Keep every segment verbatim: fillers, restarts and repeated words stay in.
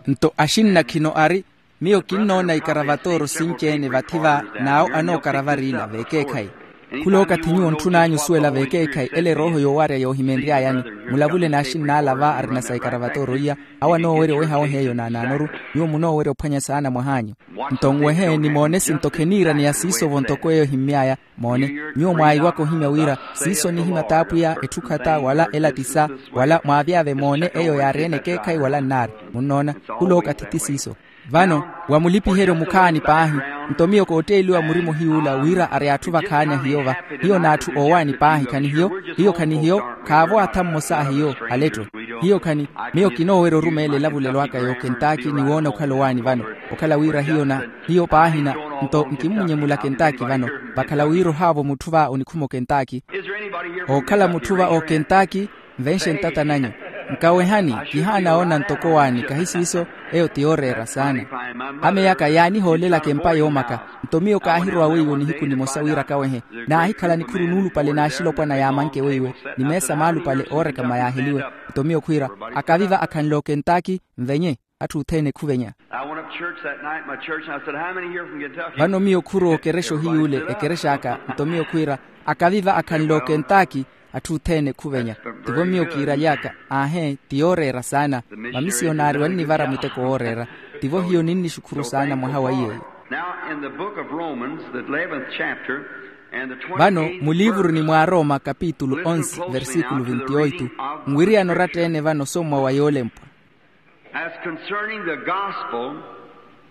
Nto axinna khino ari, miyo kinnoona ikaravatooro sinci-ene vathi va, n'awo anookaravara ila veekeekhayi. Khula okathi nyuwo ntthun'anyu osuwela veekeekhayi ela erooho yoowarya yoohimenry'ayani. Mulavule n'axinn'ala va arina sa ikaravatooro iya, awo anoowerya oweha oweha eyo naanaanoru. Nyuwo munoowerya ophwanya saana mwah'anyu. Nto nwehe nimoone sinto kheniiraneya siiso-vo ntoko eyo ehimmy'aya. Moone, nyuwo mwaahiwaka ohimya wira siiso nihimya t'apwiya, etthu khata wala elatisa, wala mwaavy'ave moone eyo yaari-ene ekeekhayi wala nnaari. Munnoona, khula okathi ti siiso. Vano, wa mulipiheryo mukhaani paahi. Nto miyo kootteeliwa murima ohiy'ula wira ari atthu vakhaani ahiyo va. Hiyo n'atthu oowaani paahi khanihiyo. Hiyo khanihiyo. Khaavo atha mmosa ahiyo, aletto. Hiyo khani, miyo kinoowerya orumeela elavulelo aka y'okentaki ni woona okhala owaani vano. Okhala wira hiyo na, hiyo paahina. Nto nkimmunyemula kentaki vano. Vakhala wira ohaavo mutthu va onikhuma okentaki. Ookhala mutthu va okentaki, nvenxe ntata nanyu. Nkawehani, kihaana oona ntoko owaani kahi siiso. Eyo ti yooreera saana. Ameyaka yaanihoolelaka empa yoomaka. Nto miyo kaahirowa weiwo nihiku nimosa wira kawehe. Naahikhala nikhuru nuulupale n'axilopwana yaamanke weiwe, ni meesa maalupale oorekama yaaheliwe. Nto miyo khwiira, akaviva akhanle okentaki, nvenye. Atthu othene khuvenya. I went up church that night, my church, and I said, "How many here from Kentucky?" Vano miyo khurowa okerexa ohiy'ule ekerexa aka. Nto miyo khwiira, akaviva akhanle okentaki, atthu othene khuvenya. Tivo miyo kiiraly'aka. Aahe, ti yooreera saana. Mamisiyonari wannivara muteko wooreera. Tivo hiyo ninnixukhuru saana mwaha wa iyeeyo. Now in the book of Romans, the eleventh chapter, and the twenty-eighth verse. Vano muliivuruni mw'arooma kapitulu onse versikulu vintioitu, nwiriyana oratta-ene vano sommwa wa yoolempwa. As concerning the gospel,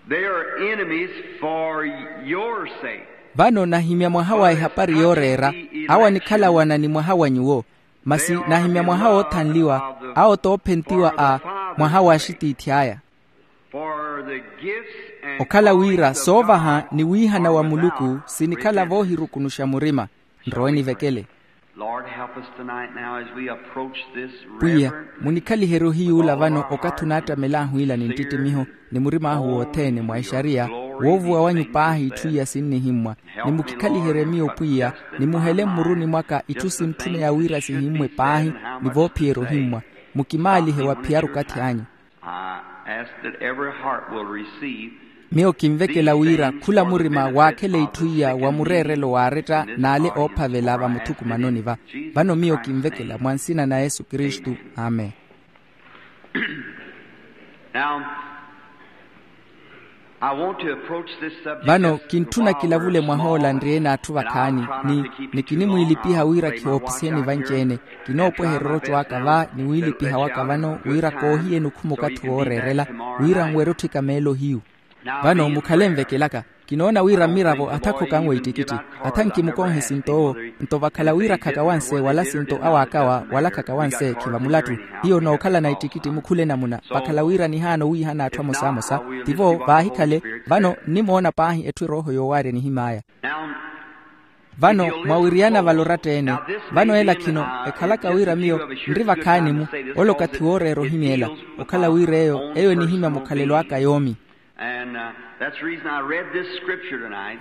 they are enemies for your sake. Vano nahimya mwaha wa ehapari yooreera, awo anikhalawana ni mwaha wa nyuwo. Masi nahimya mwaha woothanliwa, awo toophentiwa a mwaha wa axitiithi aya. For the gifts and callings of God are by grace. Okhala wira soovaha ni wiihana wa muluku sinikhala voohirukunuxa murima. Nrowe nivekele. Lord, help us tonight now as we approach this reverent Lord. Pwiya, munikhaliherye ohiyuula vano okathi onaattamel'ahu ila ni nttittimiho, ni murim'ahu wothene mwa ixariya, woovuwa wanyu paahi itthu iya sinnihimmwa. Ni mukikhaliherye miyo pwiya, ni muhele mmuruni mwaka itthu sintthuneya wira sihimmwe paahi, ni voophiyerya ohimmwa. Mukimaalihe wa phiyaru okathi anyu. I ask that every heart will receive. Miyo kinvekela wira khula murima waakhele itthu iya wa mureerelo waaretta n'ale oophavela vamuthukumanoni va. Vano miyo kinvekela mwa nsina na yesu kristu. Amen. Now, I want to approach this subject. Vano just kinttuna kilavule mwahoola nriyene atthu vakhaani, ni nikinimwiilipiha wira khihoopisiheni vanci-ene. Kinoopweherya orocco aka va ni wiilipiha waka vano wira koohiyeni okhuma okathi wooreerela, wira nwerye otthika meelo hiyu. Vano mukhale nvekelaka. Kinoona wira mmiravo atha khokhanwe ittikitthi, atha nkimukonhe sinto owo. Nto vakhala wira khakawanse wala sinto awaakawa wala khakawanse khiva mulattu. Hiyo nookhalana ittikitthi mukhula enamuna vakhala wira nihaana owiihana atthu amosamosa. Tivo vaahikhale. Vano nnimoona paahi etthu erooho yoowaarya enihim'aya. Vano mwawiriyana vale oratta-ene. Vano ela khino ekhalaka wira miyo nri vakhaani-mu. Ole okathi wooreera ohimya ela. Okhala wira eyo eyo enihimya mukhalelo aka yoomi.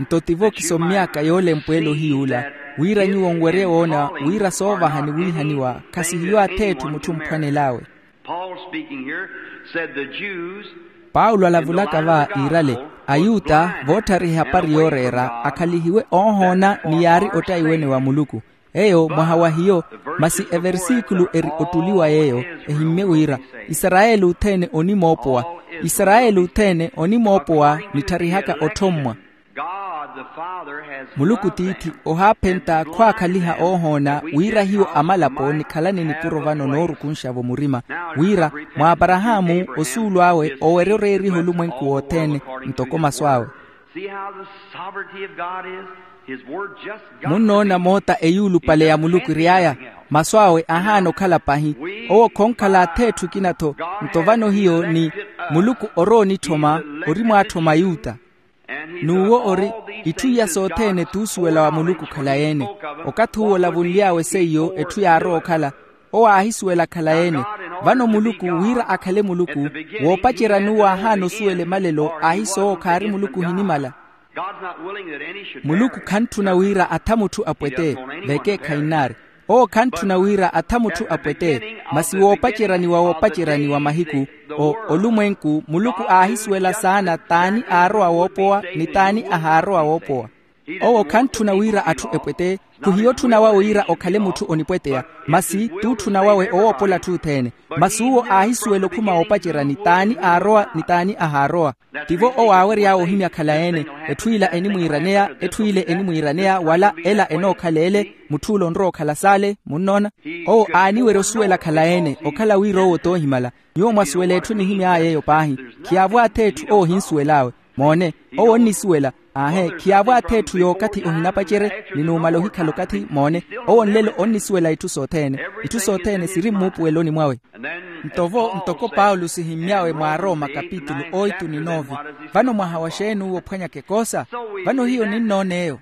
Nto tivo kisommy'aka yoolempwa ele ohiyuula, wira nyuwo nwerye woona wira soovaha ni wiihaniwa khasihiyo ath'etthu mutthu omphwanel'awe. Paulo alavulaka va iirale, ayuta voottharihya ehapari yooreera akhalihiwe oohoona ni yaari ottayiwene wa muluku. Eyo mwaha wa hiyo. Masi eversikulu eri ottuliwa yeeyo, ehimmye wira, isarayeli othene onimoopowa. Isarayeli othene onimoopowa nittarihaka otthommwa. Muluku tiithi ohaaphenta khwaakhaliha oohoona wira hiyo amalapo nikhalane nipuro vano noorukunxa-vo murima, wira mw'aparahaamu osuulu awe owerya oreeriha olumwenku wothene ntoko masu awe. Munnoona moota eyuulupale ya muluku eri aya, masu awe ahaana okhala pahi. Owo khonkhala ath'etthu ekina-tho. Nto vano hiyo ni muluku orowa onitthoma, ori mwaatthoma yuta. N'uwo ori itthu iya sothene t'usuwela wa muluku okhalayi-ene. Okathi uwo olavunly'awe seiyo etthu yaarowa okhala, owo aahisuwela akhalayi-ene. Vano muluku wira akhale muluku, woopacerya n'uwo aahaana osuwela emalelo aahisoowo khaari muluku ohinimala. Muluku khantthuna wira atha mutthu apwete. Vekeekhayi nnaari. Owo khantthuna wira atha mutthu apwete. Masi woopaceraniwa woopaceraniwa mahiku, o olumwenku muluku aahisuwela saana t'ani aarowa woopowa ni t'ani ahaarowa woopowa. Owo khantthuna wira atthu epwete. Khuhiyotthuna wawe wira okhale mutthu onipweteya, masi t'utthuna wawe owoopola atthu othene. Masi uwo aahisuwela okhuma woopacerani t'ani aarowa ni t'ani ahaarowa. Tivo owo aawery'awe ohimya khalaene, etthu ila enimwiiraneya, etthu ile enimwiiraneya wala ela enookhala ele, mutth'ule onrowa okhala saale munnoona. Owo aaniwerya osuwela khalaene okhala wira owo t'ohimala. Nyuwo mwasuwela etthu enihimy'aya eyo paahi. Khiyaavw'atha etthu owo ohinsuwel'awe. Moone, owo onnisuwela. Aahe, khiyaavw'atha etthu y'okathi ohinapacerye, ni numala ohikhala okathi moone. Owo nlelo onnisuwela itthu sothene. Itthu sothene siri mmuupuweloni mwawe. Nto-vo ntoko paulo sihimmy'awe mwa arooma kapitulu oitu ni noove. Vano mwaha wa xeeni uwo ophwanyaka ekoosa? Vano hiyo ninnoona eyo.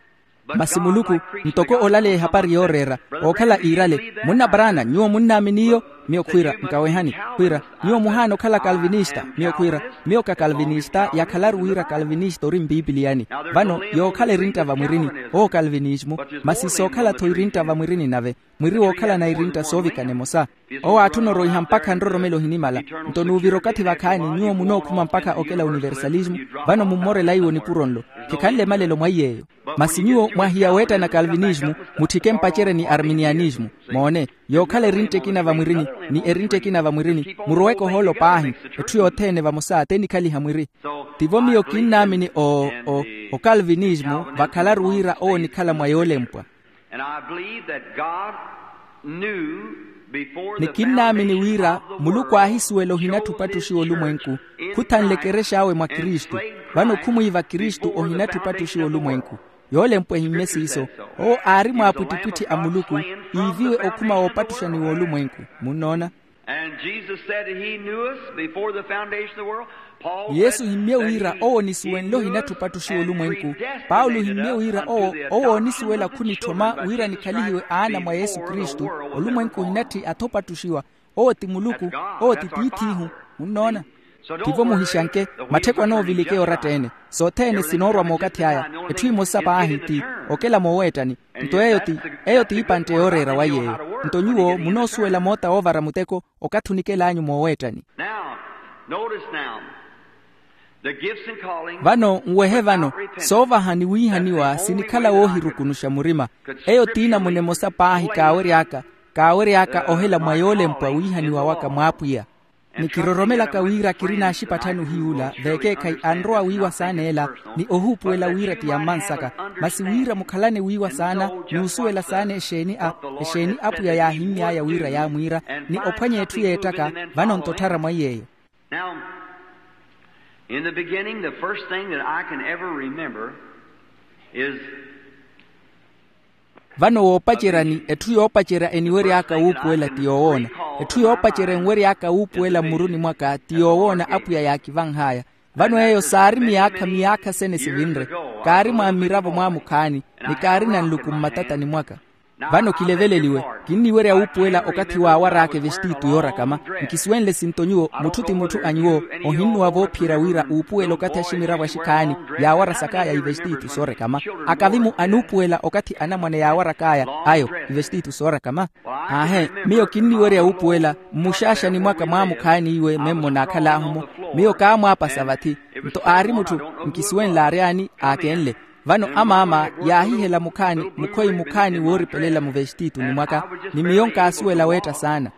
Masi muluku, ntoko olaleya ehapari yooreera, ookhala iirale munna paraana nyuwo munnaamini iyo? Miyo khwiira nkawehani. Khwiira, nyuwo muhaana okhala kalvinista? Miyo khwiira, miyo ka kalvinista yakhalaru wira kalvinista ori mpipiliyani. Vano yookhala erintta vamwirini, owo kalvinismu. Masi sookhala-tho irintta vamwirini nave, mwiri wookhalana irintta soovikana emosa. Owo aatthuna oroiha mpakha nroromelo ohinimala. Nto nuuvira okathi vakhaani nyuwo munookhuma mpakha okela universalismu. Vano mummorela iwo nipuro nlo. Khikhanle emalelo mwa iy'eyo. Masi nyuwo mwahiya weettana kalvinismu, mutthike mpacerye ni arminianismu. Moone, yookhala erintta ekina vamwirini ni erintta ekina vamwirini muroweke ohoolo paahi. Etthu yothene vamosa t'enikhaliha mwiri. Tivo miyo kinnaamini o o okalvinismu vakhalaru wira owo onikhala mwa yoolempwa. Ni kinnaamini wira muluku aahisuwela ohinatthu opattuxiwa olumwenku. Khuthanle ekerex'awe mwa kristu. Vano khumwiiva kristu ohinatthu opattuxiwa olumwenku. Yoolempwa ehimmye siiso. Owo aari mwaapwittipwitthi a muluku, iiviwe okhuma woopattuxaniwa olumwenku. Munnoona? And Jesus said that he knew us before the foundation of the world. Paul ni yesu said himmye that wira he owo onisuwenle ohinatthu opattuxiwa olumwenku. Paulo himmye wira owo owo oonisuwela khunitthoma wira nikhalihiwe aana mwa yesu kristu. Olumwenku ohinatthi atha opattuxiwa. Owo ti muluku. Owo ti tiith'ihu. Munnoona? Tivo muhixanke, mattheko anoovilikeya oratta-ene. Sothene sinoorwa mookathi aya. Etthu emosa paahi ti okela mooweettani. Nto eyo ti eyo ti ipantte yooreera wa yeeyo. Nto nyuwo munoosuwela moota woovara muteko okathi onikel'anyu mooweettani. Now, notice now. Vano nwehe vano, soovaha ni wiihaniwa sinikhala woohirukunuxa murima. Eyo t'inamuna emosa paahi kaawery'aka kaawery'aka ohela mwa yoolempwa wiihaniwa waka mwaapwiya. Ni kiroromelaka wira kiri n'axipatthani ohiy'ula veekeekhayi anrowa wiiwa saana ela, ni ohuupuwela wira ti yammansaka. Masi wira mukhalane wiiwa saana n'usuwela saana exeeni a exeeni apwiya yaahimmy'aya wira yaamwiira, ni ophwanya etthu yeettaka. Vano-nto otthara mwa iy'eyo. Now, in the beginning, the first thing that I can ever remember is vano woopaceryani etthu yoopacerya eniwery'aka wuupuwela ti yoowoona. Etthu yoopacerya enwery'aka wuupuwela mmuruni mwaka ti yoowoona apwiya yaakivanh'aya. Vano eyo saari miyaakha miyaakha sene sivinre. Kaari mwa mmiravo mwamukhaani, ni kaarina nluku mmatatani mwaka. Vano kileveleliwe, kinniwerya wuupuwela okathi waawar'aka evestiitu yoorakama. Nkisuwenle sinto nyuwo mutthu ti mutthu a nyuwo ohinnuwa voophiyerya wira uupuwela okathi aximiravo axikhaani yaawara sak'aya ivestiitu soorekama. Akavi-mu anuupuwela okathi anamwane yaawarak'aya ayo ivestiitu soorekama. Aahe, miyo kinniwerya wuupuwela mmuxaaxani mwaka mwaamukhaani iwe memmo naakhal'ahu-mo. Miyo kaamwaapasa vathi. Nto aari mutthu, nkisuwenle aaryaani aakenle. Vano amaama yaahihela mukhaani mukhoyi mukhaani wooripelela muvestiituni mwaka, ni miyo nkaasuwela weetta saana.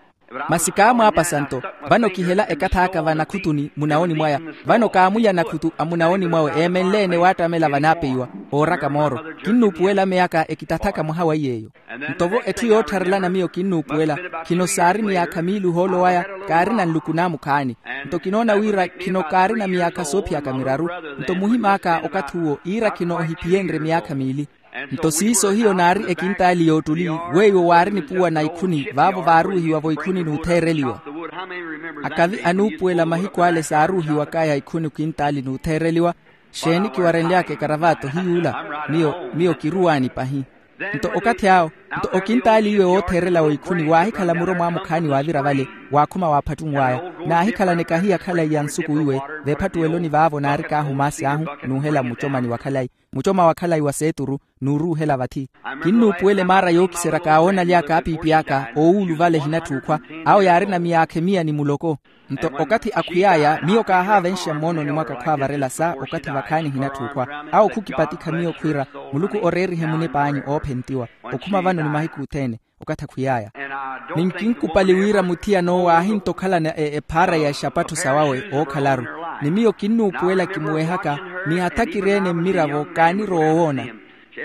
Masi kaamwaapasa nto. Vano kihela ekath'aka vanakhutuni munawoni mwaya. Vano kaamulya nakhutu a munawoni mwawe eemenle-ene waattamela vanaapeiwa, ooraka mooro. Kinnuupuwela meyaka ekitathaka mwaha wa iy'eyo. Nto-vo etthu yoottharelana miyo kinnuupuwela, khino saari miyaakha miili ohoolo waya, kaarina nluku naamukhaani. Nto kinoona wira khino kaarina miyaakha soophiyaka miraru. Nto muhim'aka okathi uwo iira khino ohiphiyenrye miyaakha miili. Nto siiso hiyo naari ekintaali y'ottuli, weiwo waari nipuwa na ikhuni vaavo vaaruuhiwa-vo ikhuni n'utheereliwa. Akavi anuupuwela mahiku ale saaruuhiwak'aya ikhuni okintaali n'utheereliwa. Xeeni kiwarenly'aka ekaravaato hiy'ula? Miyo miyo kiruwaani pahi. Nto okathi awo, nto okintaali iwe wootheerela w'ikhuni waahikhala muro mwaamukhaani waavira vale. waakhuma waaphattunw'aya. Naahikhalana ekahiya khalayi ya nsuku iwe, veephattuweloni vaavo naarikaahu maasi ahu, nuuhela mmucomani wa khalayi, mucoma wa khalayi wa seeturu, nuuruuhela vathi. Kinnuupuwela emaara yookiserya kaawoonaly'aka apiipi aka oowuulu vale ehinatthu okhwa. Awo yaarina miyaakha emiya ni muloko. Nto okathi akhwiy'aya miyo kaahaavenxa mmoononi mwaka khwaavarela sa okathi vakhaani ehinatthu okhwa. Awo khukipatikha miyo khwiira, muluku oreerihe munip'anyu oophentiwa, okhuma vano ni mahiku othene. Okathi akhwiy'aya, ni nkinkupali wira muthiyan'owo aahintta okhalana ephaara ya exapattho sawawe ookhalaru. Ni miyo kinnuupuwela kimuwehaka, ni hatha kiri-ene mmiravo kaanirowa owoona.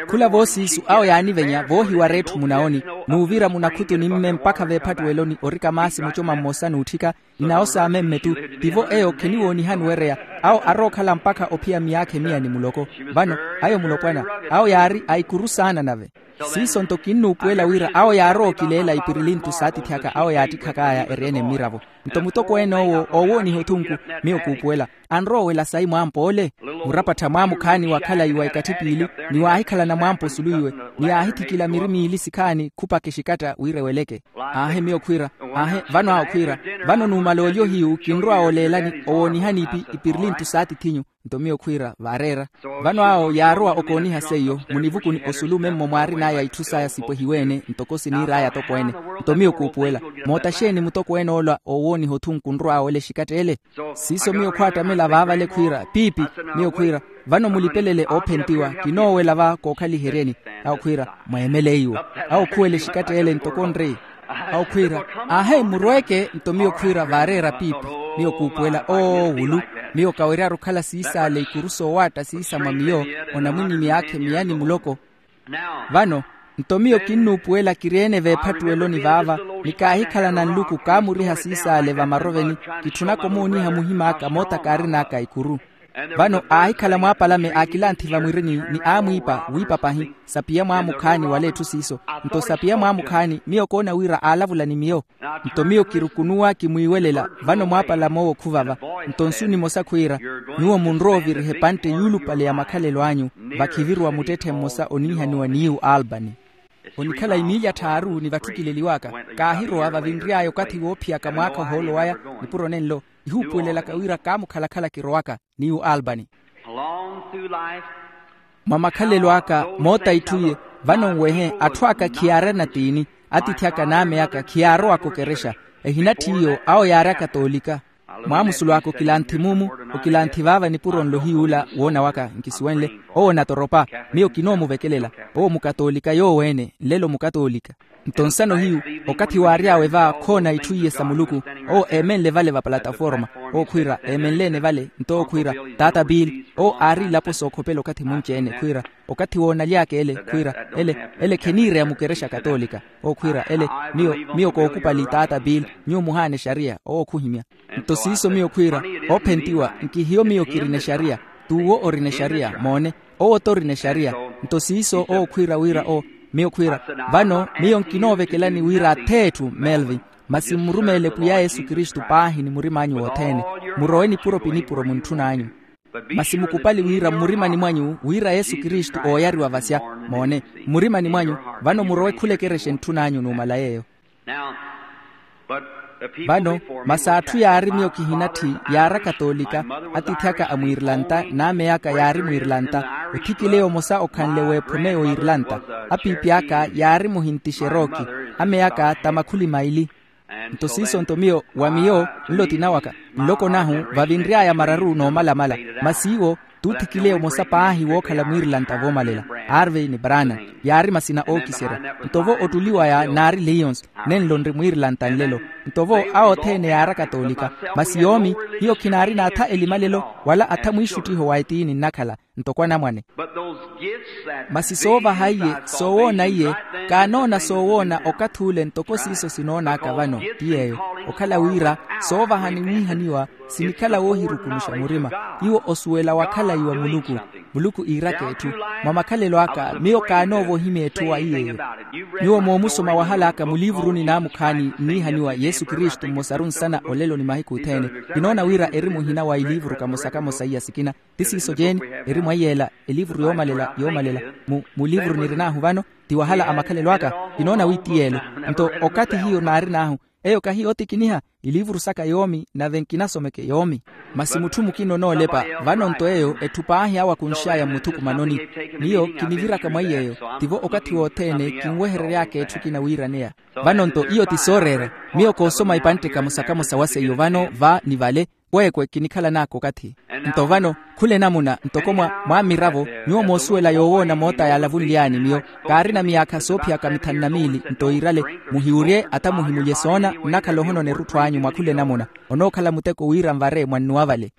Khula voosiisu awo yaanivenya voohiwara etthu munawoni, n'uvira munakhutuni mme mpakha veephattuweloni orika maasi mucoma mmosa n'utthika, ni nawo saamemme-ttu. Tivo eyo kheniwoonihani wereya. Awo arookhala mpakha ophiya miyaakha emiya ni muloko. Vano, ayo mulopwana, awo yaari a ikuru saana nave. Siiso nto kinnuupuwela wira awo yaarowa okileela ipirilintu saatithi aka awo yaattikhakh'aya eri-ene mmiravo. Nto mutokweene owo oowooniha othunku, miyo kuupuwela, anrowa owela sayi mwaampa ole. Murapattha mwaamukhaani wa khalayi wa ikatthipiili, ni waahikhalana mwaampa osulu iwe, ni aahithikila miri miili sikhaani khupaka exikatta wira eweleke. Aahe miyo khwiira, aahe vano awo khwiira, vano numala olyo hiyu kinrowa oleelani owoonihani ipi ipirilintu saathithinyu. Nto miyo khwiira vaareera. Vano awo yaarowa okooniha seiyo munivukuni osulu memmo mwaarin'aya itthu saya sipwehiwe-ene ntoko siniir'aya atokweene. Nto miyo kuupuwela, moota xeeni mutokweene ola oowooniha othunku onrow'awe ole exikatta ele? Siiso miyo khwaattamela vaavale khwiira piipi, miyo khwiira, vano mulipelele oophentiwa, kinoowela va kookhaliheryeni. Awo khwiira, mweemele iwo. Awo khuwela exikatta ele ntoko onri. Awo khwiira, aahe murweeke. Nto miyo khwiira vaareera piipi, miyo kuupuwela oowulu. Miyo kaweryaru okhala siisaale ikuru soowaatta siisa mwa miyo, onamwinyi miyaakha emiya ni muloko. Vano, nto miyo kinnuupuwela kiri-ene veephattuweloni vaava, ni kaahikhalana nluku kaamuriha siisaale vamaroveni. Kitthunaka omooniha muhim'aka moota kaarin'aka ikuru. Vano aahikhala mwaapalame aakilanthi vamwirini, ni aamwiipa wiipa pahi sapiya mwaamukhaani wala etthu siiso. Nto sapiya mwaamukhaani miyo koona wira aalavula ni miyo. Nto miyo kirukunuwa kimwiiwelela, vano mwaapalame owo khuvava. Nto nsu nimosa khwiira, nyuwo munrowa oviriha epantte yuulupale ya makhalelo anyu, vakhiviruwa muttetthe mmosa oniihaniwa niiwu albany. Onikhala imiili atthaaru ni vatthukileliw'aka, kaahirowa vavinry'aya okathi woophiyaka mwaakha ohoolo waya. Nipuro nenlo ihuupuwelelaka wira kaamukhalakhala kirowaka niiwu albany. Mwa makhalelo aka moota itthu iye, vano nwehe atthu aka khiyaarana tiini, atiithi aka n'ame aka khiyaarowaka okerexa. Ehinatthi iyo awo yaari akatoolika. Mwaamusulu aka okilanthi mumu, okilanthi vaava nipuro nlo hiy'ula woona waka nkisuwenle. Owo natoropa, miyo kinoomuvekelela. Owo mukatoolika yoowo-ene nlelo mukatoolika. Nto nsano hiyu, okathi waary'awe va khoona itthu iye sa muluku. Owo eemenle vale va palataforma. Owo khwiira eemenle-ene vale nto owo khwiira, taata bill. Owo aari ilapo sookhopela okathi munci-ene khwiira, okathi woonaly'aka ele khwiira, ele ele kheniireya mukerexa katoolika. Owo khwiira ele, miyo miyo kookupali taata bill. Nyuwo muhaana exariya owo khuhimya. Nto siiso miyo khwiira, oophentiwa nkihiyo miyo kirina exariya. T'uwo orina exariya moone. Owo-tho orina exariya. Nto siiso owo khwiira wira o, miyo khwiira, vano miyo nkinoovekelani wira ath'etthu melvin, masi mmurumeele pwiya yesu kristu paahi ni murim'anyu wothene. Murowe nipuro pi nipuro muntthun'anyu. Masi mukupali wira mmurimani mwanyu wira yesu kristu ooyariwa vasya. Moone, mmurimani mwanyu, vano murowe khula ekerexa entthun'anyu numala yeeyo. Vano masi atthu yaari miyo kihinatthi yaari akatoolika. Atiithi aka a mwirilanta n'ame aka yaari mwirilanta. Othikile omosa okhanle w'ephome y'oirilanta. Apiipi aka yaari muhinti xerooki. Ame aka ta makhuli maili. Nto siiso nto miyo wa miyo nlo tinawaka, nloko nahu vavinry'aya mararu n'omalamala. Masi iwo t'uthikile omosa paahi wookhala mwirilanta voomalela, arvey ni brana. Yaari masina ookiserya. Nto vo ottuli waya naari lions, nenlo nri mwirilanta nlelo. Nto vo awo othene yaari akatoolika. Masi yoomi, hiyo khinaari n'atha elimalelo wala atha mwiixuttiho wa etiini nnakhala ntoko anamwane. Masi soovaha iye, soowoona iye, kaanoona soowoona okathi ule ntoko siiso sinoon'aka vano ti yeeyo. Okhala wira soovaha ni wiihaniwa sinikhala woohirukunuxa murima. Iwo osuwela wa khalayi wa muluku. Muluku iiraka etthu. Mwa makhalelo aka miyo kaanoovohimya etthu wa iyeeyo. Nyuwo moomusoma wahal'aka muliivuruni naamukhaani nniihaniwa yesu kristu mmosaru nsana olelo ni mahiku othene. Kinoona wira eri muhina wa iliivuru kamosa kamosa iya sikina. Ti siiso jeeni eri mwa iyeela eliivuru yoomalela yoomalela. Mu liivuru nirin'ahu vano ti wahala a makhalelo aka. Kinoona wi ti yeelo. Nto okathi hiyo naarin'ahu Eyo kahi yootikiniha, iliivuru saka yoomi nave nkinasomeke yoomi. Masi mutthu mukina onoolepa. Vano-nto eyo etthu paahi awo akunx'aya mmuthukumanoni. Miyo kiniviraka mwa iy'eyo. Tivo okathi wothene kinweherery'aka etthu ekina wiiraneya. Vano-nto iyo ti sooreera. Miyo koosoma ipantte kamosa-kamosa wa seiyo vano va ni vale. Kweekwe kinikhalan'aka okathi. Nto vano, khula enamuna ntoko mwa mwa mmiravo, nyuwo moosuwela yoowoona moota yaalavunly'ani miyo. Kaarina miyaakha soophiyaka mithanu na miili nto iirale, muhiwurye ata muhimulye soona nnakhala ohonona erutthu anyu mwa khula enamuna. Onookhala muteko wira nvare mwannuwa vale.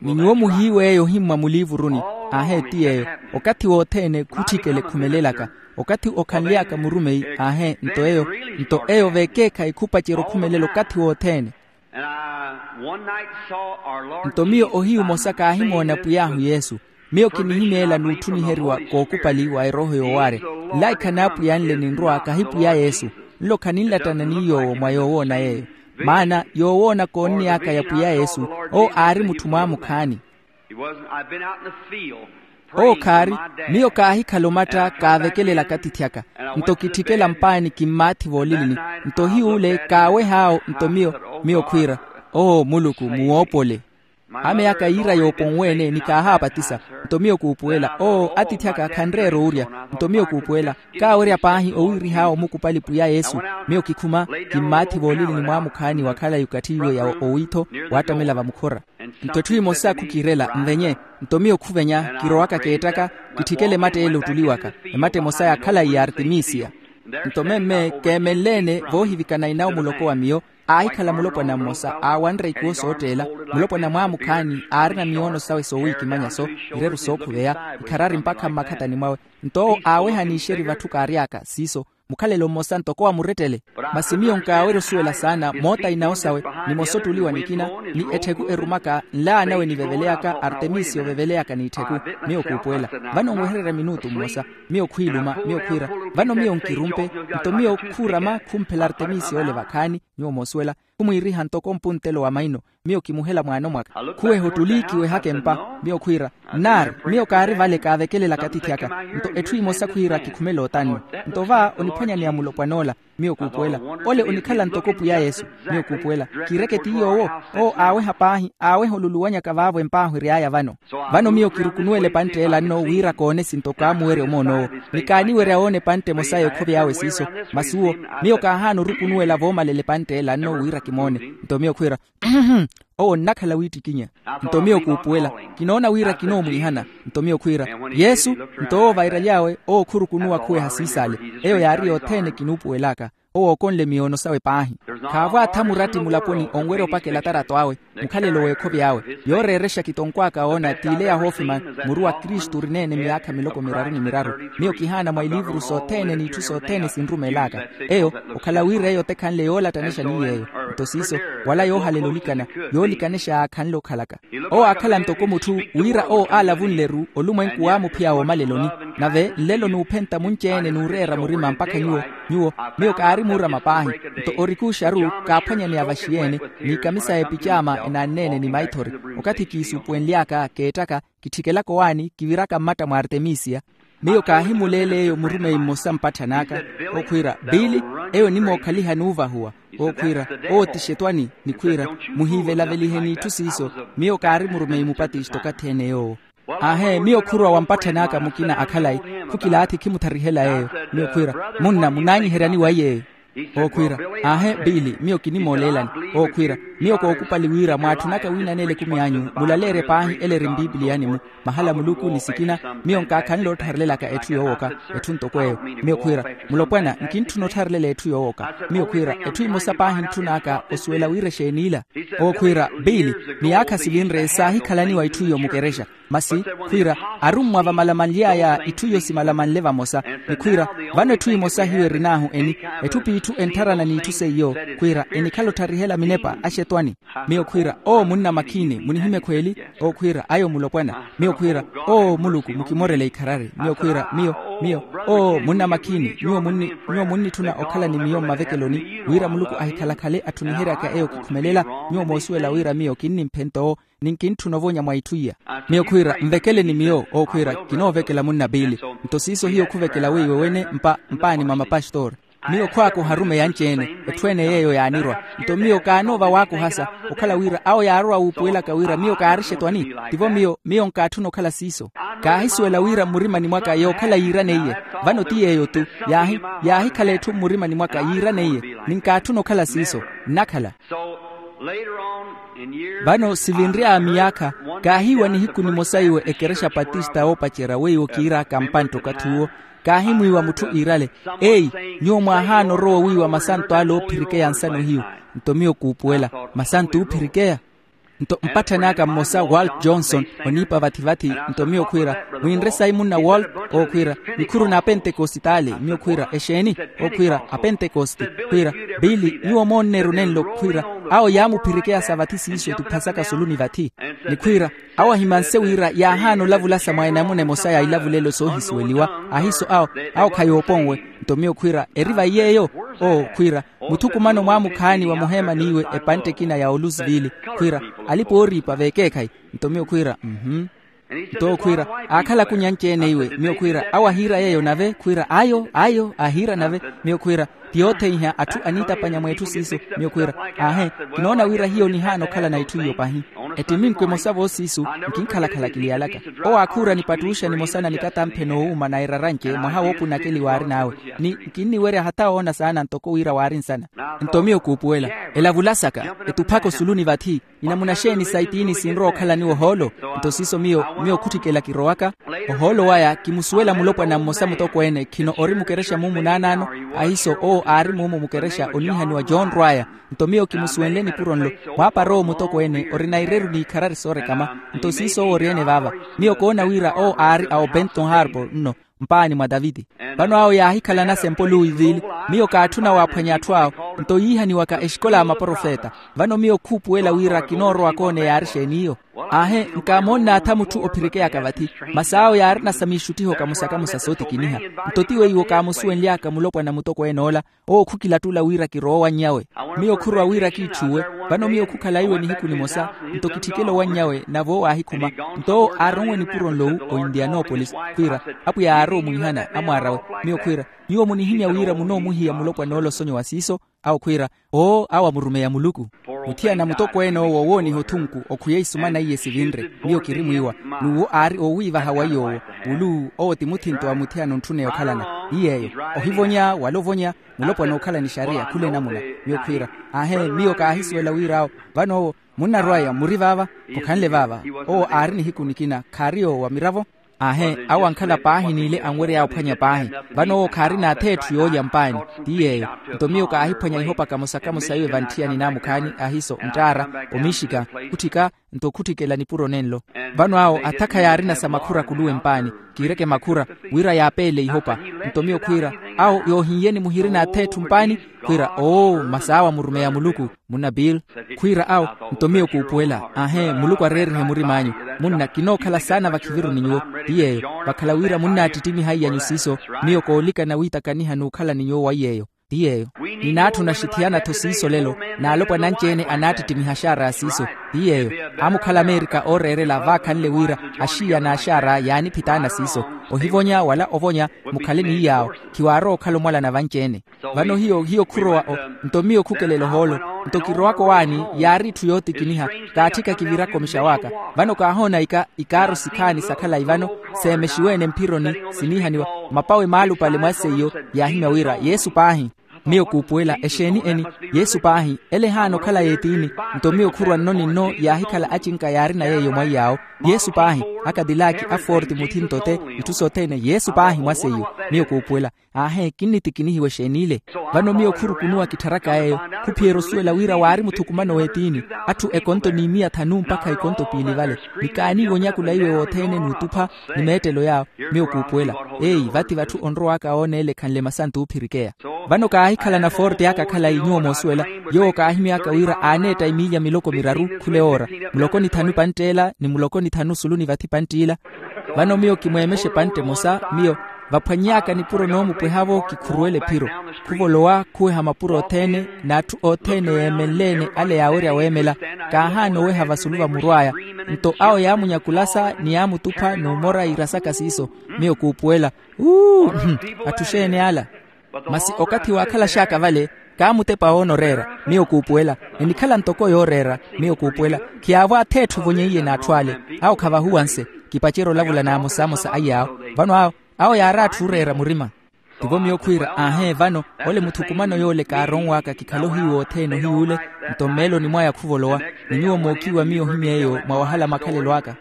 Ni nyuwo muhiiw'eyo ohimmwa muliivuruni. Aahe ti yeeyo. Okathi wothene khutthikele khumelelaka. Okathi okhanly'aka murumeyi. Aahe nto eyo. Nto eyo veekeekhayi khupacerya okhumelela okathi wothene. Nto miyo ohiyu omosa kaahimoona pwiy'ahu yesu. Miyo kinihimeela n'utthuniheriwa kookupali wa erooho yoowaarya. Nlaikha n'apwiya nle ninrwa kahi pwiya yesu. Nlo khaninlattana ni yoowo mwa yoowoona yeeyo. Maana yoowoona koonniy'aka ya pwiya yesu, owo aari mutthu mwaamukhaani. Owo khaari. Miyo kaahikhala omatta kaavekelelaka atithy'aka. Nto kitthikela mpaani kimmaathi voolilini. Nto hiy'ule kaaweh'awo nto miyo, miyo khwiira, oo muluku muwoopole. Ame aka yiira yooponwe-ene ni kaahaapatisa. Nto miyo kuupuwela oo atithy'aka khanreera owurya. Nto miyo kuupuwela, kaawerya paahi owiirih'awo omukupali pwiya yesu. Miyo kikhuma, kimmaathi voolilini mwaamukhaani wa khalayi okathi iwe ya owiitho, waattamela vamukhora. Nto etthu emosa khukiirela nvenye. Nto miyo khuvenya kirowaka keettaka, kitthikela ematta ele ottuliwaka. Ematta emosa ya khalayi ya artemisia. Nto memme keemenle-ene voohivikana inawo muloko wa miyo. Aahikhala mulopwana mmosa aawanre ikuwo sootteela. Mulopwana mwaamukhaani aarina miyoono sawe soowiikimanya-so, ireru sookhuveya, ikharari mpakha mmakhatani mwawe. Nto owo aaweha n'ixeri vatthu kaary'aka siiso. Mukhalelo mmosa ntoko wa murettele. Masi miyo nkaawerya osuwela saana moota inawo sawe, nimosa ottuliwa nikina, ni ettheku erumaka nlaanawe niveveleyaka artemisi oveveleyaka n'itthiku. Miyo kuupuwela. Vano nwehererya minutu mmosa. Miyo khwiiluma miyo khwiira, vano miyo nkirumpe. Nto miyo khuurama khumphela artemisi ole vakhaani. Nyuwo moosuwela. Khumwiiriha ntoko mpuntelo wa maino. Miyo kimuhela mwaano mwaka. Khuweha ottuli kiwehaka empa. Miyo khwiira, nnaari. Miyo kaari vale kaavekelelaka atithy'aka. Nto etthu emosa khwiira kikhumela otanno. Nto va oniphwanyaneya mulopwan'ola. Miyo kuupuwela, ole onikhala ntoko pwiya yesu. Miyo kuupuwela, kiireke ti yoowo. Owo aaweha paahi aaweha oluluwanyaka vaavo empaahwery'aya vano. Vano miyo kirukunuwela epantt'ela nno wira koone sintoko aamuwerya omoon'owo. Ni kaaniwerya woona epantte emosa y'ekhovi awe siiso. Masi uwo, miyo kaahaana orukunuwela voomalela epantt'ela nno wira kimoone. Nto miyo khwiira, owo nnakhala wiittikinya. Nto miyo kuupuwela, kinoona wira kinoomwiihana. Nto miyo khwiira, yesu. Nto owo vairaly'awe owo khurukunuwa khuweha siisaale. Eyo yaari yothene kinuupuwel'aka. Owo ookonle miyoono sawe paahi. Khaavo atha muratti mulaponi onwerya opakela atarato awe. Mukhalelo w'ekhovi awe. Yooreerexa kitonkw'aka woona t'ile yahoofima. Muru wa kristu orineene myaakha miloko miraru ni miraru. Miyo kihaana mwa iliivuru sothene n'itthu sothene sinrumeel'aka. Eyo okhala wira eyo otekhanle yoolattanexa ni yeeyo. Nto siiso, wala yoohalela olikana, yoolikanexa yaakhanle okhalaka. Owo aakhala ntoko mutthu wira owo aalavunle-ru olumwenku waamuphiya woomaleloni. Nave nlelo n'uphenta munci-ene n'ureera murima mpakha nyuwo, nyuwo, miyo kaari muurama paahi. Nto orikuuxaru kaaphwanyaneya vaxiyeene, n'ikamisa y'epicaama enaanneene ni maithori. Okathi kiisuupuwenly'aka keettaka, kitthikelaka owaani kiviraka mmatta mwa artemisia. Miyo kaahimuleela eyo murumeyi mmosa mpatthan'aka, okhwiira, biili, eyo onimookhaliha n'uvahuwa. Okhwiira, owo ti xetwani. Nikhwiira, muhiivelavelihe n'itthu siiso. Miyo kaari murumeyi mupatisto okathi-ene yoowo. Aahe miyo khurowa wa mpatthan'aka mukina a khalayi, khukilaathi khimutharihel'aya eyo. Miyo khwiira, munna munaanyiheryani wa iy'eyo? Okhwiira, aahe biili miyo kinimooleelani. Okhwiira, miyo kookupali wira mwaatthunaka wiinan'ela ekumi anyu mulaleerye paahi ele eri mpipiliyani-mu. Mahala muluku ni sikina, miyo nkaakhanle ottharelelaka etthu yoowoka. Etthu ntoko eyo. Miyo khwiira, mulopwana nkintthuna ottharelela etthu yoowoka. Miyo khwiira, etthu emosa paahi ntthun'aka osuwela wira exeen'ila. Owo khwiira, biili, miyaakha sivinre saahikhalaniwa itthu iyo mukerexa. Masi khwiira, arummwa vamalamanly'aya itthu iyo simalamanle vamosa. Ni khwiira, vano etthu emosa hiyo erin'ahu eni, etthu p'itthu enttharana n'itthu seiyo. Khwiira, enikhala ottarihela minepa axetwani. Miyo khwiira, oo munna makhiini munihimye khweeli? Owo khwiira, ayo mulopwana. Miyo khwiira, oo muluku mukimorele ikharari. Miyo khwiira, miyo, miyo, oo munna makhiini, nyuwo munnitthuna okhala ni miyo mmavekeloni wira muluku ahikhalakhale atthuniheryaka eyo kikhumelela. Nyuwo moosuwela wira miyo kinnimphe ntto owo, ni nkintthuna ovonya mwa itthu iya. Miyo khwiira, nvekele ni miyo. Owo khwiira, kinoovekela munna biili. Nto siiso hiyo khuvekela weiwe wene mpaani mwa mapastori. Miyo khwaaka oharumeya anci-ene. Etthu ene yeeyo yaanirwa. Nto miyo kaanoova waakuhasa, okhala wira awo yaarowa wuupuwelaka wira miyo kaarixe etwani. Tivo miyo miyo nkaatthuna okhala siiso. Kaahisuwela wira mmurimani mwaka yookhala yiiraneiye. Vano ti yeeyo-tu. Yaahi yaahikhala etthu mmurimani mwaka yiiraneiye. Ni nkaatthuna okhala siiso. Nnakhala. Vano sivinry'aya miyaakha, kaahiiwa nihiku nimosa iwe ekerexa patista woopacerya weiwo kiiraaka mpantta okathi uwo. Kaahimwiiwa mutthu iirale, eyi, nyuwo mwaahaana orowa owiiwa masanto ale oophirikeya nsana ohiyu. Nto miyo kuupuwela, masanto oophirikeya? Nto mpatthani aka mmosa walt johnson, oniipa vathi-vathi. Nto miyo khwiira, mwinre sayi munna walt. Owo khwiira, nikhuru n'apentekositaali. Miyo khwiira, exeeni? Owo khwiira, apentekosti. Khwiira, biili, nyuwo moonneru nenlo. Khwiira, awo yaamuphirikeya sa vathi siiso etuphasaka sulu ni vathi. Ni khwiira, awo ahimanse wira yaahaana olavulasa mwa enamuna emosa ya ilavulelo soohisuweliwa. Ahiiso awo, awo khayooponwe. Nto miyo khwiira, eri vayi yeeyo? Owo khwiira, muthukumano mwaamukhaani wa muheema n'iwe epantte ekina ya olusivili. Khwiira, alipa ooriipa veekeekhayi. Nto miyo khwiira, mhuu. Nto owo khwiira, aakhala akunyanci-ene iwe. Miyo khwiira, awo ahiira yeeyo nave? Khwiira, ayo ayo ahiira nave. Miyo khwiira, ti yootheiha atthu aniitapanya mweetthu siiso. Miyo khwiira, aahe, kinoona wira hiyo onihaana okhalana itthu iyo pahi. Ettiminku emosa voosiisu, nkinkhalakhala kiliyalaka. Owo aakhuura nipattuuxa nimosa na nikatamphe noowuuma na erara nce mwaha woopunakeliwa aarin'awe. Ni nkinniwerya hata woona saana ntoko wira waari nsana. Nto miyo kuupuwela, elavulasaka, etuphaka osulu ni vathi. Inamuna xeeni sa itiini sinrowa okhalaniwa ohoolo? Nto siiso miyo, miyo khutthikela kirowaka. Ohoolo waya kimusuwela mulopwana mmosa mutokweene khino ori mukerexa mumu naanaano. Ahiiso owo aari mumu mukerexa oniihaniwa john rwaya. Nto miyo kimusuwenle nipuro nlo, mwaapara owo mutokweene orina ireru n'ikharari soorekama. Nto siiso owo ori-ene vaava. Miyo koona wira owo aari a obenton harbour nno, mpaani mwa taviti. Vano awo yaahikhalana sempo luwiivili. Miyo kaatthuna waaphwanya atthu awo. Nto yiihaniwaka exikola ya maprofeta. Vano miyo khuupuwela wira kinoorowa koona eyaari xeeni iyo. Aahe, nkaamoonnaatha mutthu ophirikeyaka vathi. Masi awo yaarina sa miixuttiho kamosa-kamosa sootikiniha. Nto ti weiwo kaamusuwenly'aka mulopwana mutokweene ola. Owo khukilattula wira kirowe owanny'awe. Miyo khurowa wira kiitthuuwe. Vano miyo khukhala iwe nihiku nimosa. Nto kitthikela owanny'awe nave owo aahikhuma. Nto owo aaronwe nipuro nlowu o indianopolis. Khwiira, apwiya aarowa omwiihana amwaar'awe. Miyo khwiira, nyuwo munihimya wira munoomuhiya mulopwan'ola osonyo wa siiso. Awo khwiira, oo awo amurumeya muluku. Muthiyana mutokweene owo owooniha othunku okhwiya isumana iye sivinre. Miyo kiri mwiiwa. N'uwo aari oowiivaha wa iy'owo. Wulu owo ti muthinto wa muthiyana ontthuneya okhalana. Ni yeeyo, ohivonya wala ovonya, mulopwana ookhala ni xariya khula enamuna. Miyo khwiira, aahe miyo kaahisuwela wira awo. Vano owo, munnarwaya muri vaava? Khukhanle vaava. Owo aari nihiku nikina khaari yoowa miravo. Aahe awo ankhala paahi n'ile anwery'aya ophwanya paahi. Vano owo khaarina atheetthu yoolya mpaani. Ti yeeyo. Nto miyo kaahiphwanya ihopa kamosa-kamosa iwe vantthiyani naamukhaani ahiiso nttaara, omiixika, khutthika. Nto khutthikela nipuro nenlo. Vano awo athakha yaarina sa makhura khuluwe mpaani. Kiireke makhura wira yaapeele ihopa. Nto miyo khwiira, awo yoohin'yeni muhirina atheetthu mpaani? Khwiira, oo masi awo amurumeya muluku. Munna bill. Khwiira awo, nto miyo kuupuwela aahe muluku areerihe murim'anyu. Munna kinookhala saana vakhiviru ni nyuwo. Ti yeeyo. Vakhala wira munnaattittimiha iy'anyu siiso. Miyo koolikana wiitakaniha n'ukhala ni nyuwo wa iy'eyo. Ti yeeyo. Ninaatthuna xithiyana-tho siiso lelo. N'alopwana anci-ene anaattittimiha axaara a siiso. Ti yeeyo. Amukhala amerika ooreerela vaakhanle wira axiiya n'axaara yaaniphitaana siiso. Ohivonya wala ovonya, mukhale ni iy'awo. Khiwaarowa okhala omwalana vanci-ene. Vano hiyo hiyo khurowa o. Nto miyo khukelela ohoolo. Nto kirowaka owaani yaari itthu yootikiniha. Kaatthika kiviraka omixa waka. Vano kaahoona ika ikaaro sikhaani sa khalayi vano, seemexiwe-ene mphironi siniihaniwa. Mapawe maalupale mwa seiyo yaahimya wira yesu paahi. Miyo kuupuwela exeeni eni? Yesu paahi. Ele ehaana okhala y'etiini. Nto miyo khurwa nno ni nno yaahikhala acinka yaarina yeeyo mwa iy'awo. Yesu paahi. Akadilaki aforti muthinto ote, itthu sothene yesu paahi mwa seiyo. Miyo kuupuwela. Aahe kinniti kinihiwe exeen'ile. Vano miyo khurukunuwa kittharaka yeeyo. Khuphiyerya osuwela wira waari muthukumano w'etiini. Atthu ekonto ni miya thanu mpakha ikonto piili vale. Ni kaaniiwe onyakula iwe wothene n'utupha ni meettelo yaawo. Miyo kuupuwela. Eyi vati vatthu onrow'aka oona ele ekhanle masantu oophirikeya. Vano kaahikhalana forte aka khalayi nyuwo moosuwela. Yoowo kaahimy'aka wira aaneetta emiilya miloko miraru khula ewoora. Muloko ni thanu pantteela ni muloko ni thanu sulu ni vathi panttiila. Vano miyo kimweemexe epantte emosa. Miyo vaphwanny'aka nipuro noomupweha-vo kikhuruwela ephiro. Khuvolowa khuweha mapuro othene. N'atthu othene yeemenle-ene ale yaawerya weemela. Kaahaana oweha vasulu va murw'aya. Nto awo yaamunyakulasa ni yaamutupha n'umora iirasaka siiso. Miyo kuupuwela. Uu. Atthu xeeni ala? Masi okathi waakhalax'aka vale, kaamutepa woonoreera, miyo kuupuwela. Enikhala ntoko yooreera, miyo kuupuwela. Khiyaavo atheetthu ovonyeiye n'atthu ale. Awo khavahuwanse. Kipacerya olavula n'amosamosa aiy'awo. Vano awo, awo yaari atthu ooreera murima. Tivo miyo khwiira, aahee, vano ole muthukumano yoole kaaronw'aka kikhale ohiyu othene ohiy'ule. Nto mmeeloni mwaya khuvolowa, ni nyuwo mookiiwa miyo ohimy'eyo mwa wahala makhalelo aka.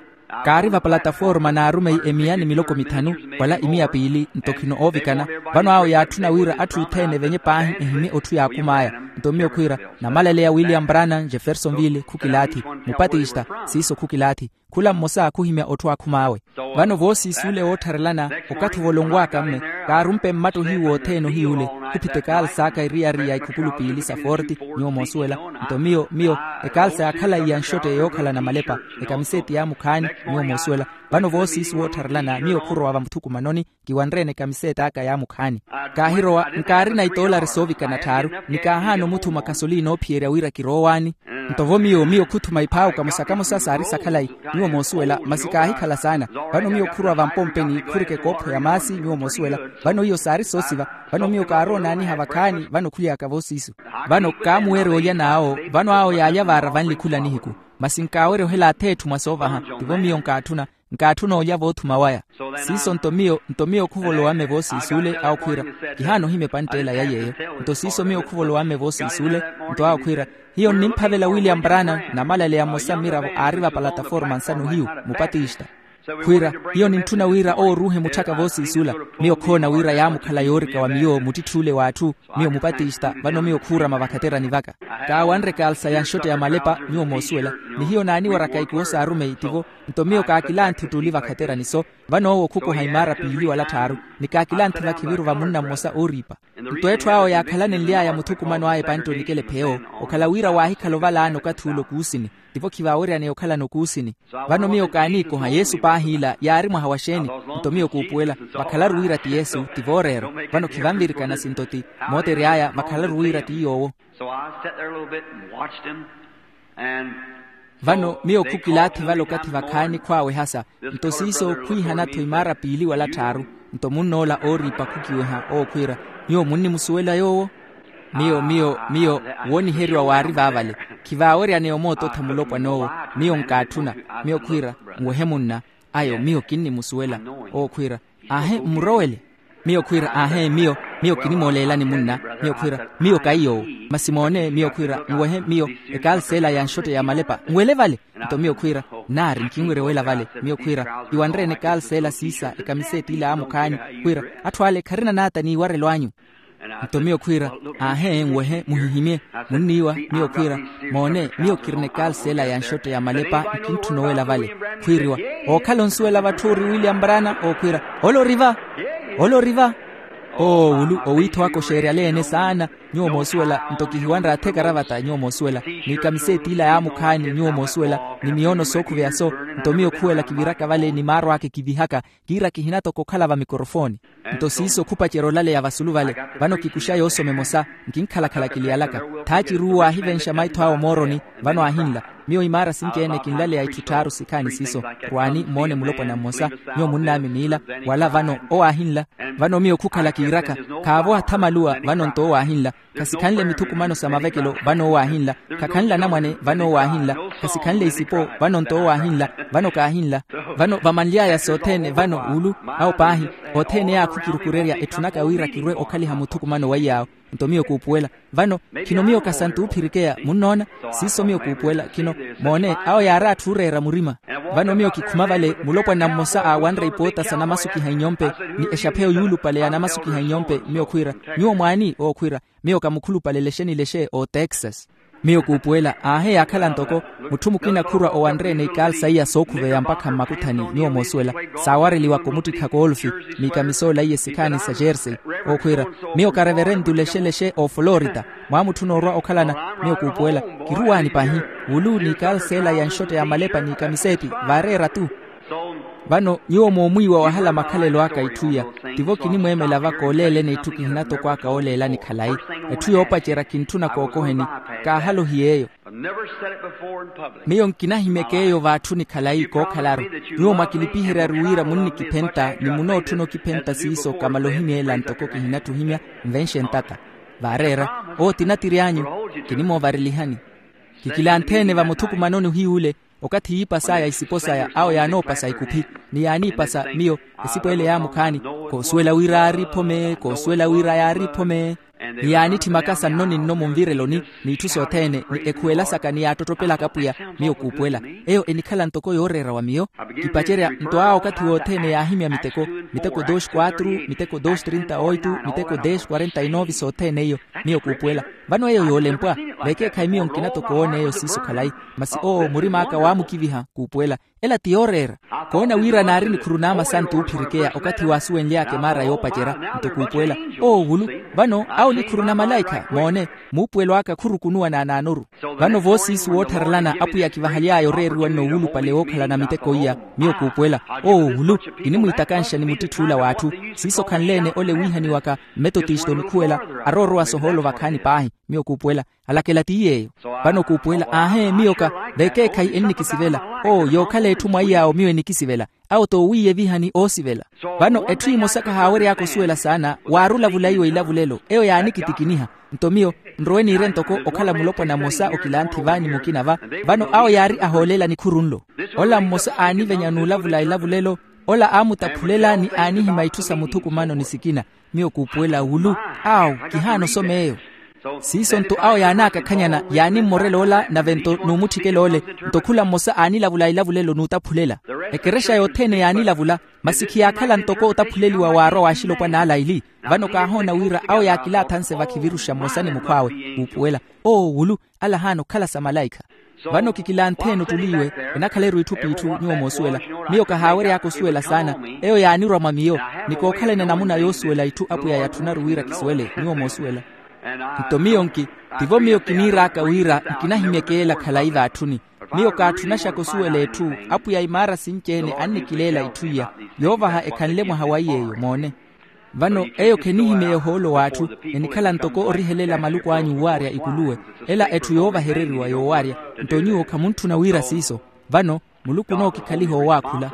Kaari vapalataforma n'arumeyi emiya ni miloko mithanu, wala imiya piili nto khino oovikana. Vano awo yaatthuna wira atthu othene evenye paahi ehimye otthu yaakhum'aya. Nto miyo khwiira, namalaleya william brana jeffersonville khukilaathi, mupatista, siiso khukilaathi. Khula mmosa khuhimya otthu aakhum'awe. Vano voosiisi ole woottharelana, okathi ovolonw'aka mme, kaarumpe mmatto hiyu wothene ohiy'ule. Khuphita ekaals'aka eriyari ya ikhukulu piili sa forti, nyuwo moosuwela. Nto miyo miyo, ekaalsa yaakhala iya nxotte yookhalana malepa, ekamiseeti yaamukhaani, nyuwo moosuwela. Vano voosiisi woottharelana miyo khurowa vamuthukumanoni, kiwanreene ekamiseet'aka yaamukhaani. Kaahirowa nkaarina itoolari soovikana tthaaru, ni kaahaana omuthuma kasolini oophiyerya wira kiroowaani. Nto vo miyo miyo khuthuma iphaawuka musakamusa saari sakhalayi, nyuwo moosuwela, masi kaahikhala saana. Vano miyo khurowa vampompeni khurika ekoopho ya maasi, nyuwo moosuwela. Vano iyo saari soosiva. Vano miyo kaaroonaaniha vakhaani vano khuly'aka voosiisu. Vano kaamuweerya olya n'awo. Vano awo yaalya vaara vanli khula nihiku. Masi nkaawerya ohela atheetthu mwa soovaha. Tivo miyo nkaatthuna, nkaatthuna olya voothuma waya. Siiso nto miyo nto miyo khuvolowa-me voosiisi ole awo khwiira, kihaana ohimya epantt'ela ya yeeyo. Nto siiso miyo khuvolowa-me voosiisi ole. Nto awo khwiira, hiyo nnimphavela william brana, namalaleya mmosa mmiravo aari vapalataforma nsano hiyu, mupatista. Khwiira, hiyo nintthuna wira owo oruuhe mutthaka voosiisi ola. Miyo khoona wira yaamukhala yoorika wa miyo muttitthuule w'atthu. Miyo mupatista vano miyo khuurama vakhaterani vaka. Kaawanre ekaalsa ya nxotte ya malepa, nyuwo moosuwela. Ni hiyo naaniwaraka ikuwo s'arumeyi tivo. Nto miyo kaakilanthi ottuli vakhaterani-so. Vano owo khukoha imaara piili wala tthaaru. Ni kaakilanthi vakhiviru va munna mmosa ooriipa. Nto etthu awo yaakhalanenly'aya muthukumano aya epantte onikela epheyo, okhala wira waahikhala ovalaani okathi ule okuusini. Tivo khivaaweryaneya okhalana okuusini. Vano miyo kaaniikoha yesu paahi ila yaari mwaha wa xeeni? Nto miyo kuupuwela, vakhalaru wira ti yesu ti vooreera. Vano khivanvirikana sinto ti mootery'aya, vakhalaru wira ti yoowo. So I sat there a little bit and watched him. And vano miyo khukilaathi vale okathi vakhaani khwaawehasa. Nto siiso khwiihana-tho imaara piili wala tthaaru. Nto munn'ola ooriipa khukiweha owo khwiira, nyuwo munnimusuwela yoowo? Miyo miyo miyo, wooniheriwa waari vaavale. Khivaaweryaneya omoototha mulopwan'owo. Miyo nkaatthuna. Miyo khwiira, nwehe munna. Ayo miyo kinnimusuwela. Owo khwiira, aahe mmurowele. Miyo khwiira, aahe miyo, miyo kinimooleelani munna. Miyo khwiira, miyo kaiy'owo. Masi moone miyo khwiira, nwehe miyo ekaals'ela ya nxotte ya malepa nwele vale. Nto miyo khwiira, naari nkinwerya owela vale. Miyo khwiira, iwanreene ekaals'ela siisa ekamiseeti ila yaamukhaani. Khwiira, atthu ale kharina naata n'iwarelo anyu. Nto miyo khwiira, aahe nwehe muhihimye. Munniiwa. Miyo khwiira, moone miyo kirina ekaals'ela ya nxotte ya malepa, nkintthuna owela vale. Khwiiriwa, ookhala onsuwela vatthu ori william brana? Owo khwiira, ole ori va? Ole ori va? Oo wulu owiitho waka oxeeryale-ene saana. Nyuwo moosuwela nto kihiwanre athekaravata nyuwo moosuwela, n'ikamiseeti ila yaamukhaani nyuwo moosuwela, ni miyoono sookhuveya so. Nto miyo khuwela kiviraka vale ni maaro aka ekivihaka, kiira kihina-tho kokhala vamikorofooni. Nto siiso khupacerya olaleya vasulu vale. Vano kikuxa yoosoma emosa, nkinkhalakhala kiliyalaka. Thaaciru waahivenxa maitho awe omooroni. Vano aahinla. Miyo imaara sinci-ene kinlaleya itthu tthaaru sikhaani siiso. Rwaani mmoone mulopwana mmosa. Nyuwo munn'ami niila. Wala vano owo aahinla. Vano miyo khukhala kiiraka, khaavo athamaluwa. Vano nto owo aahinla. Khasikhanle mithukumano sa mavekelo. Vano owo aahinla. Khakhanle anamwane. Vano owo aahinla. Khasikhanle isipo. Vano nto owo aahinla. Vano kaahinla. Vano vamanly'aya sothene vano wulu, awo paahi, othene yaakhukirukurerya etthunaka wira kirwe okhaliha muthukumano wa iyaawo. Nto miyo kuupuwela. Vano khino miyo kasantu oophirikeya munnoona. Siiso miyo kuupuwela khino. Moone awo yaari atthu ooreera murima. Vano miyo kikhuma vale mulopwana mmosa aawanre ipoota sa namasukiha inyompe, ni exapheyo yuulupale ya namasukiha inyompe. Miyo khwiira, nyuwo mwaani? Owo khwiira, miyo kamukhulupale lexe ni lexe o texas. Miyo kuupuwela aahe yaakhala ntoko mutthu mukina khurwa owanre-ene ikaalsa iya sookhuveya mpakha mmakuthani nyuwo moosuwela, saawareliwa komuttikha koolufi, ni kamisoola iye sikhaani sa jersey. Owo khwiira, miyo kareverentu lexe-lexe oflorida. Mwaamutthuna orwa okhalana. Miyo kuupuwela, kiruwaani pahi. Wulu ni ikaalsa ela ya nxotte ya malepa ni kamiseeti vaareera-tu. Vano nyuwo moomwiiwa wahala makhalelo aka itthu iya, tivo kinimweemela va kooleeleni itthu kihina toko aka ooleelani khalayi. Etthu yoopacerya kintthuna kookoheni, kaahalohi yeeyo. Miyo nkinahimyeke eyo vaatthuni khalayi kookhalaru. Nyuwo mwakilipiheryaru wira munnikiphenta ni munootthuna okiphenta siiso kamala ohimyeela ntoko kihinatthu ohimya. Nvenxe ntata vaareera owo tinatiri anyu. Kinimoovarilihani. Kikilanthe-ene vamuthukumanoni ohiy'ule, okathi yiipas'aya isipo saya awo yaanoopasa ikuphi, ni yaaniipasa miyo. Esipo ele yaamukhaani, koosuwela wira yaari phome koosuwela wira yaari phome. Ni yaanitthi makasa nno ni nno munvireloni, n'itthu sothene ni ekhuwela saka ni yaattottopelaka pwiya. Miyo kuupuwela, eyo enikhala ntoko yooreera wa miyo. Kipacerya nto awo okathi wothene yaahimya miteko, miteko dos quatro, miteko dos trinta oito, miteko des quarenta e nove sothene iyo. Miyo kuupuwela, vano eyo yoolempwa. Vekeekhayi miyo nkina toko oona eyo siiso khalayi. Masi owo murim'aka waamukiviha kuupuwela, ela ti yooreera. Koona wira naari nikhuru n'amasantu oophirikeya okathi waasuwenly'aka emaara yoopacerya. Nto kuupuwela, owo wulu. Vano awo nikhuru na malaikha moone, muupuwelo aka khurukunuwa naanaanoru. Vano voosiisu woottharelana apwiya akivahaly'aya oreeriwa nno wuulupale wookhalana miteko iya. Miyo kuupuwela, owo wulu. Kinimwiitakanxa ni muttitthuula w'atthu. Siiso khanle-ene ole wiihaniwaka mmetotista onikhuwela, aroorowa sohoolo vakhaani paahi. Miyo kuupuwela, alakela ti yeeyo. Vano kuupuwela aahe miyoka, vekeekhayi ennikisivela. Oo yookhala etthu mwaiy'awo miyo enikisivela. Awo toowiiye vihani oosivela. Vano etthu emosa kahaawery'aka osuwela saana waarulavula iwo ilavulelo eyo yaanikitikiniha. Nto miyo nrowe niire ntoko okhala mulopwana mmosa okilanthi va ni mukina va. Vano awo yaari ahoolela nikhuru nlo. Ola mmosa aanivenya n'ulavula ilavulelo. Ola aamutaphulela ni aanihima itthu sa muthukumano ni sikina. Miyo kuupuwela wulu. Awo kihaana osoma eyo. Siiso nto awo yaanaakakhanyana yaanimmorela ola nave nto n'umutthikela ole. Nto khula mmosa aanilavula ilavulelo n'utaphulela. Ekerexa yothene yaanilavula. Masi khiyaakhala ntoko otaphuleliwa waarwa w'axilopwana ala ili. Vano kaahoona wira awo yaakilaathanse vakhiviruxa mmosa ni mukhw'awe. Kuupuwela, owo wulu. Ala ahaana okhala sa malaikha. Vano kikilanthe-ene ottuli iwe. Enakhala-ru itthu p'itthu nyuwo moosuwela. Miyo kahaawery'aka osuwela saana. Eyo yaanirwa mwa miyo. Ni kookhalana enamuna yoosuwela itthu apwiya yatthunaru wira kisuwele nyuwo moosuwela. Nto miyo nki, tivo miyo kiniir'aka wira nkinahimyeke ela khalayi vaatthuni. Miyo kaatthunaxaka osuwela etthu. Apwiya imaara sinci-ene annikileela itthu iya. Yoovaha ekhanle mwaha wa iy'eyo moone. Vano eyo khenihimeya ohoolo w'atthu. Enikhala ntoko orihelela maluku anyu owaarya ikuluwe. Ela etthu yoovahereriwa yoowaarya. Nto nyuwo khamuntthuna wira siiso. Vano muluku onookikhaliha owaakhula.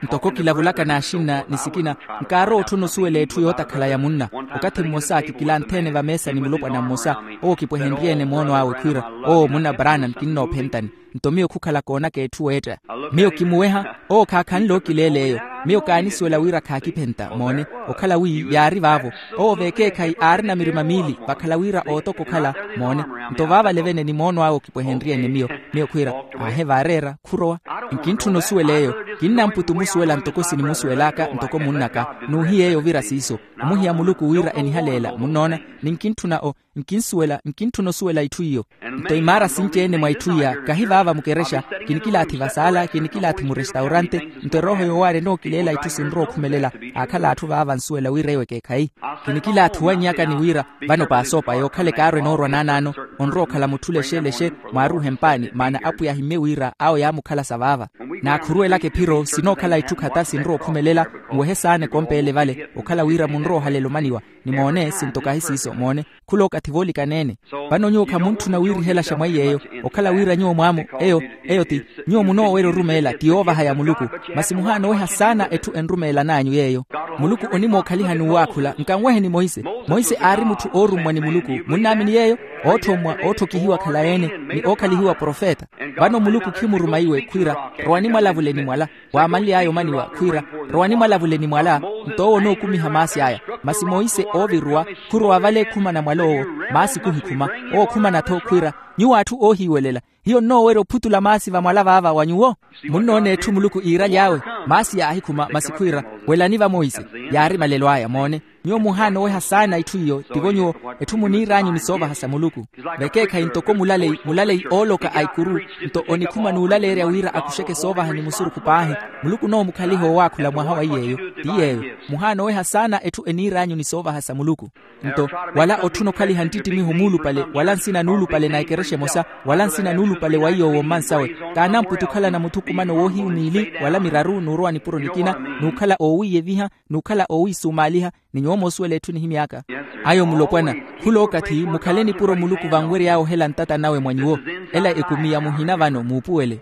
Ntoko kilavulaka n'axinna ni sikina, nkaarowa otthuna osuwela etthu yootakhala ya munna. Okathi mmosa kikilanthe-ene vameesa ni mulopwana mmosa. Owo kipwehenrye-ene moono awe khwiira, owo munna branham kinnoophentani. Nto miyo khukhala koonaka etthu weetta. Miyo kimuweha. Owo khaakhanle okileela eyo. Miyo kaanisuwela wira khaakiphenta moone. Okhala wi yaari vaavo. Owo vekeekhayi aarina mirima miili vakhala wira ootoka okhala. Moone. Nto vaavale vene ni moono awe okipwehenrye-ene miyo. Miyo khwiira, aahe vaareera khurowa. Nkintthuna osuwela eyo. Kinnamputa omusuwela ntoko sinimusuwel'aka ntoko munn'aka. N'uhiya eyo ovira siiso. Omuhiya muluku wira enihaleela munnoona. Ni nkintthuna o nkinsuwela nkintthuna osuwela itthu iyo. Nto imaara sinci-ene mwa itthu iya kahi vaava mukerexa. Kinikilaathi vasaala kinikilaathi murestaurante. Nto erooho yoowaarya enookileela itthu sinrowa okhumelela. Aakhala atthu vaava nsuwela wira eyo ekeekhayi. Kinikilaathi owannyaka ni wira vano paasoopa yookhala ekaaro enoorwa naanaano. Onrowa okhala mutthu lexe lexe. Mwaaruuhe mpaani maana apwiya ahimmye wira awo yaamukhalasa vaava. Naakhuruwelaka ephiro sinookhala itthu khata sinrowa okhumelela. Nwehe saana ekompeele vale okhala wira munrowa ohalela omaniwa. Ni moone sinto kahi siiso moone. Khula okathi voolikaneene. Vano nyuwo khamuntthuna wiirihelaxa mwa iy'eyo. Okhala wira nyuwo mwaamu eyo eyo ti nyuwo munoowerya orumeela ti yoovaha ya muluku. Masi muhaana oweha saana etthu enrumeelan'anyu yeeyo. Muluku onimookhalihani owaakhula nkanweheni monse. Monse aari mutthu oorummwa ni muluku munnaamini yeeyo. Ootthommwa ootthokihiwa khalayi-ene ni ookhalihiwa profeta. Vano muluku khimuruma iwe khwiira rowani mwalavuleni mwala. Waamanly'aya omaniwa khwiira rowani mwalavuleni mwala. Nto owo onookumiha maasi aya. Masi monse ooviruwa khurowa vale khumana mwala owo. Maasi khuhikhuma. Owo khumana-tho khwiira nyuwo atthu oohiiwelela hiyo nnoowerya ophutula maasi vamwala vaava wa nyuwo. Munnoona etthu muluku iiraly'awe. Maasi yaahikhuma masi khwiira welani va monse. Yaari malelo aya moone. Nyuwo muhaana oweha saana itthu iyo tivo nyuwo. Etthu muniir'anyu ni soovaha sa muluku. Vekeekhayi ntoko mulaleyi mulaleyi ooloka a ikuru, nto onikhuma n'ulaleerya wira akuxeke soovaha ni musurukhu paahi. Muluku onoomukhaliha owaakhula mwaha wa iy'eyo. Ti yeeyo. Muhaana oweha saana etthu eniir'anyu ni soovaha sa muluku. Nto wala otthuna okhaliha nttittimiho muulupale wala nsina n'ulupale na ekerexa emosa, wala nsina n'ulupale wa iy'owo mmansawe. Kaanamputi okhalana mutthu okhumana owoohiyu miili wala miraru n'urowa nipuro nikina, n'ukhala oowiiyeviha, n'ukhala oowiisumaaliha, ni nyuwo moosuwela etthu enihimy'aka. Ayo mulopwana, khul'okathi mukhale nipuro muluku vanwery'awe ohela ntata nawe mwa nyuwo. Ela ekumi ya muhina vano muupuwele.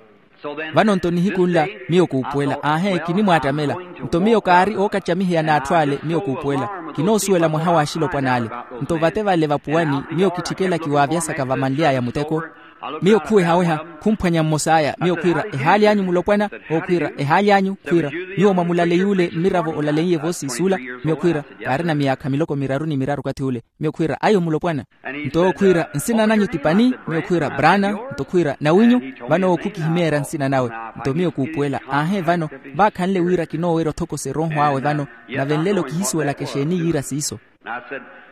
Vano nto nihiku nla, miyo kuupuwela aahe kinimwaattamela. Nto miyo kaari ookacamiheya n'atthu ale miyo kuupuwela. Kinoosuwela mwaha w'axilopwana ale. Nto vate vale vapuwani miyo kitthikela kiwaavyasaka vamanly'aya muteko. Miyo khuwehaweha, khumphwanya mmos'aya miyo khwiira, ehaali anyu mulopwana? Ookhwiira, ehaali anyu khwiira. Nyuwo mwa mulaleyi ule mmiravo olaleiye voosiisi ula? Miyo khwiira, kaarina miyaakha miloko miraru ni miraru okathi ule. Miyo khwiira, ayo mulopwana. Nto ookhwiira, nsina nanyu ti pani? Miyo khwiira, braana. Nto khwiira, nawinyu? Vano owo khukihimeerya nsina nawe. Nto miyo kuupuwela aahe vano, vaakhanle wira kinoowerya othokose erooho awe vano, nave nlelo kihisuwelaka exeeni yiira siiso.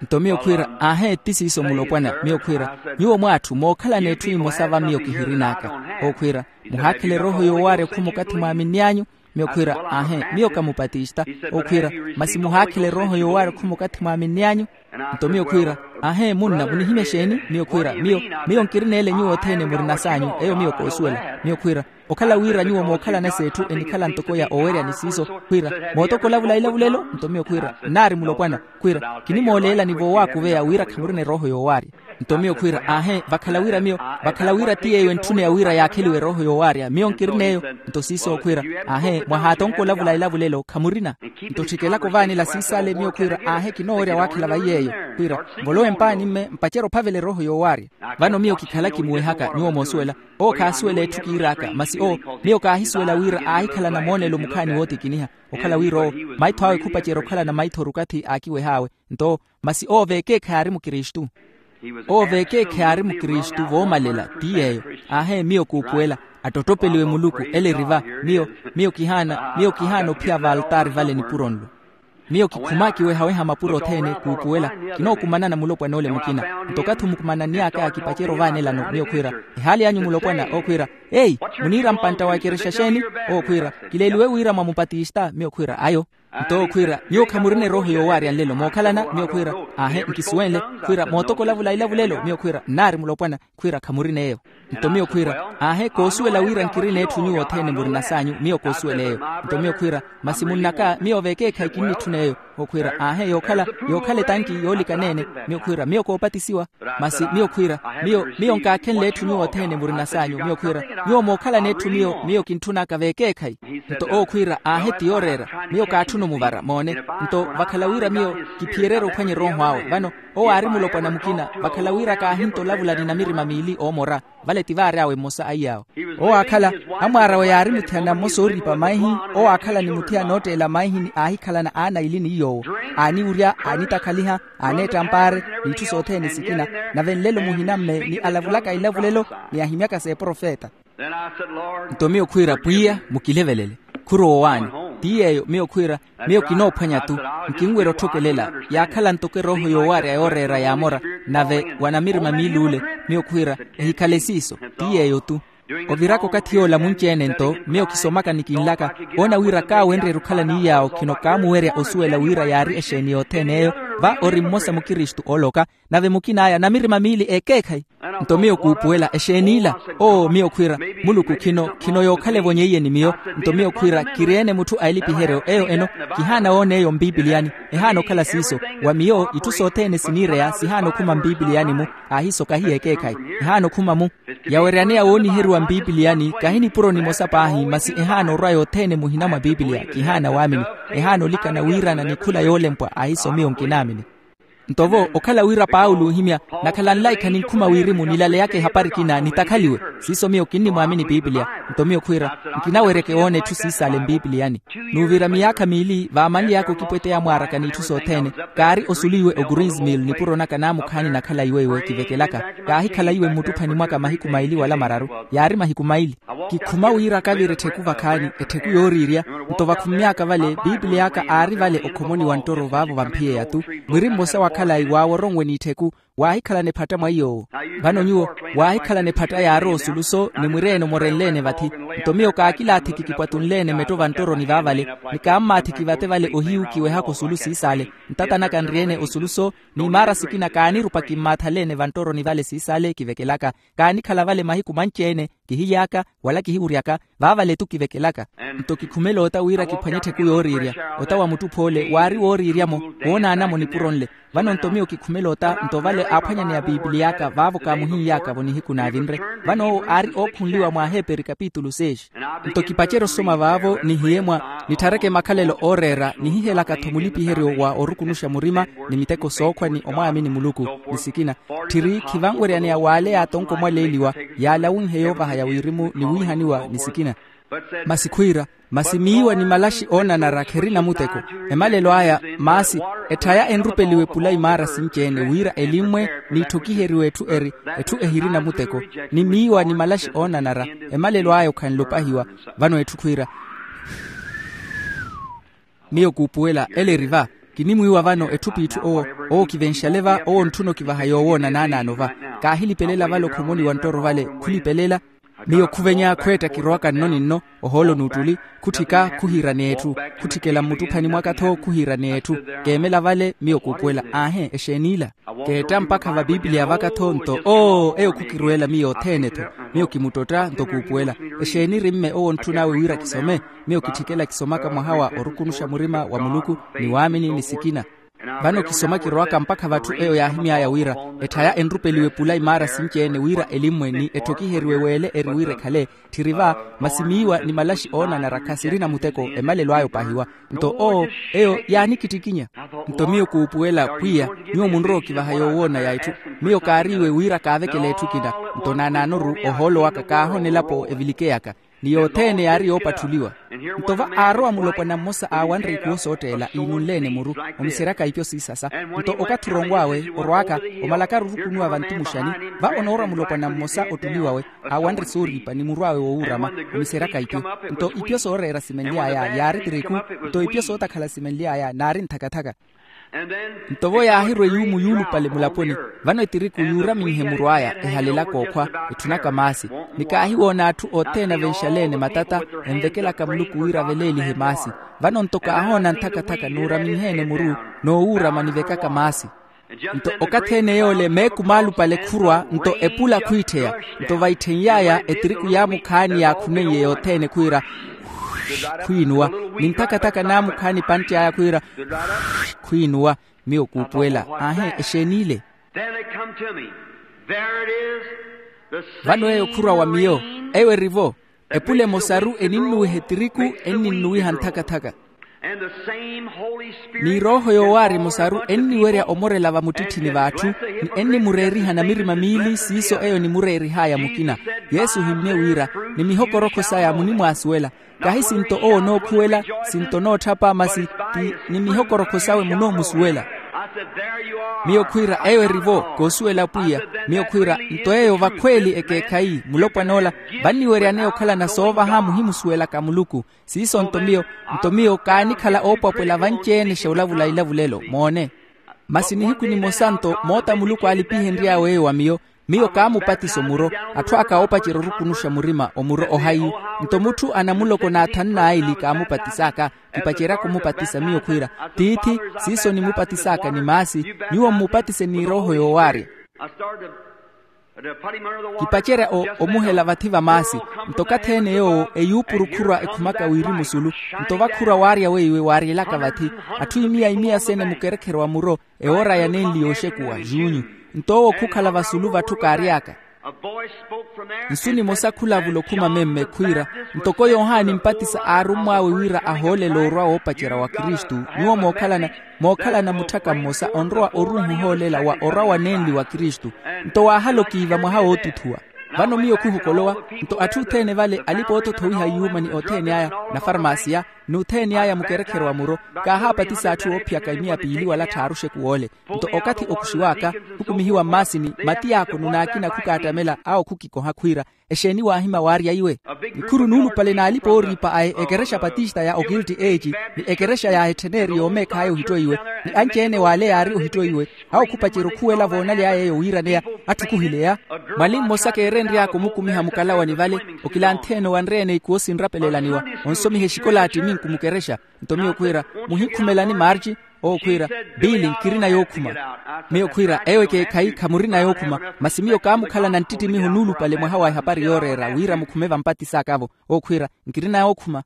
Nto miyo khwiira, aahe ti siiso mulopwana. Miyo khwiira, nyuwo mw'atthu mookhalana etthu emosa va miyo kihirin'aka. Ookhwiira, muhaakhela erooho yoowaarya okhuma okathi mwaaminny'anyu? Miyo khwiira, aahe miyo ka mupatista. Ookhwiira, masi muhaakhela erooho yoowaarya okhuma okathi mwaaminny'anyu? Nto miyo khwiira, aahe munna munihimya exeeni? Miyo khwiira, miyo miyo nkirina ele nyuwo othene murina s'anyu eyo miyo koosuwela. Miyo khwiira, okhala wira nyuwo mookhalana s'etthu enikhala ntoko ya owerya ni siiso khwiira, mootokolavula ilavulelo? Nto miyo khwiira, nnaari mulopwana. Khwiira, kinimooleelani voowaakuveya wira khamurina erooho yoowaarya. Nto miyo khwiira, aahe vakhala wira miyo, vakhala wira ti yeeyo entthuneya wira yaakheliwe erooho yoowaarya miyo nkirina eyo. Nto siiso khwiira, aahe mwahaatonkolavula elavulelo khamurina. Nto ttikelaka ovaanela siisale miyo khwiira, aahe kinoowerya waakhela vayi yeeyo. Khwiira, mvolowe mpaani mme mpacerya ophavela erooho yoowaarya. Vano miyo kikhala kimuwehaka nyuwo moosuwela. Owo khaasuwela etthu kiir'aka masi owo, miyo kaahisuwela wira aahikhalana moonelo mukhaani wootikiniha. Okhala wira owo, maitho awe khupacerya okhalana maithori okathi aakiweh'awe. Nto masi owo veekeekhayi aari mukristu. Owo veekeekhayi aari mukristu voomalela. Ti yeeyo. Aahe miyo kuupuwela, attottopeliwe muluku ele eri va. Miyo miyo kihaana miyo kihaana ophiya v'altaari vale nipuro nlo. Miyo kikhuma kiwehaweha mapuro othene kuupuwela. Kinookumanana mulopwana ole mukina. Nto okathi omukumananny'aka kipacerya ovaanelano miyo khwiira, ehaali anyu mulopwana? Ookhwiira, eyi, muniira mpantta wa ekerexa xeeni? Ookhwiira, kileeliwe wira mwa mupatista. Miyo khwiira, ayo. Nto ookhwiira, nyuwo khamurina erooho yoowaarya nlelo mookhalana? Miyo khwiira, aahe nkisuwenle. Khwiira mootokolavula ilavulelo? Miyo khwiira, nnaari mulopwana. Khwiira khamurina eyo. Nto miyo khwiira, aahe koosuwela wira nkirina etthu nyuwo othene murina s'anyu miyo koosuwela eyo. Nto miyo khwiira, masi munn'aka miyo veekeekhayi kinnitthuna eyo. Ookhwiira, aahe yookhala, yookhala etanki yoolikaneene. Miyo khwiira, miyo koopatisiwa. Masi miyo khwiira, miyo miyo nkaakhenle etthu nyuwo othene murina s'anyu miyo khwiira, nyuwo mookhalana etthu miyo miyo kintthun'aka veekeekhayi. Nto owo khwiira, aahe ti yooreera. Miyo kaatthuna omuvara moone. Nto vakhala wira miyo kiphiyereerya ophwanya erooho awe vano, owo aari mulopwana mukina vakhala wira kaahinta olavula ni namirima miili oomora. Vale ti vaary'awe mmosa a iy'awo. Owo aakhala, amwaar'awe yaari muthiyana mmosa ooripa maihi. Owo aakhala ni muthiyana ootteela maihi ni aahikhalana aana aili ni iy'owo. Aaniwurya, aanitakhaliha, aaneetta mpaare, n'itthu sothene sikina. Nave nlelo muhina mme ni alavulaka ilavulelo, ni ahimyaka s'eprofeta. Nto miyo khwiira, pwiya mukilevelele. Khurowa owaani. Ti yeeyo miyo khwiira, miyo kinoophwanya-tu. Nkinwerya otthokelela. Yaakhala ntoko erooho yoowaarya yooreera yaamora. Nave wa namirima miili ule, miyo khwiira, ehikhale siiso. Ti yeeyo-tu. Oviraka okathi yoola munci-ene nto miyo kisomaka ni kinlaka, oona wira kaawenryeerya okhala ni iy'awo khino kaamuwerya osuwela wira yaari exeeni yothene eyo. Va ori mmosa mukristu ooloka, nave mukin'aya namirima miili ekeekhayi. Nto miyo kuupuwela exeeni ila. Oo miyo khwiira, muluku khino khino yookhala evonyeiyeni miyo. Nto miyo khwiira kiri-ene mutthu a elipiheryo eyo eno. Kihaana woona eyo mpipiliyani. Ehaana okhala siiso. Wa miyo itthu sothene siniireya sihaana okhuma mpipiliyani-mu. Aahiiso kahiya ekeekhayi. Ehaana okhuma-mu. Yaweryaneya wooniheriwa mpipiliyani kahi nipuro nimosa paahi masi ehaana orwa yothene muhina mwa pipiliya kihaana waamini. Ehaana olikana wiirana ni khula yoolempwa aahiiso miyo nkinaamini. Nto-vo okhala wira paulo oohimya, nakhala nlaikha ninkhuma wirimu nilaleyaka ehapari ekina nitakhaliwe. Siiso miyo kinnimwaamini pipiliya. Nto miyo khwiira, nkinaweryeke woona itthu siisale mpipiliyani. N'uvira miyaakha miili vaamanly'aka okipweteya mwaaraka n'itthu sothene. Kaari osuliwe o greensmill nipuro naka naamukhaani nakhala iwe iwe kivekelaka. Kaahikhala iwe mmuttuphani mwaka mahiku maili wala mararu. Yaari mahiku maili. Kikhuma wira kavira ettheku vakhaani, ettheku yooriirya. Nto vakhummy'aka vale piipiliy'aka aari vale okhomoni wa nttoro vaavo vamphiyeya-tu. Mwiri mmosa wa khalayi waaworonwe n'ittheku, waahikhalana ephatta mwa iy'owo. Vano nyuwo, waahikhalana ephatta yaarowa osuluso ni mwireene omorenle-ene vathi. Nto miyo kaakilaathiki kipwatunle-ene metto vanttoroni vaavale, ni kaammaathiki vate vale ohiyu kiwehaka osulu siis'ale. Ntata naka nri-ene osuluso, n'imaara sikina kaanirupa kimmaathale-ene vanttoroni vale siis'ale kivekelaka. Kaanikhala vale mahiku manci-ene, kihily'aka wala kihiwuryaka, vaavale-tu kivekelaka. Nto kikhumela ota wira kiphwanye ettheku yooriirya. Ota wa muttuph'ole waari wooriirya-mo, woonaana-mo nipuro nle. Vano nto miyo kikhumela ota nto vale aaphwanyaneya piipiliy'aka vaavo kaamuhin'yaka-vo nihiku naavinre. Vano owo aari ookhunliwa mwa aheeperi kapitulu seis. Nto kipacerye osoma vaavo nihiye mwa, nitthareke makhalelo ooreera nihihelaka-tho mulipiheryo wa orukunuxa murima, ni miteko sookhwa ni omwaamini muluku, ni sikina. Tthiri khivanweryaneya waaleya atonko mwaleeliwa, yaalawinhe yoovahaya wirimu ni wiihaniwa ni sikina. Masi khwiira, masi miiwa ni malaxi oonanara kherina muteko. Emalelo aya maasi, etthaya enrupeliwe pula imaara sinci-ene wira elimmwe, n'itthokiheriwe etthu eri, etthu ehirina muteko. Ni miiwa ni malaxi oonanara, emalelo aya okhanle opahiwa. Vano etthu khwiira, miyo kuupuwela ele eri va. Kinimwiiwa vano etthu p'itthu owo, owo kivenxale va owo ntthuna okivaha yoowoona naanaano va. Kaahilipelela vale okhomoni wa nttoro vale, khulipelela. Miyo khuvenya khweetta kirowaka nno ni nno, ohoolo n'uttuli, khutthika khuhiiraneya etthu. Khutthikela mmuttuphani mwaka-tho khuhiiraneya etthu. Keemela vale miyo kuupuwela, aahe exeen'ila. Keetta mpakha va piipiliya vaka-tho nto oo eyo khukirweela miyo othene-tho. Miyo kimuttotta nto kuupuwela, exeeni eri mme owo ontthun'awe wira kisome? Miyo kitthikela kisomaka mwaha wa orukunuxa murima wa muluku, ni waamini ni sikina. Vano kisoma kirowaka mpakha vatthu eyo yaahimy'aya wira, etthaya enrupeliwe pula imaara sinci-ene wira elimmwe ni etthokiheriwe weele eri wira ekhale. Tthiri va, masi miiwa ni malaxi oonanara khasirina muteko, emalelo aya opahiwa. Nto oo eyo yaanikittikinya. Nto miyo kuupuwela pwiya, nyuwo munrowa okivaha yoowoona ya etthu. Miyo kaariiwe wira kaavekele etthu ekina. Nto naanaanoru ohoolo waka kaahoona elapo evilikeyaka. Ni yothene yaari yoopatthuliwa. Nto va aarowa mulopwana mmosa aawanre ikuwo sootteela iinunle-ene muru, omiseryaka ipyo siisasa. Nto okathi oronw'awe orwaaka, omalakaru orukunuwa vantumuxani, va onoorwa mulopwana mmosa ottuli wawe, aawanre sooriipa ni muru awe woowuurama, omiseryaka ipyo. Nto ipyo sooreera simenly'aya yaari tiriku. Nto ipyo sootakhala simenly'aya naari nthakathaka. Nto vo yaahirwa eyuumu yuulupale mulaponi, vano etiriku yuuraminhe muru aya ehalelaka okhwa, etthunaka maasi. Ni kaahiwoona atthu othene avenxale-ene matata, envekelaka muluku wira aveleelihe maasi. Vano nto kaahoona nthakathaka nuuraminhe-ene muru, noowuurama nivekaka maasi. Nto okathi-ene yoole meeku maalupale khurwa nto epula khwiitthiya. Nto vaittheiny'aya etiriku yaamukhaani yaakhuneiye yothene khwiira, khwiinuwa. Ni nthakathaka naamukhaani epantti aya khwiira, khwiinuwa. Miyo kuupuwela, aahe exeen'ile. Vano eyo khurwa wa miyo, eyo eri-vo. Epula emosaru eninnuwiha etiriku, enninnuwiha nthakathaka. Ni erooho yoowaarya emosaru enniwerya omorela vamuttitthini v'atthu, ni ennimureeriha namirima miili siiso eyo nimureerih'aya mukina. Yesu ohimmye wira, ni mihokorokho saya munimwaasuwela. Kahi sinto owo onookhuwela, sinto onootthapa masi, ti ni mihokorokho sawe munoomusuwela. Miyo khwiira eyo eri-vo, koosuwela pwiya. Miyo khwiira, nto eyo vakhweeli ekeekhayi mulopwan'ola, vanniweryaneya okhalana soovaha muhimusuwelaka muluku. Siiso nto miyo, nto miyo kaanikhala oopwapwela vanci-ene xoolavula ilavulelo moone. Masi nihiku nimosa nto moota muluku aalipihenry'awe eyo wa miyo, miyo kaamupatisa omuro. Atthu aka oopacerya orukunuxa murima omuro ohayi. Nto mutthu anamuloko n'athanu n'aili kaamupatis'aka. Kipaceryaka omupatisa miyo khwiira, tiithi, siiso nimupatis'aka ni maasi. Nyuwo mmupatise n'erooho yoowaarya. Kipacerya omuhela vathi va maasi. Nto okathi-ene yoowo eyuupuru khurwa ekhumaka wirimu sulu. Nto vakhurwa waarya weiwe waaryelaka vathi. Atthu imiya imiya sene mukerekheryo wa muro, ewoora ya nenli yooxekuwa juunyu. Nto owo khukhala vasulu vatthu kaary'aka. Nsu nimosa khulavula okhuma memme khwiira, ntoko yohani mpatisa aarummw'awe wira ahoolele orwa woopacerya wa kristu. Nyuwo mookhalana, mookhalana mutthaka mmosa onrowa oruuha ohoolela wa orwa wa nenli wa kristu. Nto waahala okiiva mwaha wootuthuwa. Vano miyo khuhokolowa. Nto atthu othene vale alipa-ootothowiha yuuma ni othene aya, nafarmasiya, n'uthene aya mukerekheryo wa muro, kaahaapatisa atthu oophiyaka imiya piili wala tthaaru oxeku woole. Nto okathi okuxiw'aka, khukumihiwa mmaasini, matiyaako nunaakina khukaattamela awo khukikoha khwiira, Exeeni waahima waarya iwe? Nikhuru nuulupale n'alipa ooriipa aye ekerexa patista ya okilti eeci, ni ekerexa ya ettheneeri yoomeekh'aya ohittoiwe, ni anci-ene w'ale yaari ohittoiwe. Awo khupacerya okhuwela voonaly'aya eyo wiiraneya. Atthu khuhileya. Mwali mmosa keerenry'aka omukumiha mukalawani vale, okilanthi-ene owanre-ene ikuwo sinrapelelaniwa, onsomiha exikolaati minku mukerexa. Nto miyo khwiira, muhinkhumelani marci? Owo khwiira, biili nkirina yookhuma. Miyo khwiira, eyo ekeekhayi khamurina yookhuma. Masi miyo kaamukhalana nttittimiho nuulupale mwaha wa ehapari yooreera wira mukhume vampatis'aka-vo. Owo khwiira, nkirina yookhuma.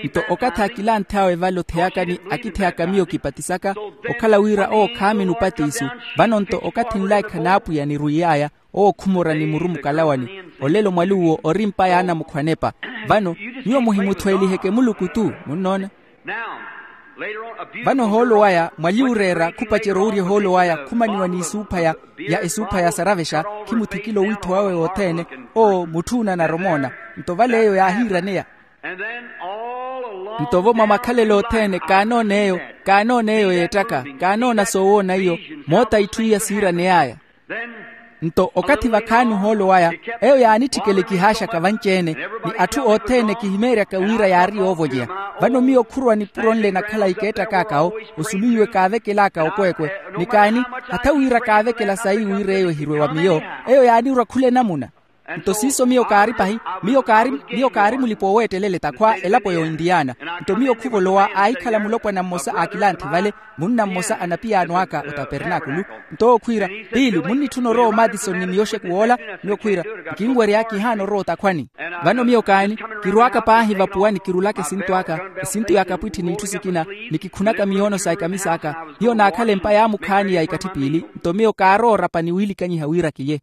Nto okathi akilanthi awe vale otheyakani akitheyaka miyo kipatisaka, okhala wira owo khaamini upatisu. Vano nto okathi nlaikha n'apwiya nirwiiy'aya, owo khumora ni muru mukalawani. Olelo mwali uwo ori mpa y'anamukhwanepa. Vano nyuwo muhimuthweeliheke muluku tu. Munnoona? Vano ohoolo waya mwali oreera khupacerya owurya ohoolo waya khumaniwa n'isuupha ya esuupha ya saravexa, khimuthikile owiitho wawe wothene. Owo mutthu onanara omoona. Nto vale eyo yaahiiraneya. Nto-vo mwa makhalelo othene kaanoona eyo, kaanoona eyo yeettaka, kaanoona soowoona iyo. Moota itthu iya siiraney'aya. Nto okathi vakhaani ohoolo waya, eyo yaanitthikela ekihaaxaka vanci-ene, ni atthu othene kihimeeryaka wira yaari yoovolyeya. Vano miyo khurowa nipuro nle nakhalayi keettak'aka-wo, osuluiwe kaavekel'aka okweekwe. Ni kaani, hatha wira kaavekela sayi wira eyo ehirwe wa miyo, eyo yaanirwa khula enamuna. Nto siiso miyo kaari pahi, miyo kaari miyo kaari mulipa oweettelela etakhwa elapo ya oindiyaana. Nto miyo khuvolowa aahikhala mulopwana mmosa a akilanthi vale, munna mmosa a napiyaano aka otapernaakulu. Nto owo khwiira, piili munnitthuna orowa omatisoni ni miyo oxeku woola? Miyo khwiira, nkinwerya kihaana orowa otakhwani. Vano miyo kaani, kirwaaka paahi vapuwani kirulaka esintu aka, esintu ya kapwitthi n'itthu sikina, ni kikhunaka miyoono sa ekamis'aka. Hiyo naakhala empa yaamukhaani ya ikatthi piili. Nto miyo kaarowa orapa ni wiilikanyiha wira kiye.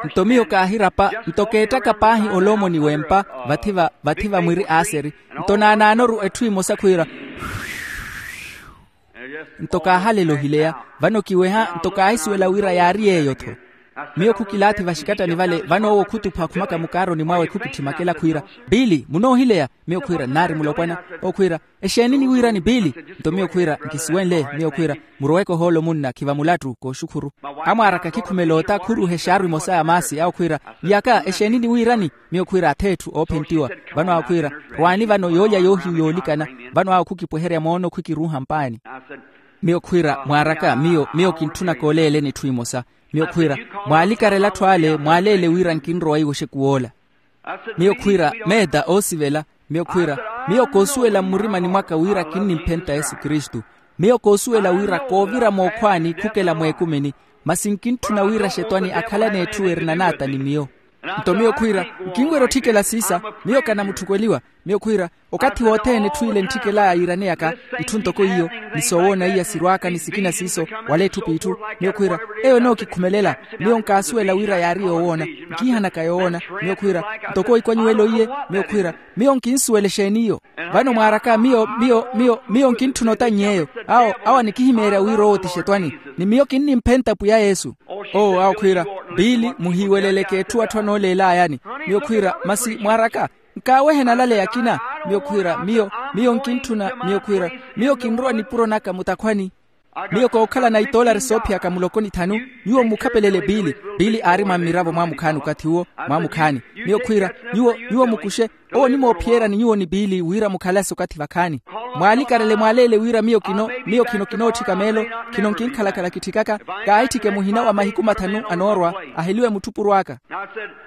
Nto miyo kaahirapa, nto keettaka paahi oloomoni w'empa, vathi va vathi va mwiri aaseri. Nto naanaanoru etthu emosa khwiira. Nto kaahalela ohileya. Vano kiweha nto kaahisuwela wira yaari yeeyo-tho. Miyo khukilaathi vaxikattani vale, vano owo khutupha akhumaka mukaaroni mwawe khukitthi makela khwiira, piili munoohileya? Miyo khwiira nnaari mulopwana. Owo khwiira, exeeni niwiirani piili? Nto miyo khwiira, nkisuwenle. Miyo khwiira, muroweke ohoolo munna khiva mulattu kooxukhuru. Amwaaraka khikhumela ota khuru hexaaru emosa ya maasi awo khwiira, yaka exeeni niwiirani? Miyo khwiira atheetthu oophentiwa. Vano awo khwiira, rwaani vano yoolya yoohiyu yoolikana. Vano awo khukipweherya moono khwikiruuha mpaani. Miyo khwiira mwaaraka miyo miyo kintthunaka oleeleni etthu emosa. Miyo khwiira, mwaalikarela atthu ale mwaaleele wira nkinrowa iwo oxeku woola. Miyo khwiira, meeta oosivela. Miyo khwiira, miyo koosuwela mmurimani mwaka wira kinnimphenta yesu kristu. Miyo koosuwela wira koovira mookhwaani khukela mweekumini. Masi nkintthuna wira xetwani akhalane etthu erina naata ni miyo. Nto miyo khwiira, nkinwerya otthikela siisa. Miyo kanamutthukweliwa. Miyo khwiira, okathi wothene etthu ile entthikela yiiraneyaka, itthu ntoko iyo, ni soowoona iya sirwaaka ni sikina siiso, wala etthu p'itthu. Miyo khwiira, eyo enookikhumelela. Miyo nkaasuwela wira yaari yoowoona. Nkiihanaka yoowoona. Miyo khwiira, ntoko ikwanyiwelo iye. Miyo khwiira, miyo nkinsuwela exeeni iyo? Vano mwaaraka miyo miyo miyo miyo nkintthuna otannyeeyo. Awo awo anikihimeerya wira owo ti xetwani, ni miyo kinnimphenta pwiya yesu. Owo awo khwiira, piili muhiiweleleke etthu atthu anooleelayani. Miyo khwiira, masi mwaaraka, nkaawehe nalaleya akina? Miyo khwiira, miyo miyo nkintthuna. Miyo khwiira, miyo kinrowa nipuro naka mutakhwani. Miyo kookhalana itoolari soophiyaka muloko ni thanu. Nyuwo mukhapelele piili. Piili aari mwa mmiravo mwaamukhaani okathi uwo. Mwaamukhaani. Miyo khwiira, nyuwo nyuwo mukuxe. Owo onimoophiyerani nyuwo ni piili wira mukhalase okathi vakhaani. Mwaalikarele mwaaleele wira miyo kino miyo khino kinootthika meelo. Khino nkinkhalakhala kitthikaka. Kaahitthike muhina wa mahiku mathanu anoorwa, aheliwe mutthupuru aka.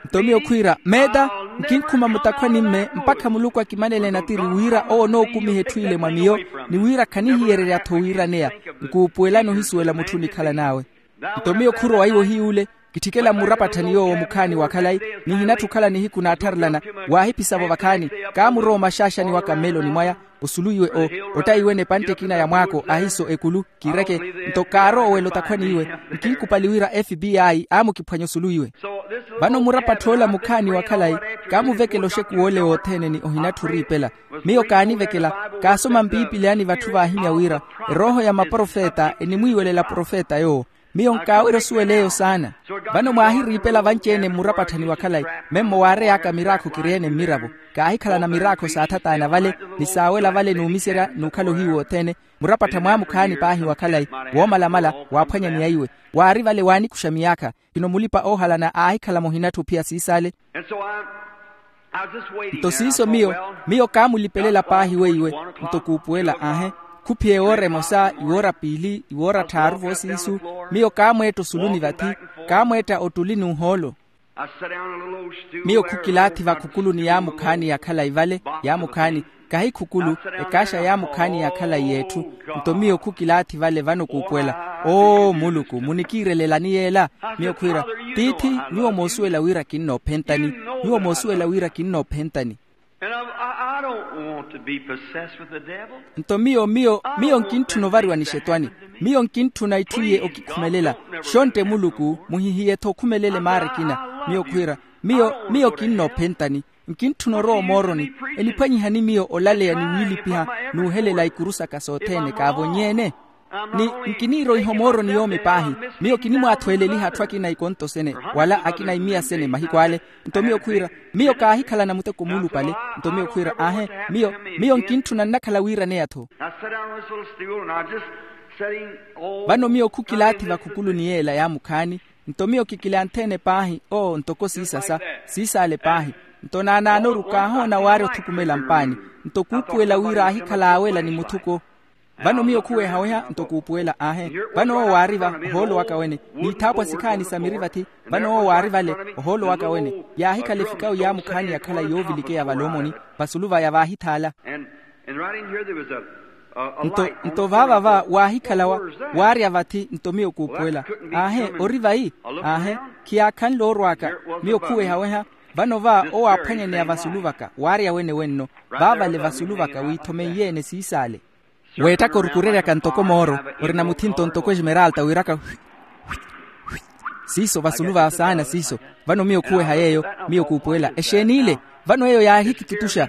Nto miyo khwiira, meeta, nkinkhuma mutakhwani-mme mpakha muluku akimanele natiri wira owo onookumiha etthu ile mwa miyo, ni wira khanihiyererya-tho wiiraneya. Nkuupuwelani ohisuwela mutthu onikhalan'awe. Nto miyo khurowa iwo hiy'ule, kitthikela mmurapatthani yoowo mukhaani wa khalayi, nihinatthi okhala nihiku naattharelana. Waahipisa-vo vakhaani, kaamurowa omaxaaxani waka mmeloni mwaya. Osulu iwe o ottayiwene epantte ekina ya mwaako ahiiso ekulu. Kiireke, nto kaarowa owela otakhwani iwe. Nkinkupali wira fbi aamukiphwanya osulu iwe. Vano murapatthi ola mukhaani wa khalayi, kaamuvekela oxeku w'ole wothene ni ohinatthi oriipela. Miyo kaanivekela, kaasoma mpiipili yaani vatthu vaahimya wira erooho ya maprofeta enimwiiwelela profeta yoowo. Miyo nkaawerya osuwela eyo saana. Vano mwaahiriipela vanci-ene mmurapatthani wa khalayi. Memmo waarey'aka miraakho kiri-ene mmiravo. Kaahikhalana miraakho saathataana vale, ni saawela vale n'umiserya n'ukhala ohiyu wothene. Murapattha mwaamukhaani paahi wa khalayi, woomalamala, waaphwanya ni aiwe. Waari vale waanikuxa miyaakha. Khino mulipa oohalana aahikhala muhinatthi ophiya siisaale. Nto siiso miyo, miyo kaamulipelela paahi weiwe. Nto kuupuwela aahe, khuphiye woora emosa, iwoora piili, iwoora tthaaru voosiisu. Miyo kaamweetta osuluni vathi, kaamweetta ottuli n'uhoolo. Miyo khukilaathi vakhukuluni yaamukhaani ya khalayi vale, yaamukhaani, kahi khukulu, ekaaxa yaamukhaani ya khalayi y'etthu. Nto miyo khukilaathi vale vano kuupuwela, oo muluku munikiirelelani yeela? Miyo khwiira, tiithi, nyuwo moosuwela wira kinnoophentani. Nyuwo moosuwela wira kinnoophentani. Nto miyo miyo miyo nkintthuna ovariwa nixetwani. Miyo nkintthuna itthu iye okikhumelela. Xontte muluku muhihiye-tho okhumelele maara ekina. Miyo khwiira, miyo miyo kinnoophentani. Nkintthuna orowa omooroni. Eniphwanyihani miyo olaleya ni wiilipiha n'uhelela ikuru saka sothene kaavonny'ene? Ni nkiniiroiha omooroni yoomi paahi. Miyo kinimwaathweeleliha atthu akina ikonto sene wala akina imiya sene mahiku ale. Nto miyo khwiira, miyo kaahikhalana muteko muulupale. Nto miyo khwiira aahe, miyo miyo nkintthuna nnakhala wiiraneya-tho. Vano miyo khukilaathi vakhukuluni yeela yaamukhaani. Nto miyo kikilanthe-ene paahi oo ntoko siisasa, siisaale paahi. Nto naanaanoru kaahoona waarya othukumela mpaani. Nto kuupuwela wira aahikhala aawela ni muthuko. Vano miyo khuwehaweha nto kuupuwela aahe. Vano owo waari va ohoolo waka wene, n'itthaapwa sikhaani sa miri vathi. Vano owo waari vale ohoolo waka wene. Yaahikhala efikawu yaamukhaani ya khalayi yoovilikeya vale omoni. Vasulu vaya vaahithaala. Nto nto vaava va waahikhala wa waarya vathi nto miyo kuupuwela. Aahe ori vayi? Aahe. Khiyaakhanle oorw'aka. Miyo khuwehaweha. Vano va owo aaphwanyaneya vasulu vaka waarya wene wenno. Vaavale vasulu vaka wiithomeiyene siisaale. Weettaka orukureryaka ntoko mooro, orina muthinto ntoko esmeralta wiiraka hwi hwi hwi. Siiso vasulu va saana siiso. Vano miyo khuweha yeeyo. Miyo kuupuwela exeeni ile. Vano eyo yaahikitutuxa.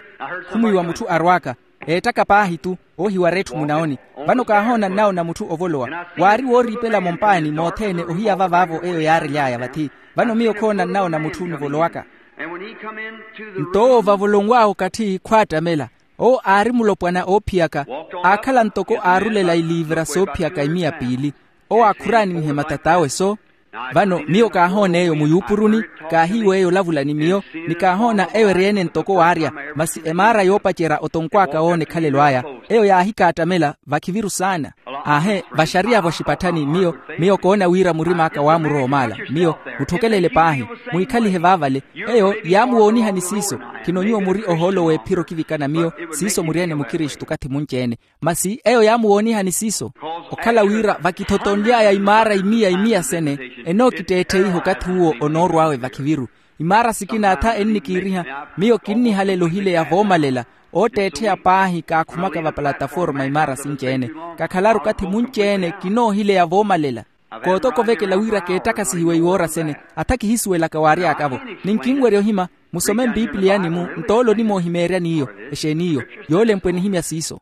Khumwiiwa mutthu arwaaka. Eettaka paahi-tu. Oohiwara etthu munaoni. Vano kaahoona nnawo na mutthu ovolowa. Waari wooriipela mompaani mothene ohiya vavaavo eyo yaarely'aya vathi. Vano miyo khoona nnawo na mutthu nivolowaka. Nto owo vavolonw'awe okathi khwaattamela. Owo aari mulopwana oophiyaka. Aakhala ntoko aarulela iliivira soophiyaka imiya piili. Owo aakhuraaninihe matat'awe so. Vano miyo kaahoona eyo muyuupuruni. Kaahiiwa eyo olavula ni miyo. Ni kaahoona eyo eri-ene ntoko waarya. Masi emaara yoopacerya otonkw'aka woona ekhalelo aya. Eyo yaahikaattamela vakhiviru saana. Aahe vaxariya voxipatthani miyo. Miyo koona wira murim'aka waamurowa omaala. Miyo mutthokelele paahi. Mwiikhalihe vaavale. Eyo yaamuwoonihani siiso. Khino nyuwo muri ohoolo w'ephiro okivikana miyo. Siiso muri-ene mukristu okathi munci-ene. Masi eyo yaamuwoonihani siiso. Okhala wira vakithotonly'aya imaara imiya imiya sene. Enookitteettheiha okathi uwo onoorw'awe vakhiviru. Imaara sikina atha ennikiiriha. Miyo kinnihalela ohileya voomalela. Ootteettheya paahi kaakhumaka vapalataforma imaara sinci-ene. Kakhalaru okathi munci-ene kinoohileya voomalela. Kootokovekela wira keettakasihiwe iwoora sene. Atha kihisuwelaka waary'aka-vo. Ni nkinwerya ohima. Musome mpipiliyani-mu nto ole onimoohimeeryani iyo. Exeeni iyo? Yoolempwe nihimya siiso.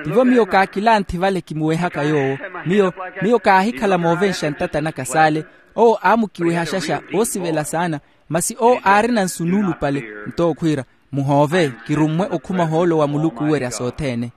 Tivo miyo kaakilanthi vale kimuwehaka yoowo. Miyo miyo kaahikhala moovenxa ntata naka saale. Owo aamukiweha xaxa oosivela saana. Masi owo aarina nsu nuulupale. Nto okhwiira, muhoove kirummwe okhuma ohoolo wa muluku oowerya sothene.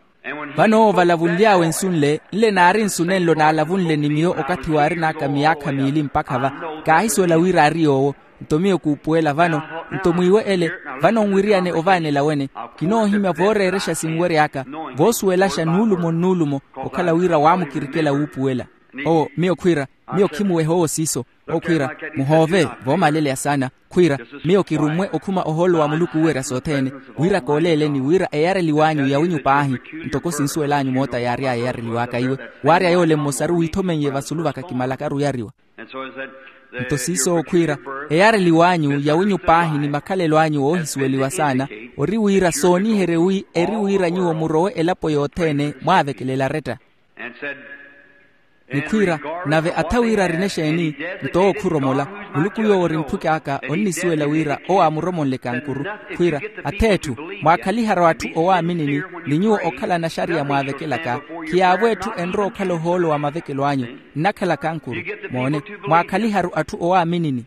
Vano owo valavunly'awe nsu nle nle naari nsu nenlo naalavunle ni miyo okathi waarin'aka miyaakha miili mpakha va. Kaahisuwela wira aari yoowo. Nto miyo kuupuwela vano. Nto mwiiwe ele. Vano nwiriyane ovaanela wene. Kinoohimya vooreerexa sinwery'aka. Voosuwelaxa nuulumo nnuulumo. Okhala wira waamukirikela wuupuwela. Owo miyo khwiira, miyo khimuweha owo siiso. Okhwiira, muhoove voomaleleya saana. Khwiira, miyo kirummwe okhuma ohoolo wa muluku oowerya sothene. Wira kooleeleni wira eyareliw'anyu yawinyu paahi. Ntoko sinsuwel'anyu moota yaary'aya eyareliw'aka iwe. Waarya yoole mmosaru wiithomeiye vasulu vaka kimalakaru oyariwa. Nto siiso okhwiira, eyareliw'anyu yawinyu paahi ni makhalelo anyu oohisuweliwa saana. Ori wira sooniherye wi eri wira nyuwo murowe elapo yothene mwaavekelela aretta. Nikhwiira, nave atha wira arina exeeni? Nto owo khuromola. Muluku yoowo ori mphuki aka onnisuwela wira owo aamuromonle kankuru. Khwiira, atheetthu, mwaakhaliharu atthu owaaminini, ni nyuwo okhala naxariya mwaavekelaka. Khiyaavo etthu enrowa okhala ohoolo wa mavekelo anyu. Nnakhala kankuru. Moone, mwaakhaliharu atthu owaaminini.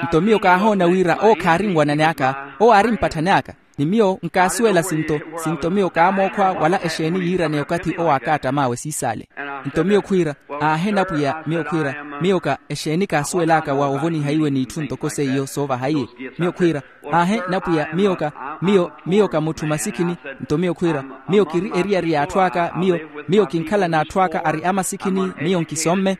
Nto miyo kaahoona wira owo khaari nwanani aka, owo aari mpatthani aka. Ni miyo nkaasuwela sinto, sinto miyo kaamookhwa wala exeeni yiiraneya okathi owo aakaattama awe siisaale. Nto miyo khwiira, aahe napwiya, miyo khwiira, miyo ka exeeni kaasuwel'aka wa ovoniha iwe n'itthu ntoko seiyo soovaha iye? Miyo khwiira, aahe napwiya, miyo ka, miyo miyo ka mutthu masikhini. Nto miyo khwiira, miyo kiri eriyari y'atthu aka. Miyo miyo kinkhala n'atthu aka ari amasikhini. Miyo nkisomme.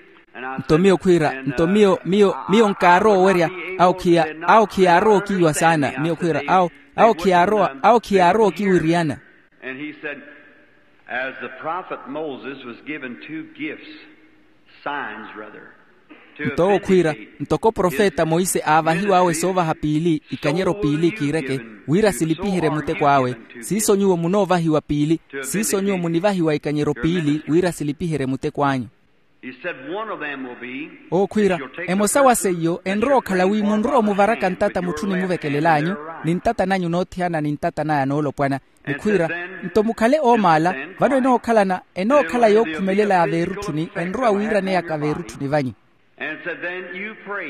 Nto miyo khwiira, nto miyo miyo miyo nkaarowa owerya. Awo khiya awo khiyaarowa okiiwa saana. Miyo khwiira, awo awo khiyaarowa awo khiyaarowa okiwiriyana. And he said, as the prophet Moses was given two gifts, signs rather, to nto owo khwiira, vindicate ntoko profeta monse aavahiw'awe soovaha piili, ikanyero piili kiireke, wira silipiherye muteko awe, siiso nyuwo munoovahiwa piili. Siiso nyuwo munivahiwa ikanyero piili wira silipiherye muteko anyu. He said, one of them will be, owo khwiira, emosa wa seiyo enrowa okhala wi munrowa omuvaraka ntata mutthu onimuvekelel'anyu, ni ntata nanyu noothiyana ni ntata naya noolopwana. Nikhwiira, nto mukhale oomaala, vano enookhalana enookhala yookhumelela ya veerutthuni enrowa wiiraneyaka veerutthuni vanyu.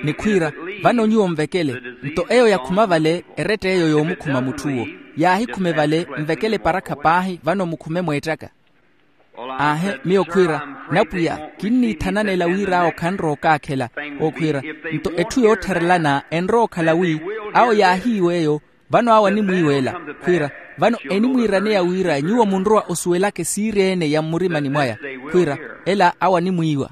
Nikhwiira, vano nyuwo nvekele. Nto eyo yakhuma vale, eretta eyo yoomukhuma mutthu'wo. Yaahikhume vale, nvekele eparakha paahi vano mukhume mweettaka. Aahe, miyo khwiira, napwiya, kinniithananela wir'awo khanrowa okaakhela. Owo khwiira, nto etthu yoottharelana enrowa okhala wi, awo yaahiiw'eyo. Vano awo animwiiw'ela. Khwiira, vano enimwiiraneya wira nyuwo munrowa osuwelaka esiiri-ene ya mmurimani mwaya. Khwiira, ela awo animwiiwa.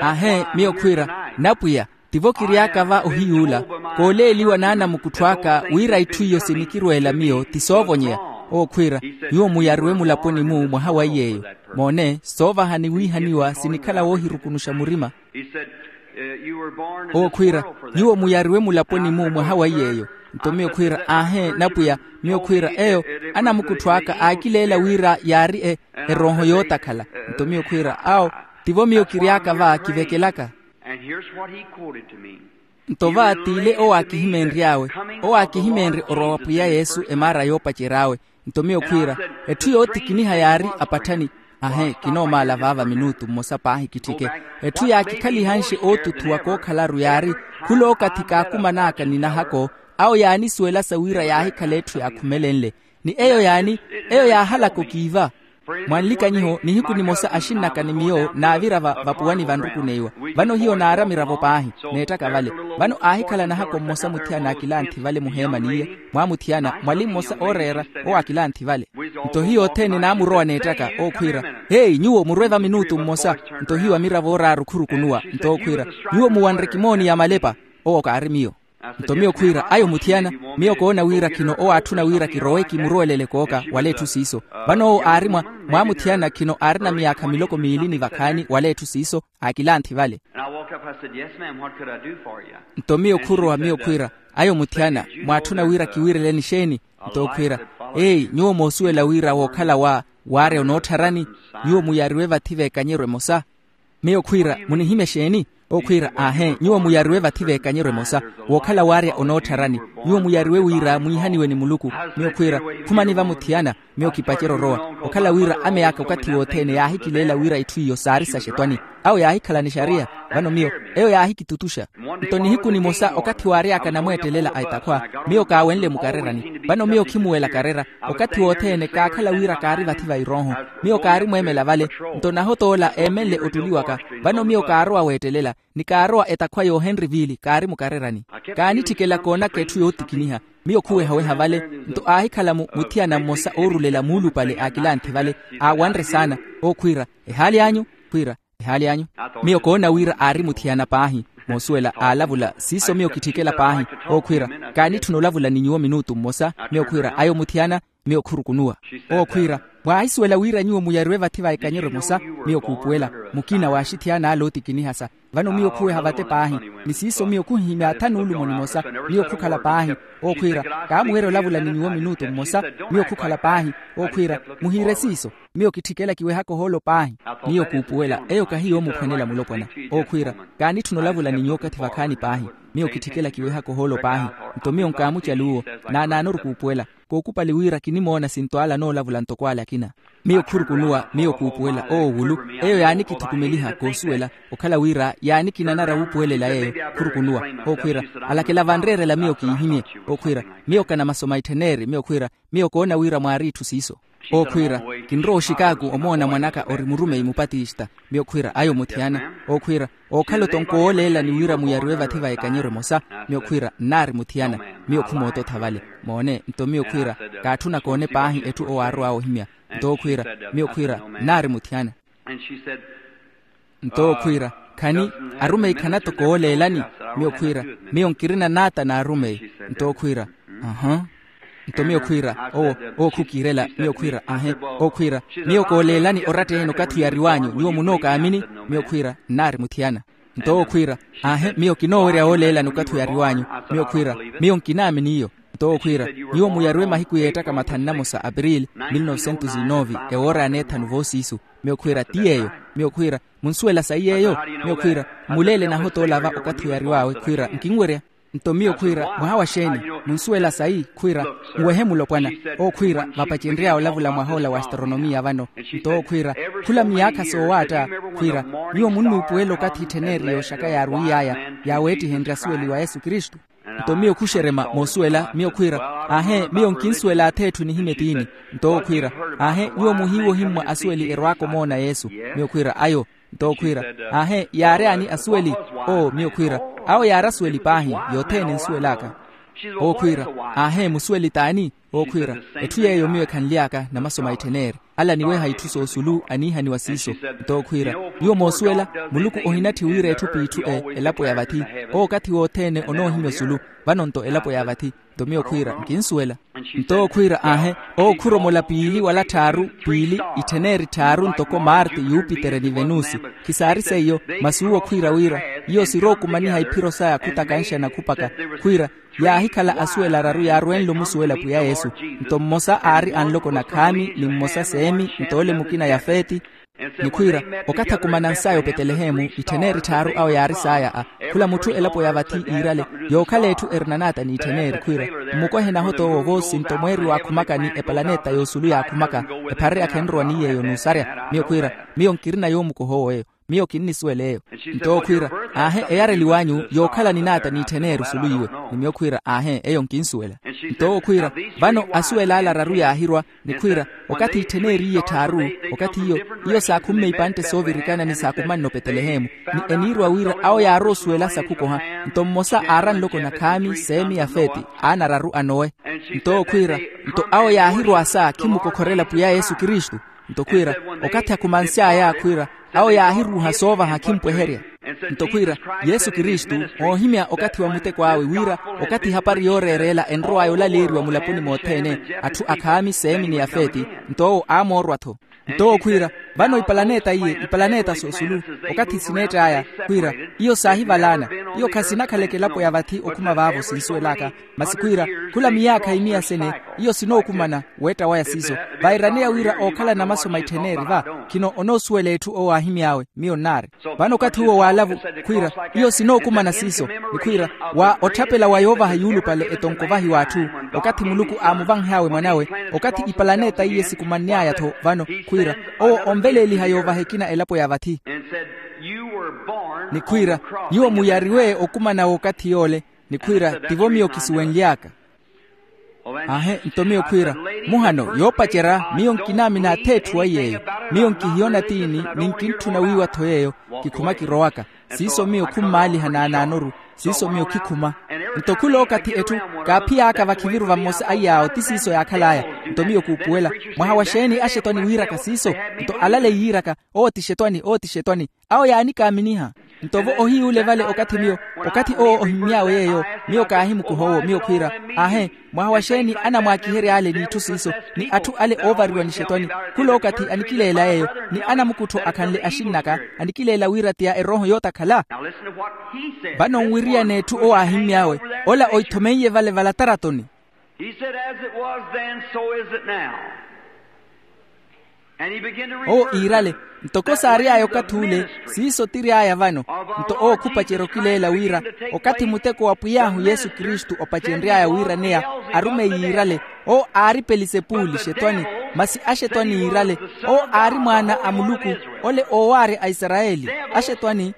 Aahe, miyo khwiira, napwiya, tivo kiry'aka va ohiy'ula, kooleeliwa n'anamukuttho aka wira itthu iyo sinikirweela miyo ti soovonyeya. Owo khwiira, nyuwo muyariwe mulaponi-mu mwaha wa iy'eyo. Moone, soovaha ni wiihaniwa sinikhala woohirukunuxa murima. Owo khwiira, nyuwo muyariwe mulaponi-mu mwaha wa iy'eyo. Nto miyo khwiira, aahe napwiya. Miyo khwiira, eyo anamukuttho aka aakileela wira yaari e erooho yootakhala. Nto miyo khwiira, awo, tivo miyo kiry'aka va kivekelaka. Nto va t'ile owo aakihimeenry'awe, owo aakihimeenrye orowa wa pwiya yesu emaara yoopacery'awe. Nto miyo khwiira, etthu yootikiniha yaari apatthani. Ahe, kinoomaala vaava minutu mmosa paahi kitthike. Etthu yaakikhalihanxe ootuthuwa kookhalaru yaari, khul'okathi kaakuman'aka ni nahako. Awo yaanisuwelasa wira yaahikhala etthu yaakhumelenle. Ni eyo yaani? Eyo yaahalaka okiiva. Mwa nlikanyiho nihiku nimosa axinn'aka ni miyo naavira vapuwani vanrukuneiwa. Vano hiyo naari amiravo paahi, neettaka vale. Vano aahikhala nahako mmosa muthiyana akilanthi vale muheemani iye. Mwaamuthiyana mwali mmosa ooreera, owo akilanthi vale. Nto hiyo othene naamurowa neettaka owo khwiira, heyi nyuwo murwe vaminutu mmosa. Nto hiyo amiravo ooraaru khurukunuwa nto owo khwiira, nyuwo muwanre kimooni ya malepa. Owo kaari miyo. Nto miyo khwiira ayo muthiyana, miyo koona wira khino owo aatthuna wira kirowe kimurowelele kooka wala etthu siiso. Vano owo aari mwa, mwaamuthiyana khino aarina miyaakha miloko miili ni vakhaani wala etthu siiso. Aakilanthi vale. Nto miyo khurowa miyo khwiira, ayo muthiyana, mwaatthuna wira kiwiireleni xeeni? Nto owo khwiira, eyi nyuwo moosuwela wira wookhala wa waarya onoottharani? Nyuwo muyariwe vathi v'ekanyeryo emosa. Miyo khwiira, munihimya exeeni? Owo khwiira, aahe nyuwo muyariwe vathi v'ekanyeryo emosa, wookhala waarya onoottharani. Nyuwo muyariwe wira mwiihaniwe ni muluku. Miyo khwiira, khumani va muthiyana. Miyo kipacerya orowa, okhala wira ame aka okathi wothene yaahikileela wira itthu iyo saari saxetwani. Awo yaahikhala ni xariya. Vano miyo, eyo yaahikitutuxa. Nto nihiku nimosa okathi waary'aka namweettelela a etakhwa, miyo kaawenle mukarerani. Vano miyo khimuwela karera. Okathi wothene kaakhala wira kaari vathi va irooho. Miyo kaari mweemela vale. Nto nahota ola eemenle ottuli waka. Vano miyo kaarowa weettelela, ni kaarowa etakhwa y'ohenriville kaari mukarerani. Kaanitthikela koonaka etthu yootikiniha. Miyo khuwehaweha vale. Nto aahikhala muthiyana mmosa oorulela muulupale aakilanthi vale, aawanre saana. Owo khwiira, ehaali anyu? Khwiira, ehaali anyu. Miyo koona wira aari muthiyana paahi. Moosuwela aalavula siiso miyo kitthikela paahi. Owo khwiira, kaanitthuna olavula ni nyuwo minutu mmosa. Miyo khwiira ayo muthiyana. Miyo khurukunuwa. Owo khwiira, mwaahisuwela wira nyuwo muyariwe vathi va ekanyeryo emosa? Miyo khuupuwela, mukina w'axithiyan'ale ootikinihasa. Vano miyo khuweha vate paahi. Ni siiso miyo khuhihimya athanu olumo nimosa. Miyo khukhala paahi. Ookhwiira, kaamuwerya olavula ni nyuwo minutu mmosa. Miyo khukhala paahi. Ookhwiira, muhiire siiso. Miyo kitthikela kiwehaka ohoolo paahi. Miyo kuupuwela eyo kahi yoomuphwanela mulopwana. Ookhwiira, kaanitthuna olavula ni nyuwo okathi vakhaani paahi. Miyo kitthikela kiwehaka ohoolo paahi. Nto miyo nkaamucali uwo. Naanaanoru kuupuwela. Kookupali wira kinimoona sinto ale anoolavula ntoko ale akina. Miyo khurukunuwa miyo kuupuwela oowulu. Eyo yaanikithukumeliha koosuwela. Okhala wira yaanikinanara wuupuwelela yeeyo. Khurukunuwa. Ookhwiira, alakela vanreerela miyo kiihimye. Ookhwiira, miyo kanamaso maittheneeri miyo khwiira, miyo koona wira mwaari itthu siiso. Ookhwiira, kinrowa oxikaaku omoona mwan'aka ori murumeyi mupatista. Miyo khwiira ayo muthiyana. Ookhwiira, ookhala otonko wooleelani wira muyariwe vathi va ekanyero emosa. Miyo khwiira nnaari muthiyana. Miyo khumoototha vale. Moone nto miyo khwiira, kaatthuna koone paahi etthu owo aarowa ohimya. Nto owo khwiira, miyo khwiira nnaari muthiyana. Nto owo khwiira, khani arumeyi khanatoko wooleelani? Miyo khwiira, miyo nkirina naata n'arumeyi. Nto owo khwiira, aha. Nto miyo khwiira, owo owo khukiirela. Miyo khwiira, ahe. Owo khwiira, miyo kooleelani oratta eheno okathi oyariw'anyu nyuwo munookaamini? Miyo khwiira nnaari muthiyana. Nto owo khwiira, ahe miyo kinoowerya wooleelani okathi oyariw'anyu. Miyo khwiira, miyo nkinaamini iyo. Nto owo khwiira, nyuwo muyariwe mahiku yeettaka mathanu namosa apirili, mil novecentos e nove, ewoora ya neethanu voosiisu. Miyo khwiira ti yeeyo. Miyo khwiira, munsuwela sayi yeeyo? Miyo khwiira, mmuleele nahota olava okathi oyariw'awe khwiira nkinwerya. Nto miyo khwiira, mwaha wa xeeni? Munsuwela sayi khwiira, nwehe mulopwana. Owo khwiira, vapacenry'awe olavula mwaha ola wa astronomiya vano. Nto owo khwiira, khula miyaakha soowaatta. Khwiira, nyuwo munnuupuwela okathi ittheneri yooxaka yaarwiiy'aya, yaaweettihenrye asuweli wa yesu kristu. Nto miyo khuxerema moosuwela miyo khwiira, aahe miyo nkinsuwela ath'etthu nihimye tiini. Nto owo khwiira, aahe nyuwo muhiiwa ohimmwa asuweli erwaaka omoona yesu. Miyo khwiira ayo. Nto owo khwiira, aahe yaary'ani asuweli? Oo miyo khwiira, awo yaari asuweli paahi, yothene nsuwel'aka. Owo khwiira, aahe musuweli t'ani? Owo khwiira, etthu yeeyo miyo ekhanly'aka namaso maittheneeri. Ale aniweha itthu soosulu aniihaniwa siiso. Nto owo khwiira, nyuwo moosuwela, muluku ohinatthi wira etthu p'itthu e elapo ya vathi. Owo okathi wothene onoohimya osulu. Vano nto elapo ya vathi. Nto miyo khwiira nkinsuwela. Nto owo khwiira aahe, owo khuromola piili wala tthaaru piili, ittheneri tthaaru ntoko marte yupitere ni venusi. Khisaari seiyo, masi uwo khwiira wira, iyo sirookumaniha iphiro saya khutakanxana khupaka. Khwiira, yaahikhala asuwela araru yaarwenle omusuwela pwiya yesu. Nto mmosa aari anloko nakhaami ni mmosa seemi nto ole mukina yafeti. Ni khwiira, okathi akumanansaaya opetelehemu ittheneri tthaaru awo yaari saaya a, khula mutthu elapo ya vathi iirale, yookhala etthu erinanaata n'ittheneri khwiira, mmukohe nahota owo voosi nto mweeri waakhumakani epalaneta yoosulu yaakhumaka. Epharerya khenrowa ni yeeyo n'usarya. Miyo khwiira, miyo nkirina yoomukoha owo eyo. Miyo kinnisuwela eyo. Nto owo khwiira, aahe eyareliw'anyu yookhala ninaata n'ittheneri osulu iwe. Ni miyo khwiira, aahe eyo nkinsuwela. Nto owo khwiira, vano asuwel'ale araru yaahirwa. Ni khwiira, okathi ittheneriye etthaaru, okathi iyo, iyo saakhumme ipantte soovirikana ni saakumanne opetelehemu. Ni eniirwa wira awo yaarowa osuwela sakhukoha. Nto mmosa aara nloko nakhaami seemi yafeti, aana araru a nowe. Nto owo khwiira, nto awo yaahirwa sa khimukokhorela pwiya yesu kristu. Nto khwiira, okathi akhumansy'aya khwiira, awo yaahiruuha soovaha khimpweherya. Nto khwiira, yesu kristu, oohimya okathi wa muteko awe wira, okathi ehapari yooreereela enrow'aya olaleeriwa mulaponi mothene, atthu akhaami seemi ni yafeti. Nto owo aamoorwa-tho. Nto owo khwiira, vano ipalaneta iye, ipalaneta soosulu, okathi sineett'aya, khwiira, iyo saahivalaana. Iyo khasinakhaleke elapo ya vathi okhuma vaavo sinsuwel'aka. Masi khwiira, khula miyaakha imiya sene, iyo sinookumana. Weetta waya siiso, vairaneya wira ookhala namaso maittheneeri va. Khino onoosuwela etthu owo aahimy'awe. Miyo nnaari. Vano okathi uwo waalavu, khwiira, iyo sinookumana siiso. Ni khwiira, wa otthapela wa yoovaha yuulupale etonko vahi w'atthu, okathi muluku aamuvanhy'awe mwan'awe, okathi ipalaneta iye sikumanny'aya-tho vano. Khwiira, owo onveleeliha yoovaha ekina elapo ya vathi. Ni khwiira, nyuwo muyariwe okumana w'okathi yoole. Ni khwiira, tivo miyo kisuwenly'aka. Aahe nto miyo khwiira, muhano yoopacerya, miyo nkinaamina ath'etthu wa yeeyo. Miyo nkihiyona tiini, ni nkintthuna wiiwa-tho yeeyo. Kikhuma kirowaka. Siiso miyo khummaaliha naanaanoru. Siiso miyo khikhuma. Nto khul'okathi etthu, kaaphiy'aka vakhiviru vamosa a iyaawo ti siiso yaakhal'aya. Nto miyo kuupuwela, mwaha wa xeeni axetwani wiiraka siiso? Nto alaleyi yiiraka, owo ti xetwani, owo ti xetwani. Awo yaanikaaminiha. Nto vo ohiy'ule vale okathi miyo, okathi owo ohimmy'awe yeeyo, miyo kaahimukuha owo miyo khwiira, aahe, mwaha wa xeeni anamwaakihery'ale n'itthu siiso, ni atthu ale oovariwa nixetwani? Khula okathi anikileela yeeyo, ni anamukuttho akhanle axinn'aka, anikileela wira ti ya erooho yootakhala. Vano nwiriyane etthu owo aahimmy'awe, ola oithomeiye vale valataratoni. He said, "As it was then, so is it now." Owo iirale, ntoko saary'aya okath'ule, siiso tiry'aya vano. Nto owo khupacerya okileela wira okathi muteko wa pwiy'ahu yesu kristu opacenry'aya wiiraneya, arume yiirale. Owo aari pelisepuli xetwani, masi axetwani yiirale. Owo aari mwaana a muluku, ole oowaarya a isarayeli. Axetwani.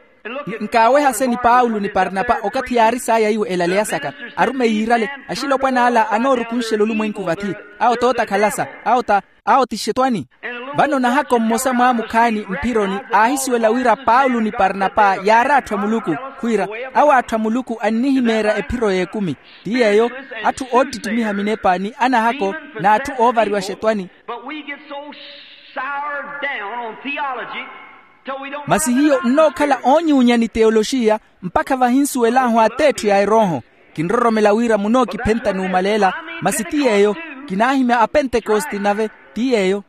Nkaawehase ni paulo ni parnapa okathi yaari saaya iwo elaleya saka, arume yiirale, axilopwan'ala anoorukunxela olumwenku vathi. Awo t'otakhalasa, awo ta, awo ti xetwani. Vano nahako mmosa mwaamukhaani mphironi aahisuwela wira paulo ni parnapa yaari atthu a muluku, khwiira, awo atthu a muluku annihimeerya ephiro y'ekumi. Ti yeeyo, atthu oottittimiha minepa ni anahako, n'atthu oovariwa xetwani. But we get so soured down on theology. Masi hiyo nnookhala oonyuunya ni teyoloxiya, mpakha vahinsuwel'ahu at'etthu ya erooho. Kinroromela wira munookiphenta n'umaleela. Masi ti yeeyo, kinaahimya apentekoste nave. Ti yeeyo.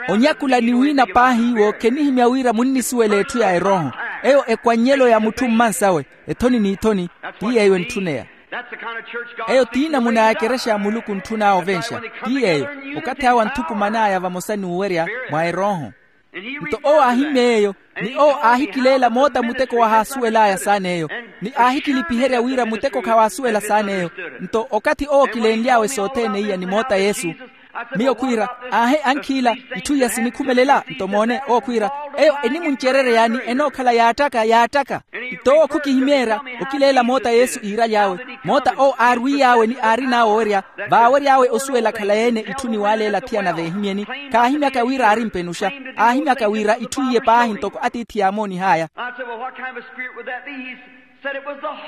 Onyakula ni wiina paahi iwo khenihimya wira munnisuwela etthu ya erooho. Eyo ekwannyelo ya mutthu mmansawe, ethoni n'ithoni. Ti yeeyo entthuneya. Eyo ti namuna ya ekerexa ya muluku ntthun'awe ovenxa. Ti yeeyo, okathi awo anthukuman'aya vamosa n'uwerya mwa erooho. Nto owo aahimmye yeeyo, ni owo aahikileela moota muteko wahaasuwel'aya saan'eyo, ni aahikilipiherya wira muteko khawaasuwela saan'eyo. Nto okathi owo kilenly'awe sothene iya ni moota yesu. Miyo khwiira, aahe ankhiila, itthu iya sinikhumelela? Nto moone owo khwiira, eyo enimuncerereya ni enookhala yaattaka yaattaka. Nto owo khukihimeerya okileela moota yesu iiraly'awe, moota owo aarwiiy'awe ni aarin'awe owerya, vaawery'awe osuwela khalayi-ene itthu niwaaleela athiyana veehimyeni. Khaahimyaka wira aari mpenuxa, aahimyaka wira itthu iye paahi ntoko atiithi yaamoonih'aya.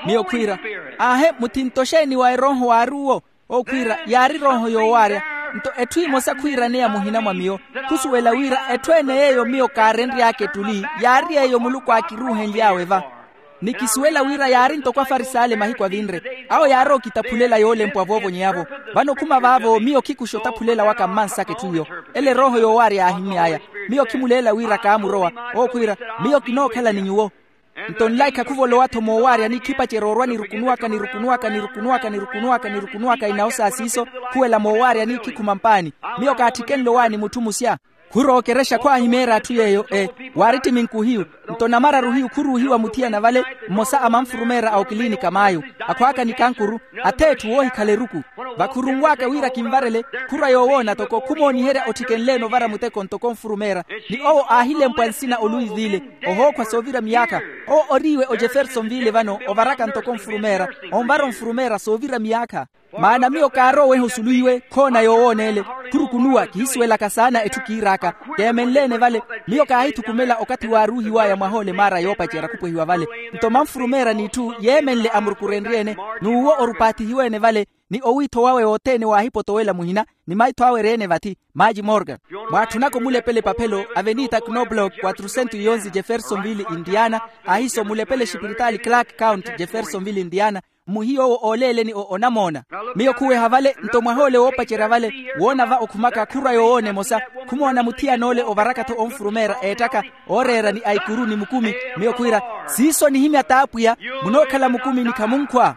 Miyo khwiira, aahe muthinto xeeni wa erooho waari uwo? Owo khwiira yaari erooho yoowaarya. Nto etthu emosa khwiiraneya muhina mwa miyo, khusuwela wira etthu ene yeeyo miyo kaarenry'aka ettuli, yaari yeeyo muluku aakiruuhenly'awe va. Ni kisuwela wira yaari ntoko afaris'ale mahiku avinre. Awo yaari okitaphulela yoolempwa voovonyeya-vo. Vano khuma vaavo miyo khikuxa otaphulela waka mmansaka etthu iyo. Ele erooho yoowaarya yaahimmy'aya. Miyo khimuleela wira kaamurowa. Owo khwiira, miyo kinookhala ni nyuwo. Nto nlaikha khuvolowa-tho moowaarya ni khipacerya orwa nirukunuwaka nirukunuwaka nirukunuwaka nirukunuwaka inawo sa siiso. Khuwela moowaarya ni khikhuma mpaani. Miyo kaatthikenle owaani mutthu musya. Khurowa okerexa khwaahimeerya atthu yeeyo e, waari ttiminkuhiyu. Nto namararu hiyu khuruuhiwa muthiyana vale, mmosa a manfurumeera a okiliinika maayu, akhwaaka ni kankuru, ath'etthu woohikhala eruku. Vakhurunwaaka wira kinvarele, khurwa yoowoona toko khumooniherya otthikenle-ene ovara muteko ntoko nfurumeera. Ni owo aahilempwa nsina oluivile, ohookhwa soovira miyaakha. Owo oriiwe ojefersonvile vano ovaraka ntoko nfurumeera, onvara onfurumeera soovira miyaakha. Maana miyo kaarowa oweha osuluiwe khoona yoowoona ele. Khurukunuwa kihisuwelaka saana etthu kiir'aka. Keemenle-ene vale, miyo kaahithukumela okathi waaruuhiw'aya mwahoole maara yoopacerya khupwehiwa vale. Nto manfurumeera n'itthu yeemenle amurukurenrye-ene, n'uwo orupaathihiwe-ene vale, ni owiitho wawe wothene waahipotowela muhina, ni maitho awe eri-ene vathi. Maaji morgan. Mwaatthunaka omulepela epaphelo avenita knoblock quatrocento e onze jeffersonville indiana. Ahiso mulepela exipiritaali clark count jeffersonville indiana. Mmuhiya owo ooleeleni onamoona. Miyo khuweha vale nto mwaha ole woopacerya vale, woona va okhumaka khurwa yoowoona emosa. Khumoona muthiyan'ole ovaraka-tho onfurumeera eettaka, ooreera ni aikuru ni mukumi. Miyo khwiira, siiso nihimya t'apwiya. Munookhala mukumi ni khamunkhwa.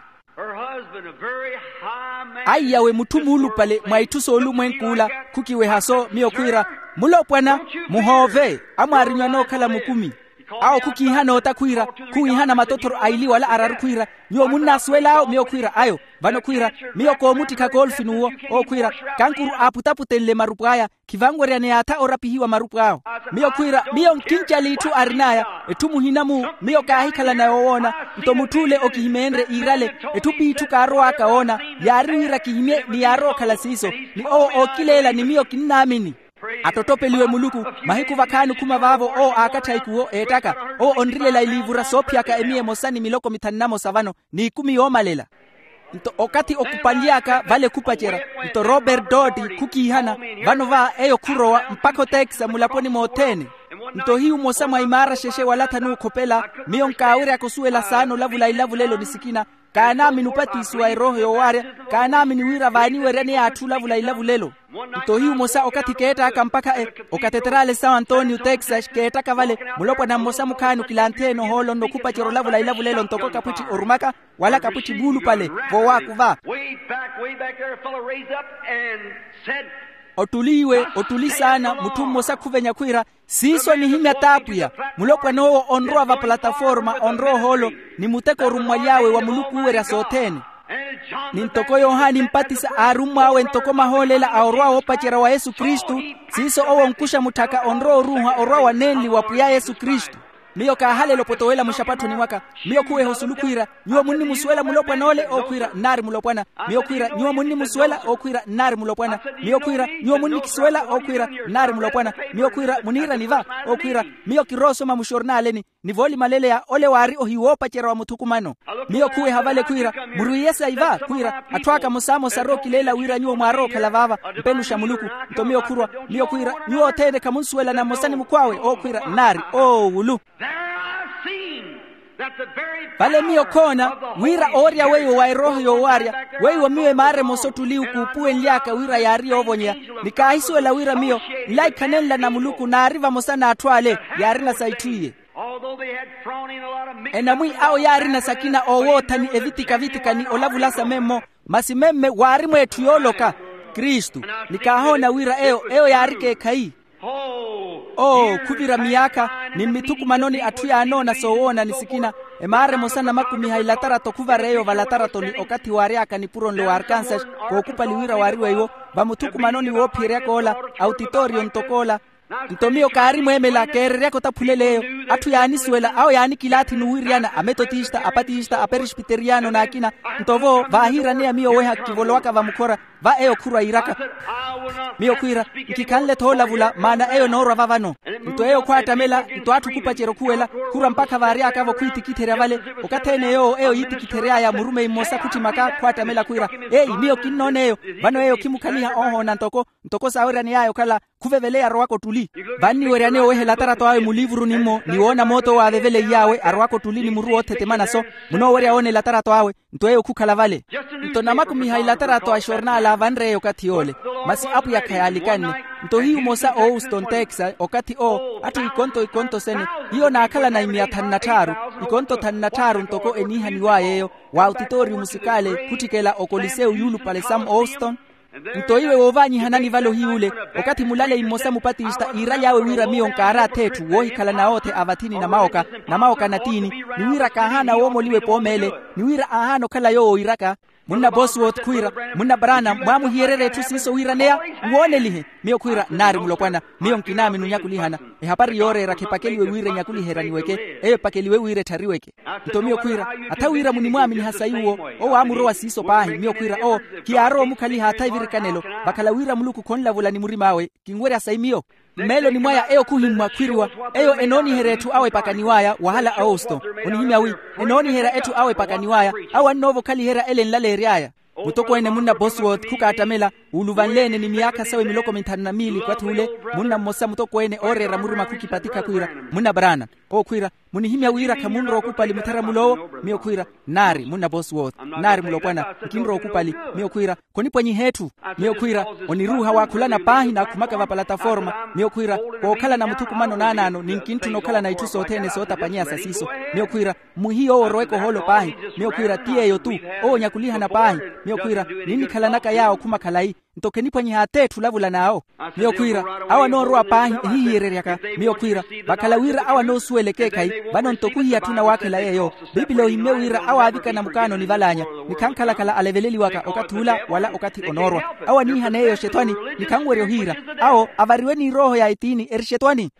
Aiyawe mutthu muulupale mwa itthu soolumwenk'ula. Khukiweha-so miyo khwiira, mulopwana, muhoove. Amwaarinyu anookhala mukumi. Awo khukiihana otakhwiira, khuwiihana matothoro a iliwala araru khwiira, nyuwo munnaasuwel'awo miyo khwiira ayo. Vano khwiira, miyo koomuttikha koolfi n'uwo. Owo khwiira, kankuru aaputaputenle marupu aya, khivanweryaneya atha orapihiwa marupu awo. Miyo khwiira, miyo nkincali itthu arin'aya. Etthu muhina-mu, miyo kaahikhalana yoowoona. Nto mutth'ule okihimeenrye iirale, etthu p'itthu kaarowaaka woona. Yaari wira kihimye ni yaarowa okhala siiso. Ni owo ookileela ni miyo kinnaamini. Attottopeliwe muluku. Mahiku vakhaani okhuma vaavo owo aakattha ikuwo eettaka. Owo onrilela iliivura soophiyaka emiya emosa ni miloko mithanu na mosa vano, n'ikumi yoomalela. Nto okathi okupanly'aka vale khupacerya. Nto robert dooti khukiihana. Vano va eyo khurowa mpakha oteekisa mulaponi mothene. Nto hiyu mmosa mwa imaara xexe wala thanuukhopela. Miyo nkaaweryaka osuwela saana olavula ilavulelo ni sikina. Kaanaamini opatisiwa erooho yoowaarya. Kaanaamini wira vaaniweryaneya atthu olavula ilavulelo. Nto hiyu mmosa okathi keettaka mpakha okateterale são antonio texas keettaka vale, mulopwana mmosa mukhaani okilanthi-ene ohoolo nnokhupacerya olavula ilavulelo ntoko kapwitthi orumaka wala kapwitthi muulupale. Vowaaku va. Way back, way back there, a fellow raised up and said, ottuli iwe ottuli saana mutthu mmosa khuvenya khwiira, siiso nihimya t'apwiya. Mulopwana owo onrowa vapalataforma onrowa ohoolo ni muteko orummwaly'awe wa muluku oowerya sothene. Ni ntoko yohani mpatisa aarummw'awe ntoko mahoolela a orwa woopacerya wa yesu kristu, siiso owo onkuxa mutthaka onrowa oruuha orwa wa nenli wa pwiya yesu kristu. Miyo kaahalela opotowela muxapatthoni mwaka. Miyo khuweha osulu khwiira, nyuwo munnimusuwela mulopwana ole ookhwiira nnaari mulopwana. Miyo khwiira nyuwo munnimusuwela ookhwiira nnaari mulopwana. Miyo khwiira nyuwo munnikisuwela ookhwiira nnaari mulopwana. Miyo khwiira muniirani va ookhwiira, miyo kiroosoma muxornaaleni ni voolimaleleya ole waari ohiwoopacerya wa muthukumano. Miyo khuweha vale khwiira, murwiiye sayi va khwiira atthu aka mosamosa arookileela wira nyuwo mwaarookhala vaava mpenu xa muluku. Nto miyo khurwa, miyo khwiira nyuwo othene khamunsuwelana mmosa ni mukhw'awe ookhwiira nnaari oowulu. Vale miyo khoona wira oorya weiwo wa erooho yoowaarya weiwo miyo emaara emosa ottuli okuupuwenly'aka wira yaari yoovonyeya. Ni kaahisuwela wira miyo nlaikhanenla na muluku naari vamosa n'atthu ale yaarina sa itthu iye. Enamwi awo yaarina sakina oowoothani evitika-vitika ni olavulasa memmo. Masi memme waari mweetthu yooloka kristu. Ni kaahoona wira eyo eyo yaari ekeekhayi. Oo khuvira miyaakha ni mmithukumanoni atthu yaanoona soowoona ni sikina. Emaara emosa namakumiha ilatarato khuvara eyo valataratoni okathi waary'aka nipuro nlo wa arkansas kookupali wira waari weiwo vamuthukumanoni woophiyeryaka ola autitooriyo ntoko ola. Nto miyo kaari mweemela keereryaka otaphulel'eyo. Atthu yaanisuwela awo yaanikilaathi n'uwiryana ametotista apatista aperesbiteriyano n'akina. Nto vo vaahiiraneya miyo oweha kivolowaka vamukhora va eyo khurwa yiiraka. Miyo khwiira nkikhanle-tho olavula maana eyo enoorwa vavano. Nto eyo khwaattamela nto atthu khupacerya okhuwela khurwa mpakha vaary'akavo khwiitikitherya vale. Okathi-ene yoowo eyo yiitikithery'aya murumeyi mmosa khutthimaka khwaattamela khwiira eyi miyo kinnoona eyo. Vano eyo khimukhaliha oohoona ntoko ntoko saaweryaney'aya okhala khuveveleya arowaka ottuli. Vanniweryaneya oweha elatarato awe muliivuruni-mo ni woona moota owo aaveveleiy'awe arowaka ottuli ni muru woothetema naso. Munoowerya woona elatarato awe nto eyo khukhala vale. Nto namakumiha elatarato a xornaala vanreya okathi yoole. Masi apwiya khayaalikhanne. Nto hiyu mmosa oowusto nteekisa okathi owo atthu ikonto ikonto sene hiyo naakhalana imiya thanu na tthaaru ikonto thanu na tthaaru ntoko eniihaniw'aya eyo wa autitooriyo musikaale khutthikela okoliseu yuulupale sam owuston. Nto iwe woovaanyihanani vale ohiy'ule okathi mulalei mmosa mupatista iiraly'awe wira miyo nkaar'athi etthu woohikhala nawoothe a vathini na mawoka na mawoka na tiini ni wira kaahaana woomoliwa epoomeele ni wira aahaana okhala yoowo iiraka. Munna bosworth khwiira munna brana mwaamuhiyererya etthu siiso wiiraneya nwoonelihe. Miyo khwiira nnaari mulopwana miyo nkinaamini onyakulihana. Ehapari yooreera khepakeliwe wira enyakuliheryaniweke eyo epakeliwe wira etthariweke. Nto miyo khwiira atha wira munimwaaminiha sayi uwo owo aamurowa siiso paahi miyo khwiira owo khiyaarowa omukhaliha atha evirikanelo vakhala wira muluku khonlavula ni murim'awe kinwerya sayi miyo. Mmeeloni mwaya eyo khuhimmwa khwiriwa eyo enooniherya etthu awo epakaniw'aya wahala austo onihimya wi enooniherya etthu awo epakaniw'aya awo annoova okhaliherya ele enlaleery'aya. Mutokweene munna bosworth khukaattamela wuuluvanle-ene ni miyaakha sawe miloko minthanu na miili kwathi ule munna mmosa mutokweene ooreera murima khukipatikha khwiira munna brana owo khwiira munihimya wira khamunrowa okupali muttharamul'owo miyo khwiira nnaari munna bosworth nnaari mulopwana nkinrowa okupali miyo khwiira khonipwanyiha etthu miyo khwiira oniruuha waakhulana paahi naakhumaka vapalataforma miyo khwiira kookhalana muthukumano naanaano ninkintthuna okhalana itthu sothene sootapanyeya sa siiso miyo khwiira mwihiyo owo oroweke ohoolo paahi miyo khwiira ti yeeyo-tu owo onyakulihana paahi miyo khwiira ninnikhalanaka yaawo okhuma khalayi nto kheniphwanyiha atheetthu olavula n'awo miyo khwiira awo anoorowa paahi ehihiyereryaka miyo khwiira vakhala wira awo anoosuwela ekeekhayi vano nto khuhiya atthu nawaakhela yeeyo biipili ohimmye wira awo aavikana mukaanoni valaanya ni khankhalakhala aleveleliwaka okathi ula wala okathi onoorwa awo aniihana eyo oxetwani ni khanwerya ohiira awo avariwe n'irooho ya etiini eri xetwani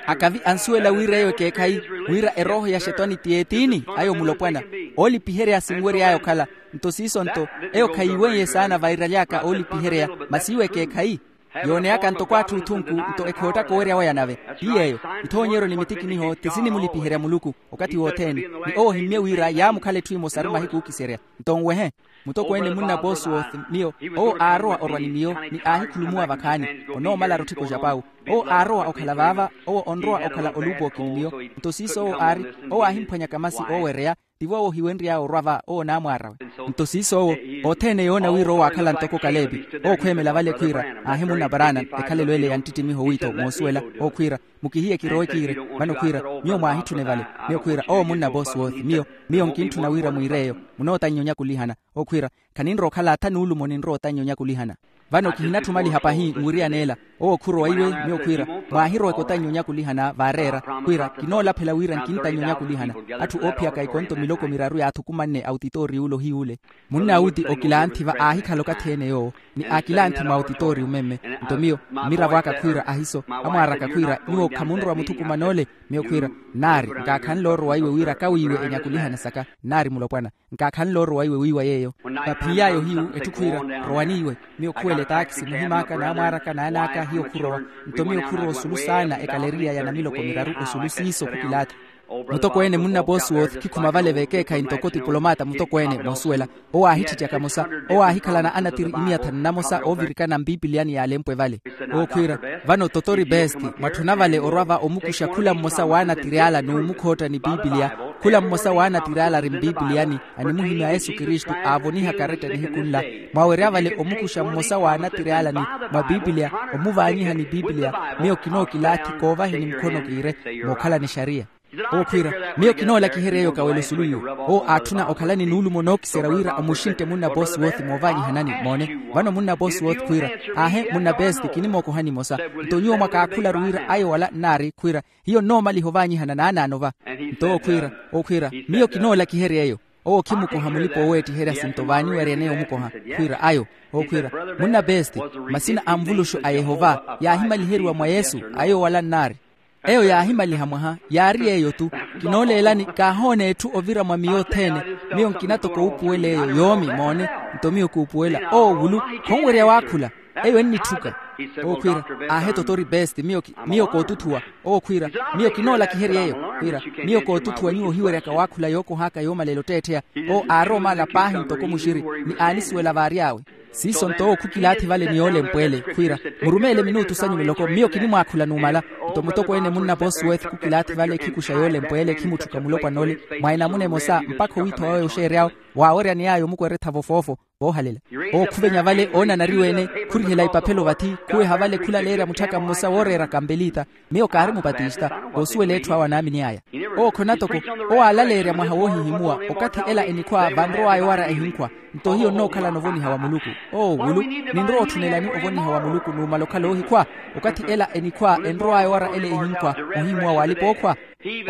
akavi ansuwela wira eyo ekeekhayi wira erooho ya xetwani ti etiini ayo mulopwana oolipiherya sinwery'aya okhala nto siiso nto eyo khayiiweiye saana vairaly'aka oolipiherya masi iwo ekeekhayi Yooneyaka ntoko atthu othunku, nto ekhoottaka owerya waya nave. Ti yeeyo. Ithoonyeryo ni mitikiniho ti sinimulipiherya muluku okathi wothene. Ni owo ohimmye wira yaamukhala etthu emosaru mahiku ookiserya. Nto nwehe, mutokweene munna bosworth miyo, owo aarowa orwa ni miyo, ni aahikhulumuwa vakhaani. Onoomalaru otthiko ja pawu. Owo aarowa okhala vaava, owo onrowa okhala oluupooki ni miyo. Nto siiso owo aari, owo aahimphwanyaka masi oowereya. Tivo owo ohiwenry'awe orwa va owo naamwaar'awe. Nto siiso owo, othene yoona wira owo aakhala ntoko kalepi. Owo khweemela vale khwiira, aahi munna paraana. Ekhalelo ele ya nttittimiho wiitho moosuwela. Owo khwiira, mukihiye kirowe kiire. Vano khwiira, miyo mwaahitthune vale. Miyo khwiira owo munna bosworth miyo, miyo nkintthuna wira mwiir'eyo. Munootannya onyakulihana. Owo khwiira, khaninrowa okhala atha nuulumo ninrowa otannya onyakulihana. Vano kihinatthumaliha pahi nwiriyana ela. Owo khurowa iwe, miyo khwiira, mwaahiroweke otannya onyakulihana vaareera. Khwiira kinoolaphela wira nkintannya onyakulihana. Atthu oophiyaka ikonto miloko miraru yaathukumanne autitooriyu ole ohiy'ule. Munna awuti okilanthi va aahikhala okathi ene yoowo, ni aakilanthi mwa autitooriyu memme. Nto miyo, mmiravo aka khwiira ahiso, amwaar'aka khwiira nyuwo khamunrowa muthukumana ole. Miyo khwiira, nnaari, nkaakhanle orowa iwe wira kawiiwe enyakulihana saka. Nnaari mulopwana, nkaakhanle orowa iwe wiiwa yeeyo. Vaphiiy'aya ohiyu etthu khwiira, rowani iwe. Miyo khuwela etaakisi muhim'aka n'amwaar'aka n'an'aka hiyo khurowa. Nto miyo khurowa osulu saana ekaleriya ya namiloko miraru osulu siiso khukilaathi. Mutokweene munna bosworth khikhuma vale vekeekhayi ntoko tipulomata mutokweene moosuwela. Owo aahitthittyaka mosa. Owo aahikhalana anatiri imiya thanu namosa oovirikana mpipiliyani y'alempwe vale. Owo khwiira, vano totori best, mwatthuna vale orwa va omukuxa khula mmosa w'anatiri ala n'umukhootta ni pipiliya. Khula mmosa w'anatiri ala ari mpipiliyani, animuhimya yesu kristu aavoniha karetta nihiku nla. Mwawerya vale omukuxa mmosa w'anatiri ala ni mwa pipiliya, omuvaanyiha ni pipiliya. Miyo kinookilaathi koovaheni mukhono kiire, mookhala ni xariya. Owo khwiira, miyo kinoolakiherya eyo kawela osulu iwe. Owo aatthuna okhalani nuulumo nookiserya wira omuxintte munna bosworth moovaanyihanani. Moone, vano munna bosworth khwiira, aahe munna best kinimookohani emosa. Nto nyuwo mwakaakhularu wira ayo wala nnaari khwiira, hiyo nnoomaliha ovaanyihana naanaano va. Nto owo khwiira, owo khwiira, miyo kinoolakiherya eyo. Owo khimukoha mulipa-ooweettiherya sinto vaani weryaneya omukoha. Khwiira ayo, owo khwiira, munna best, masina a nvuluxu a yehova yaahimaliheriwa mwa yesu, ayo wala nnaari. Eyo yaahimaliha mwaha, yaari yeeyo-tu. Kinooleelani kaahoona etthu ovira mwa miyo othene. Miyo nkina toko wuupuwela eyo yoomi moone. Nto miyo kuupuwela owo wulu, khonwerya waakhula. Eyo ennitthuka. Owo khwiira, aahe totori best, miyo ki- miyo kootuthuwa. Owo khwiira, miyo kinoolakiherya eyo. Khwiira, miyo kootuthuwa nyuwo ohiweryaka waakhula yookoh'aka yoomalela otteettheya. Owo aarowa omaala paahi ntoko muxiri, ni aanisuwela vaary'awe. Siiso nto owo khukilaathi vale ni yoolempweele khwiira, murumeele minuutu sanyu miloko miyo kinimwaakhula numala. Nto mutokweene munna bosworth khukilaathi vale khikuxa yoolempweele khimutthuka mulopwana ole, mwa enamuna emosa mpakha owiitho wawe oxeery'awe. Waaweryani yaayo mukwerettha vofoofo, voohalela. Owo khuvenya vale oonanariweene, khurihela ipaphelo vathi, khuweha vale khulaleerya mutthaka mmosa wooreeraka mpeliita. Miyo kaari mupatista, koosuwela etthu awo anaamini aya. Owo khona toko, owo aalaleerya mwaha woohihimuwa, okathi ela enikhwa vanrow'aya owara ehinkhwa. Nto hiyo nnookhalana ovoniha wa muluku. Owo wulu, ninrowa otthunelani ovoniha wa muluku numala okhala oohikhwa? Okathi ela enikhwa enrow'aya owara ele ehinkhwa, ohihimuwa w'alipa-ookhwa.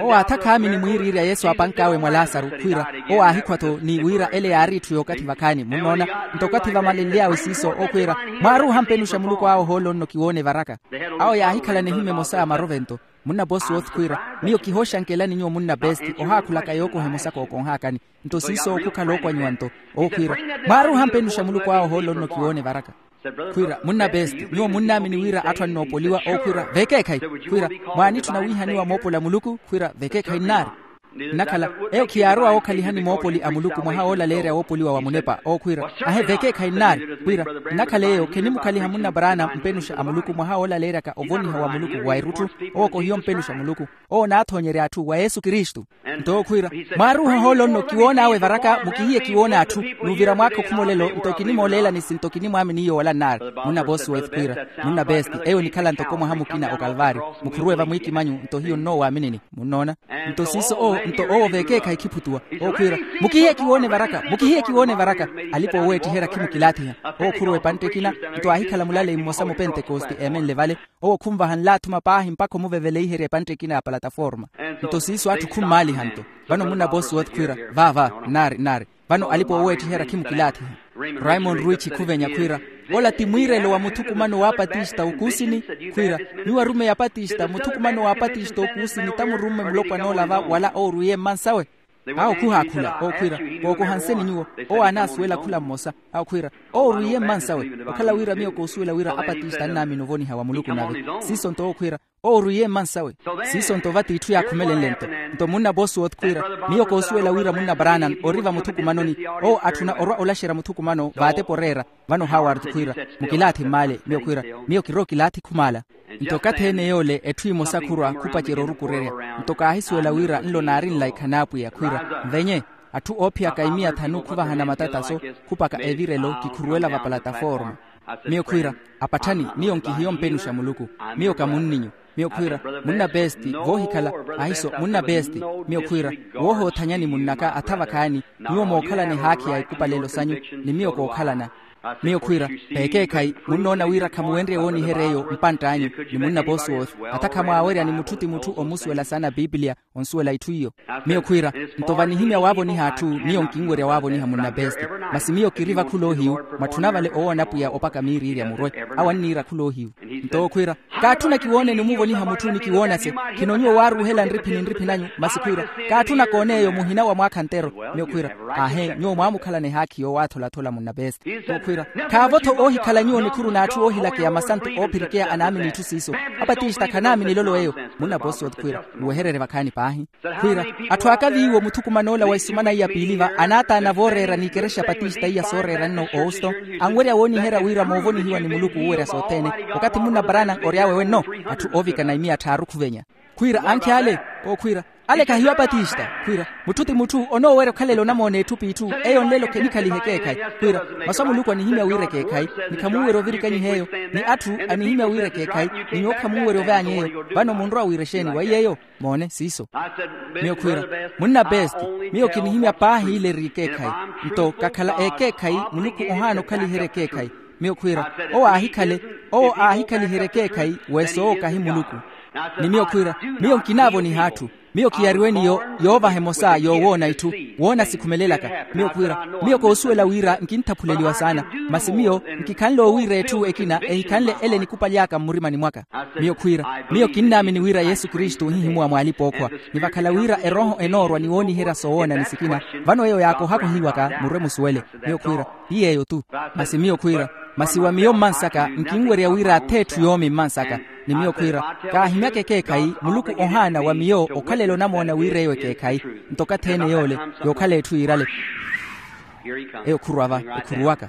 Owo aatha khaamini mwiiriirya yesu aapank'awe mwa lasaru khwiira, owo aahikhwa-tho ni wira ele yaari etthu y'okathi vakhaani munnoona. Nto okathi vamalenly'awe siiso owo khwiira, mwaaruuha mpenuxa muluku awe ohoolo nno kiwoona evaraka. Awo yaahikhalana ehima emosa ya marovento. Munna bosworth khwiira, miyo kihooxankelani nyuwo munna best, ohaakhulaka yookoha emosa kookonh'akani. Nto siiso owo khukhala ookwanyiwa nto. Owo khwiira, mwaaruuha mpenuxa muluku awe ohoolo nno kiwoona evaraka. Khwiira munna best, nyuwo munnaamini wira atthu annoopoliwa? Owo khwiira vekeekhayi. Khwiira, mwaanitthuna wiihaniwa moopola muluku? Khwiira vekeekhayi nnaari. Nnakhala, eyo khiyaarowa wookhalihani moopoli a muluku mwaha woolaleerya woopoliwa wa munepa. Owo khwiira, ahe vekeekhayi nnaari. Khwiira, nnakhala eyo khenimukhaliha munna paraana mpenuxa a muluku mwaha woolaleeryaka ovoniha wa muluku wa erutthu. Owo kohiyo mpenuxa muluku. Owo onaathoonyerya atthu wa yesu kristu. Nto owo khwiira, mwaaruuha ohoolo nno kiwoon'awe evaraka mukihiye kiwoona atthu. Nuuvira mwaakha okhumolelo nto kinimooleelani sinto kinimwaamini iyo wala nnaari. Munna bosworth khwiira, munna best, eyo enikhala ntoko mwaha mukina okalvaari. Mukhuruwe vamwiikimanyu nto hiyo nnoowaminini. Munnoona? Nto siiso owo nto owo vekeekhayi khiphutuwa. Owo khwiira, mukihiye kiwoona evaraka, mukihiye kiwoona evaraka. Alipa-ooweettiherya khimukilaathiha. Owo khuruwa epantte ekina, nto aahikhala mulaleyi mmosa mupentekoste eemenle vale. Owo khunvaha nlaathuma paahi mpakha omuveveleiherya epantte ekina ya palataforma. Nto siiso atthu khummaaliha nto. Vano munna bosworth khwiira, vaava, nnaari nnaari. Vano alipa-ooweettiherya khimukilaathiha. Raymond ruichi khuvenya khwiira, ola ti mwiirelo wa muthukumano w'apatista okuusini. Khwiira, nyuwo arumeyi apatista muthukumano w'apatista okuusini tamurumme mulopwana ola va wala oorwiiye mmansawe. Awo khuhaakhula ookhwiira, kookohanseni nyuwo. Owo anaasuwela khula mmosa. Awo khwiira, owo orwiiye mmansawe. Okhala wira miyo koosuwela wira apatista annaamini ovoniha wa muluku nave. Siiso nto owo khwiira, owo orwiiye mmansawe. Siiso nto vati itthu yaakhumelenle nto. Nto munna bosworth khwiira, miyo koosuwela wira munna branham ori vamuthukumanoni. Owo atthuna orwa olaxerya muthukumano vaatepa oreera. Vano haward khwiira, mukilaathi mmaale. Miyo khwiira, miyo kiri okilaathi khumaala. Nto okathi ene yoole etthu emosa khurwa khupacerya orukurerya. Nto kaahisuwela wira nlo naari nlaikha n'apwiya khwiira, nvenye atthu oophiyaka imiya thanu khuvahana matataso, khupaka evirelo kikhuruwela vapalataforma. Miyo khwiira, apatthani, miyo nkihiyo mpenuxa muluku. Miyo ka munninyu. Miyo khwiira, munna besti voohikhala. Ahiso munna besti. Miyo khwiira, woohoothanyani munnaka atha vakhaani. Nyuwo mookhalana ehaakhi ya ikupalelo sanyu, ni miyo kookhalana. Miyo khwiira, peekeekhayi munnoona wira khamuwenrye wooniherya eyo mpantt'anyu. Ni munna bosworth, atha khamwaawerya ni mutthu ti mutthu omusuwela saana a piipiliya, onsuwela itthu iyo. Miyo khwiira, nto vanihimya waavoniha atthu, miyo nkinwerya waavoniha munna besti. Masi miyo kiri vakhula ohiyu, mwatthuna vale owoona apwiya opaka miiriirya murwe. Awo anniira khula ohiyu. Nto owo khwiira, kaatthuna kiwoone ni omuvoniha mutthu ni kiwoona se. Khino nyuwo waaruuhela nriphi ni nriphi nanyu masi khwiira, kaatthuna koona eyo muhina wa mwaakha ntero. Miyo khwiira, aahe nyuwo mwaamukhalana ehaakhi yoowaatholathola munna besti. Owo khwiira, khaavo-tho oohikhala nyuwo nikhuru n'atthu oohilakeya masantu oophirikeya anaamini itthu siiso. Apatista khanaamini elolo eyo. Munna bosworth khwiira, muwehererye vakhaani paahi. Khwiira, atthu aka viiwo muthukuman'ola wa isumana iya piili va anaataana vooreera n'ikerexa patista iya sooreera nno ouston, anwerya wooniherya wira moovonihiwa ni muluku wuwerya sothene. Okathi munna branham ory'awe wenno, atthu oovikana imiya tthaaru khuvenya. Khwiira, ankhi ale. Owo khwiira, ale khahiyo apatista. Khwiira, mutthu ti mutthu onoowerya okhalela onamoona etthu p'itthu. Eyo nlelo khenikhaliha ekeekhayi. Khwiira, masu a muluku anihimya wira ekeekhayi, ni khamuuwerya ovirikanyiha eyo. Ni atthu anihimya wira ekeekhayi, ni nyuwo khamuuwerya ovaanya eyo. Vano munrowa wira exeeni wa iy'eyo? Moone siiso. Miyo khwiira, munna besti, miyo kinihimya paahi ile eri ekeekhayi. Nto kakhala ekeekhayi, muluku ohaana okhaliherya ekeekhayi. Miyo khwiira, owo aahikhale, owo aahikhaliherya ekeekhayi. Weesa owo kahi muluku. Ni miyo khwiira, miyo nkinaavoniha atthu. Miyo kiyariwe ni yoovaha emosa yoowoona itthu, woona sikhumelelaka. Miyo khwiira, miyo koosuwela wira nkinthaphuleliwa saana. Masi miyo nkikhanle owiira etthu ekina ehikhanle ele enikupali aka mmurimani mwaka. Miyo khwiira, miyo kinnaamini wira yesu kristu ohihimuwa mw'alipa-ookhwa. Ni vakhala wira erooho enoorwa ni wooniherya soowoona ni sikina. Vano eyo yaakohakohiwaka murwe musuwele. Miyo khwiira, ti yeeyo-tu. Masi miyo khwiira, masi wa miyo mmansaka nkinwerya wira ath'etthu yoomi mmansaka. Ni miyo khwiira, kaahimyaka ekeekhayi muluku ohaana wa miyo okhalela onamoona wira eyo ekeekhayi. Nto okathi-ene yoole, yookhala etthu yiirale. Eyo khurwa va, ekhuruwaka.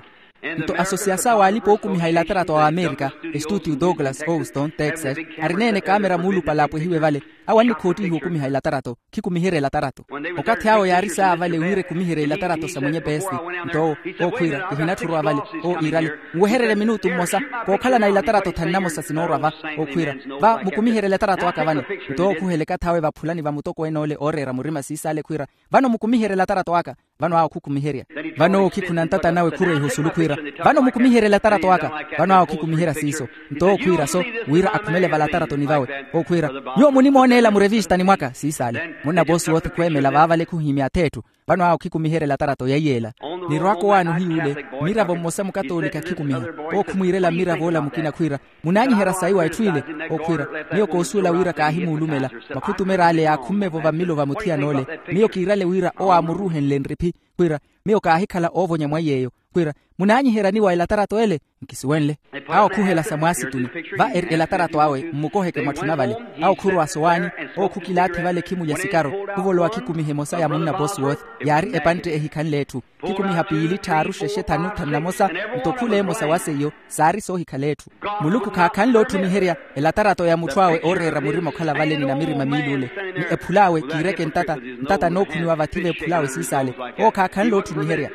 Nto asosiyasa w'alipa ookumiha ilatarato a amerika, estuutiu douglas houston texas, arina-ene kaamera muulupale apwehiwe vale. Awo annikhoottihiwa okumiha ilatarato, khikumiherya ilatarato. Okathi awo yaari saavale wira ekumiherye ilatarato sa mwenye pesti. Nto owo, owo khwiira, kihinatthi orwa vale. Owo iirale, nwehererye minutu mmosa. Kookhalana ilatarato thanu namosa sinoorwa va. Owo khwiira, va mukumiherye ilatarato aka vano. Nto owo okhuhela ekathi awe vaphulani va mutokweene ole ooreera murima siisaale khwiira, vano mukumiherye ilatarato aka. Vano awo khukumiherya. Vano owo khikhuna ntata nawe khurweiha osulu khwiira, vano mukumiherye ilatarato aka. Vano awo khikumiherya siiso. Nto owo khwiira so, wira akhumele valataratoni vawe. Owo khwiira, nyuwo munimooneela murevistani mwaka siisaale. Munna bosworth khweemela vaavale khuhimya ath'etthu. Vano awo khikumiherya elatarato ya iyeela. Nirwaka owaani ohiy'ule, mmiravo mmosa mukatoolika khikumiha. Owo khumwiirela mmiravo ola mukina khwiira, munaanyiherya sayi wa etthu ile? Owo khwiira, miyo koosuwela wira kaahimuulumela. Makhutumera ale yaakhumme-vo vammilo va muthiyana ole. Miyo kiirale wira owo aamuruuhenle nriphi. Khwiira, miyo kaahikhala oovonya mwa iy'eyo. Khwiira, munaanyiherya ni wa elatarato ele? Nkisuwenle. Awo khuhela sa mwaasituni, va eri elatarato awe mmukoheke mwatthuna vale. Awo khurwa sowaani, owo khukilaathi vale khimulya sikaro, khuvolowa khikumiha emosa ya munna bosworth, yaari epantte ehikhanle etthu. Khikumiha piili tthaaru xexe thanu thanu namosa. Nto khula emosa wa seiyo, saari soohikhala etthu. Muluku khaakhanle otthumiherya elatarato ya mutthu awe ooreera murima okhala vale ni namirima miiluule. Ni ephul'awe kiireke ntata, ntata anookhuniwa vathi v'ephul'awe siisaale. Owo khaakhanle otthumiherya.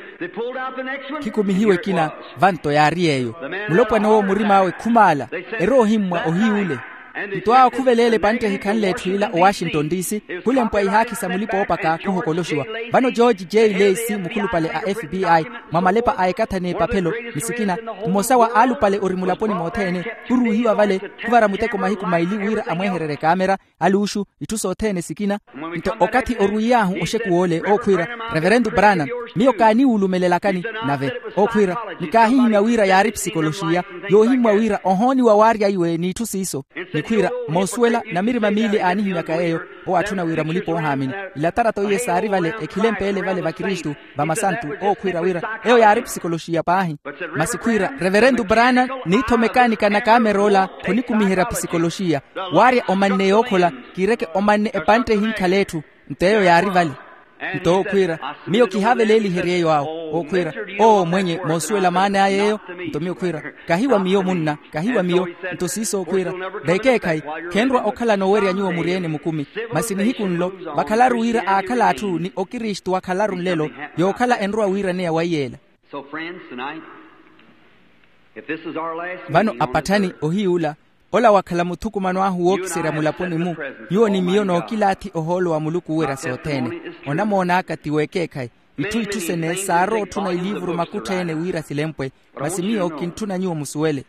Khikumihiwe ekina, vanto yaari yeeyo. Mulopwana owo murim'awe khumaala, eri ohimmwa ohiy'ule. Nto awo khuveleela epantte ehikhanle etthu ila owashington d c, khulempwa ihaakhi sa mulipa-oopaka khuhokoloxiwa. Vano george j lacy mukhulupale a f b i, mwa malepa a ekathani epaphelo, ni sikina, mmosa wa aalupale ori mulaponi mothene, khuruuhiwa vale, khuvara muteko mahiku maili wira amwehererye kaamera, aluuxu, itthu sothene sikina. Nto okathi orwiiy'ahu oxekuw'ole ookhwiira, reverentu branham, miyo kaaniwulumelelakani. Nave ookhwiira, ni kaahihimya wira yaari psikoloxiya, yoohimmwa wira ohooniwa waarya iwe n'itthu siiso. Ni Khwiira moosuwela namirima miili aanihimyaka yeeyo. Owo atthuna wira mulipa-oohaamini. Ilatarato iye saari vale ekhile mpeele vale vakristu, vamasantu. Owo khwiira wira eyo yaari psikoloxiya paahi. Masi khwiira reverentu brana, niitho mekaanika na kameroola khonikumiherya psikoloxiya. Waarya omanne yookhola, kiireke omanne epantte ehinkhala etthu. Nto eyo yaari vale. Nto owo khwiira, miyo kihaaveleeliherye eyo awo. Owo khwiira, oo mwenye moosuwela maana aya eyo. Nto miyo khwiira, kahi wa miyo munna, kahi wa miyo. Nto siiso owo khwiira, vekeekhayi, khenrwa okhala noowerya nyuwo muri-ene mukumi. Masi nihiku nlo vakhalaru wira aakhala atthu ni okristu wakhalaru nlelo, yookhala enrowa wiiraneya wa iyeela. Vano apatthani ohiyuula, ola wakhala muthukumano ahu wookiserya mulaponi-mu. Nyuwo ni miyo nookilaathi ohoolo wa muluku owerya sothene. Onamoon'aka ti wekeekhayi. Itthu itthu sene saarowa otthuna iliivuru makutthi-ene wira silempwe. Masi miyo kintthuna nyuwo musuwele.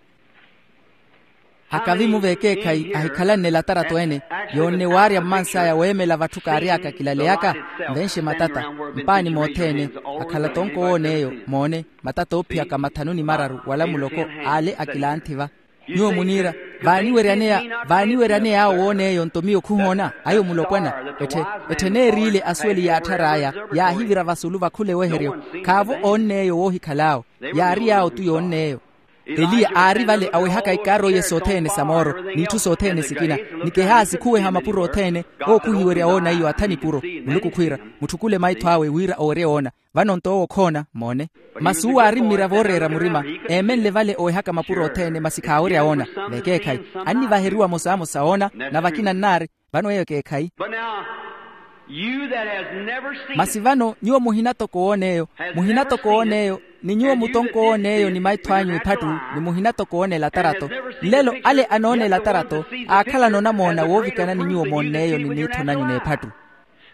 Akavi-mu vekeekhayi ahikhalanne elatarato ene, yoonne waarya mmansaya weemela vatthu kaary'aka kilaleyaka. Nvenxe matata, mpaani mothene, akhala tonko woon'eyo. Moone, matata oophiyaka mathanu ni mararu wala muloko. Ale akilantthi va. Nyuwo muniira, vaaniweryaneya, vaaniweryaneya awo woon'eyo nto miyo khuhoona? Ayo mulopwana. Etthe, etthe neeriile asuweli yaatthara aya, yaahivira vasulu vakhula eweheryo. Khaavo oonn'eyo woohikhal'awo. Yaari yaawo tu yoonn'eyo. Eliya aari vale awehaka ikaaro iye sothene sa mooro n'itthu sothene sikina. Nikehaasi khuweha mapuro othene. Owo khuhiwerya woona iyo atha nipuro. Muluku khwiira, mutthu khula maitho awe wira owerye woona. Vano nto owo okhoona moone. Masi uwo aari mmiravooreera murima, eemenle vale owehaka mapuro othene masi khaawerya woona. Vekeekhayi, annivaheriwa mosaamosa woona. Na vakina nnaari. Vano eyo ekeekhayi. Masi vano nyuwo muhina toko woon'eyo, muhina toko woon'eyo, ni nyuwo mutonko woon'eyo ni maitho anyu ephattu, ni muhina toko woona elatarato. Nlelo ale anoona elatarato, aakhalana onamoona woovikana ni nyuwo moonn'eyo ni niitho nanyu n'ephattu.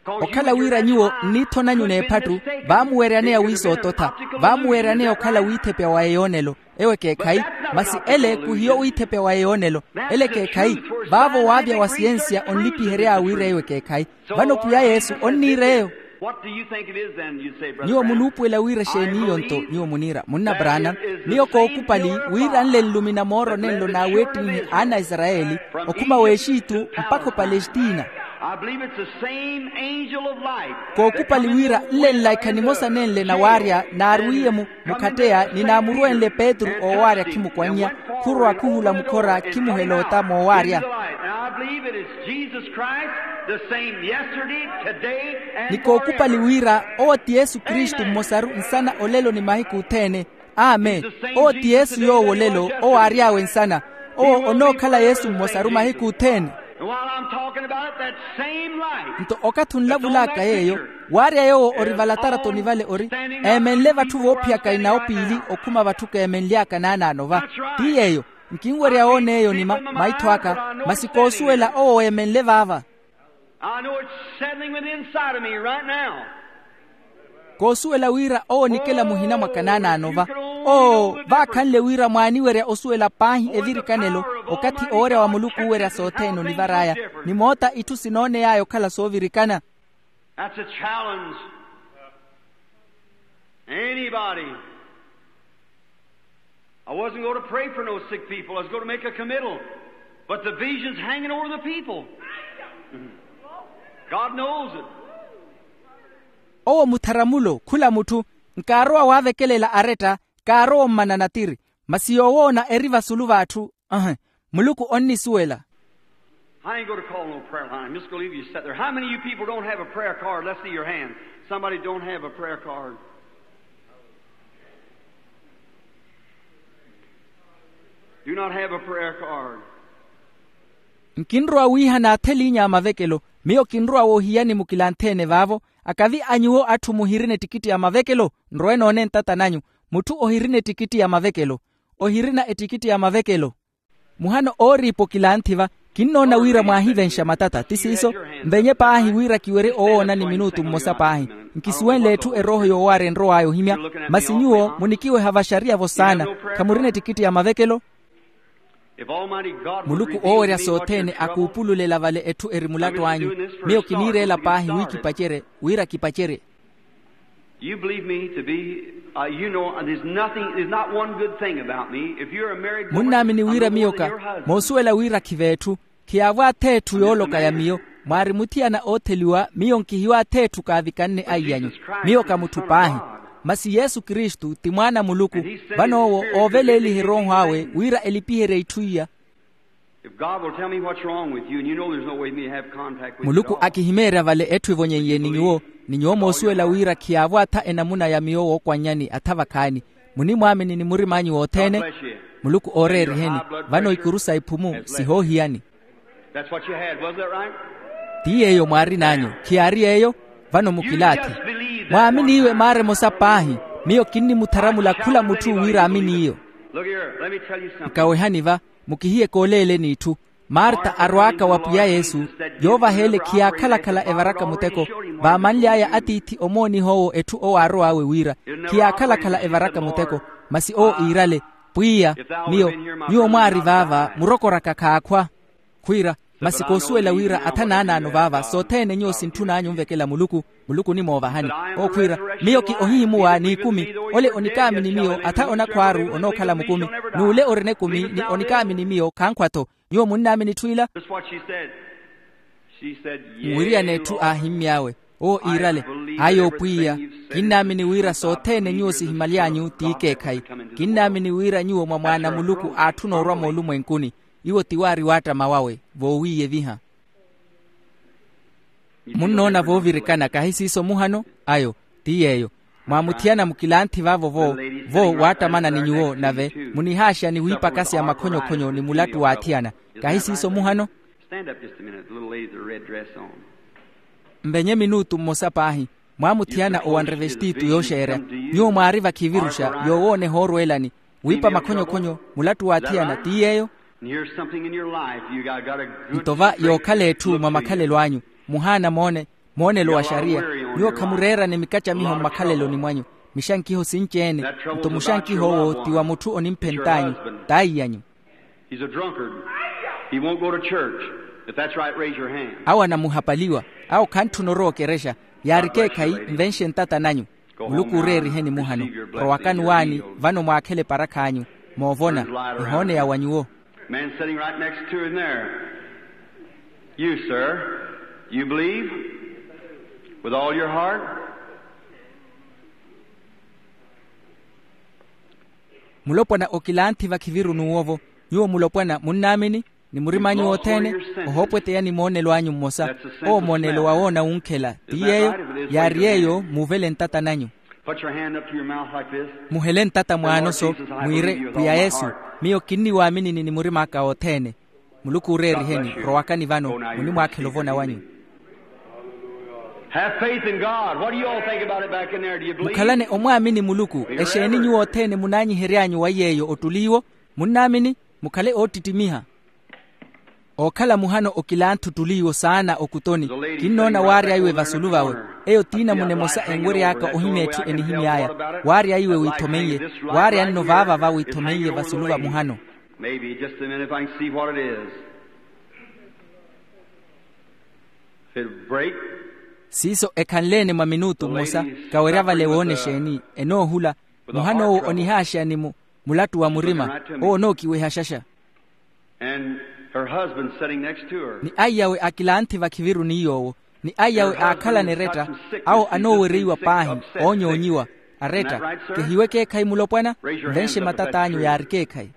Okhala wira nyuwo nniitho nanyu n'ephattu, vaamuweryaneya wiisoototha, vaamuweryaneya okhala wiithepya wa eyoonelo. Eyo ekeekhayi. Masi ele khuhiyo wiithepya wa eyoonelo. Ele ekeekhayi. Vaavo waavya wa siyensiya onlipihery'awe wira eyo ekeekhayi. Vano pwiya yesu onniira eyo. Nyuwo munuupuwela wira exeeni iyo nto? Nyuwo muniira munna brana, miyo kookupali wira nle nlumina mooro nenlo naaweettinhe aanaisarayeli, okhuma w'exitu mpakha opalestina. Kookupali wira nle nlaikha nimosa nenle nawaarya naarwiye mu mukhatteya ni naamurwenle petru oowaarya khimukwannya. Khurowa khuhula mukhora khimuhela ota moowaarya. Ni kookupali wira owo ti yesu kristu mmosaru nsana olelo ni mahiku othene. Amen. Owo ti yesu yoowo olelo owo aary'awe nsana. Owo onookhala yesu mmosaru mahiku othene. Nto okathi onlavul'aka yeeyo, waarya yoowo ori valataratoni vale ori eemenle vatthu voophiyaka inawo piili okhuma vatthu keemenly'aka naanaano va. Ti yeeyo. Nkinwerya woona eyo ni maitho aka. Masi koosuwela owo weemenle vaava. Koosuwela wira owo onikela muhina mwaka naanaano va. Oo vaakhanle wira mwaaniwerya osuwela paahi evirikanelo, okathi owerya wa muluku uuwerya sothene onivar'aya. Ni moota itthu sinooney'aya okhala soovirikana. That's a challenge. Anybody. I wasn't going to pray for no sick people. I was going to make a committal. But the vision's hanging over the people. God knows it. Owo mutharamulo khula mutthu. Nkaarowa waavekelela aretta. Kaarowa ommana natiri. Masi yoowoona eri vasulu v'atthu. Ahe. Muluku onnisuwela. I ain't going to call no prayer line. I'm just going to leave you sit there. How many of you people don't have a prayer card? Let's see your hand. Somebody don't have a prayer card. Do not have a prayer card. Nkinrowa wiiha naatheliinya a mavekelo. Miyo kinrowa woohiyani mukilanthe-ene vaavo. Akavi a nyuwo atthu muhirina ettikitti ya mavekelo. Nrowe noone ntata nanyu. Mutthu ohirina ettikitti ya mavekelo. Ohirina ettikitti ya mavekelo. Muhano ooriipa okilanthi-va. Kinnoona wira mwaahivenxa matata ti siiso. Nvenye paahi wira kiwerye owoonani minutu mmosa paahi. Nkisuwenle etthu erooho yoowaarya enrow'aya ohimya. Masi nyuwo munikiweha vaxariya-vo saana. Khamurina ettikitti ya mavekelo. Muluku oowerya sothene akuupululela vale etthu eri mulattu anyu. Miyo kiniireela paahi wi kipacerye wira kipacerye. You believe me to be, uh, you know, there's nothing, there's not one good thing about me. If you're a married woman, munnaamini wira miyoka. Moosuwela wira khiveetthu. Khiyaavwaatha etthu yooloka ya miyo, mwaari muthiyana ootheliwa, miyo nkihiwaatha etthu kaavikanne aiy'anyu. Miyo ka mutthu paahi, masi yesu kristu ti mwaana a muluku. Vano owo ooveleeliha erooho awe wira elipiherye itthu iya. If god will tell me what's wrong with you and you know there's no way me to have contact with muluku god, akihimeerya vale etthu evonyen'ye ni nyuwo, ni nyuwo moosuwela wira khiyaavwaatha enamuna ya miyo wookwannyani atha vakhaani, munimwaamini ni murim'anyu wothene. Muluku ooreeriheni. Vano ikuru sa iphumu sihoohiyani. That's what you had, wasn't that right? Ti yeeyo mwaarin'anyu, khiyaari yeeyo? Vano mukilaathi. Mwaaminiiwe maara emosa paahi. Miyo kinnimutharamula khula mutthu wira aaminiiyo. Look here, let me tell you something. Nkawehani va, mukihiye kooleeleni itthu. Marta arwaaka wa pwiya yesu, yoovaha ele khiyaakhala-khala evaraka muteko. Vaamanly'aya atiithi omooniha owo etthu owo aarow'awe wira, khiyaakhala-khala evaraka muteko. Masi owo iirale, pwiya, miyo, nyuwo mwaari vaava murokoraka khaakhwa. Khwiira, masi koosuwela wira atha naanaano vaava sothene nyuwo sintthun'anyu onvekela muluku. Muluku onimoovahani. Owo khwiira, miyo ki ohihimuwa n'ikumi. Ole onikaamini miyo atha onakhwaaru onookhala mukumi, n'ule orina ekumi ni onikaamini miyo khankhwa-tho. Nyuwo munnaamini etthu ila? Muwiriyana etthu aahimmy'awe. Owo iirale, ayo pwiya, kinnaamini wira sothene nyuwo sihimyaly'anyu ti ikeekhayi. Kinnaamini wira nyuwo mwa mwaana a muluku aatthuna orwa moolumwenkuni. Iwo ti waari waattama wawe voowiiyeviha. Munnoona voovirikana kahi siiso muhano? Ayo ti yeeyo. Mwaamuthiyana mukilanthi vaavo vo, vo waattamana ni nyuwo nave munihaaxani wiipakasya makhonyokhonyo ni mulattu w'athiyana. Kahi siiso muhano? Mvenye minutu mmosa paahi. Mwaamuthiyana owanre vestitu yooxeerya. Nyuwo mwaari vakhiviruxa yoowooneha orweelani, wiipa makhonyokhonyo, mulattu w'athiyana ti yeeyo? Nto va yookhala etthu mwa makhalelo anyu, muhaana moone, moonelo wa xariya. Nyuwo khamureerane mikacamiho mmakhaleloni mwanyu. Mixankiho sinci-ene. Nto muxankih'owo ti wa mutthu onimphent'anyu, t'aiy'anyu. Awo anamuhapaliwa. Awo khantthuna orowa okerexa. Yaari ekeekhayi, nvenxe ntata nanyu. Muluku ooreeriheni muhano. Rowakani waani, vano mwaakhele eparakh'anyu. Moovona, ehooneya wa nyuwo. Man sitting right next to him there. You, sir, you believe with all your heart? Mulopwana okilanthi vakhiviru n'uwo-vo. Nyuwo mulopwana munnaamini? Ni murim'anyu wothene, ohoopweteya ni moonelo anyu mmosa. Owo moonelo wa woona wunkhela ti yeeyo? Yaari yeeyo muuvele ntata nanyu. Muhele ntata mwaano-so, mwiire, pwiya yesu, miyo kinniwaaminini ni murim'aka wothene. Muluku ooreeriheni. Rowakani vano, munimwaakhela ovona wanyu. Mukhalane omwaamini muluku. Exeeni nyuwo othene munaanyihery'anyu wa yeeyo ottuli iwo? Munnaamini? Mukhale oottittimiha. Ookhala muhano okilanthu ottuli iwo saana okutoni. Kinnoona waarya iwe vasulu vawe. Eyo t'inamuna emosa enwery'aka ohimya etthu enihimy'aya. Waarya iwe wiithomeiye. Waarya nno vaavava wiithomeiye vasulu va muhano. Maybe just a minute if I can see what it is. If it'll break. Siiso ekhanle-ene mwa minutu mmosa. Kawerya vale woona exeeni enoohula. Muhano owo onihaaxeya ni mu mulattu wa murima. Owo onookiweha xaxa. And her husband sitting next to her. Ni aiyawe akilanthi vakhiviru ni yoowo. Ni aiyawe aakhalana eretta. Awo anoowereiwa paahi, oonyoonyiwa. Aretta. Kehiwe ekeekhayi mulopwana? Nvenxe matat'anyu yaari ekeekhayi.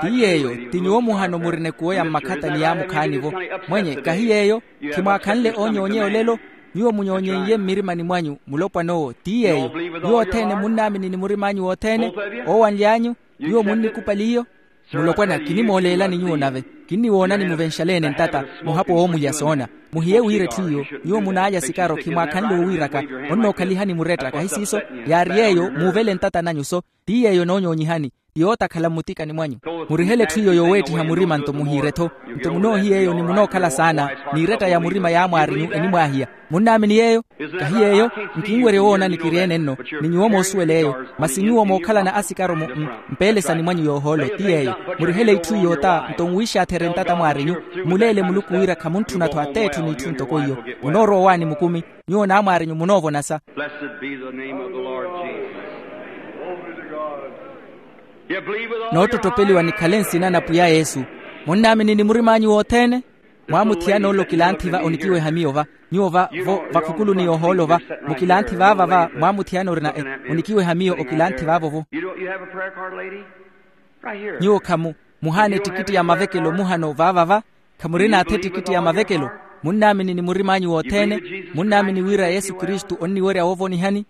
Ti yeeyo. Ti nyuwo muhano murina ekuwo ya mmakhata ni yaamukhaani-vo. Mwenye kahi yeeyo? Khimwaakhanle oonyoonyeya olelo? Nyuwo munyoonyeiye mmirimani mwanyu mulopwana owo ti yeeyo. Nyuwo othene munnaamini ni murim'anyu wothene? Oowanly'anyu? Nyuwo munnikupali iyo? Mulopwana kinimooleelani nyuwo nave. Kinniwoonani muvenxale-ene ntata. Muhapwa woomulya soona. Muhiye wira etthu iyo. Nyuwo munaalya sikaro khimwaakhanle owiiraka. Onnookhalihani muretta kahi siiso? Yaari yeeyo muuvele ntata nanyu-so. Ti yeeyo enoonyoonyihani. Ti yootakhala mmutikani mwanyu. Murihele etthu iyo yooweettiha murima nto muhiire-tho. Nto munoohiya eyo ni munookhala saana. N'iretta ya murima yaamwaarinyu enimwaahiya. Munnaamini yeeyo? Kahi yeeyo? Nkinwerya owoona nikiryeene nno. Ni nyuwo moosuwela eyo. Masi nyuwo mookhalana asikaro mu mpeelesani mwanyu yoohoolo ti yeeyo. Murihele itthu iyo ota nto nwiixaatherye ntata mwaarinyu. Mmuleele muluku wira khamuntthuna-tho ateetthu n'itthu ntoko iyo. Munoorowa owaani mukumi. Nyuwo n'amwaarinyu munoovonasa. Blessed be the name of the Lord Jesus. Noottottopeliwa nikhale nsina na pwiya yesu. Munnaamini ni murim'anyu wothene? Mwaamuthiyana ole okilanthi va onikiweha miyo va. Nyuwo va vo vakhukuluni yoohoolo va, mukilanthi vaava va mwaamuthiyana orina e, onikiweha miyo okilanthi vaavo vo. Nyuwo khamu muhaana ettikitti ya mavekelo muhano vaava va. Khamurina atha ettikitti ya mavekelo? Munnaamini ni murim'anyu wothene? Munnaamini wira yesu kristu onniwerya woovonihani?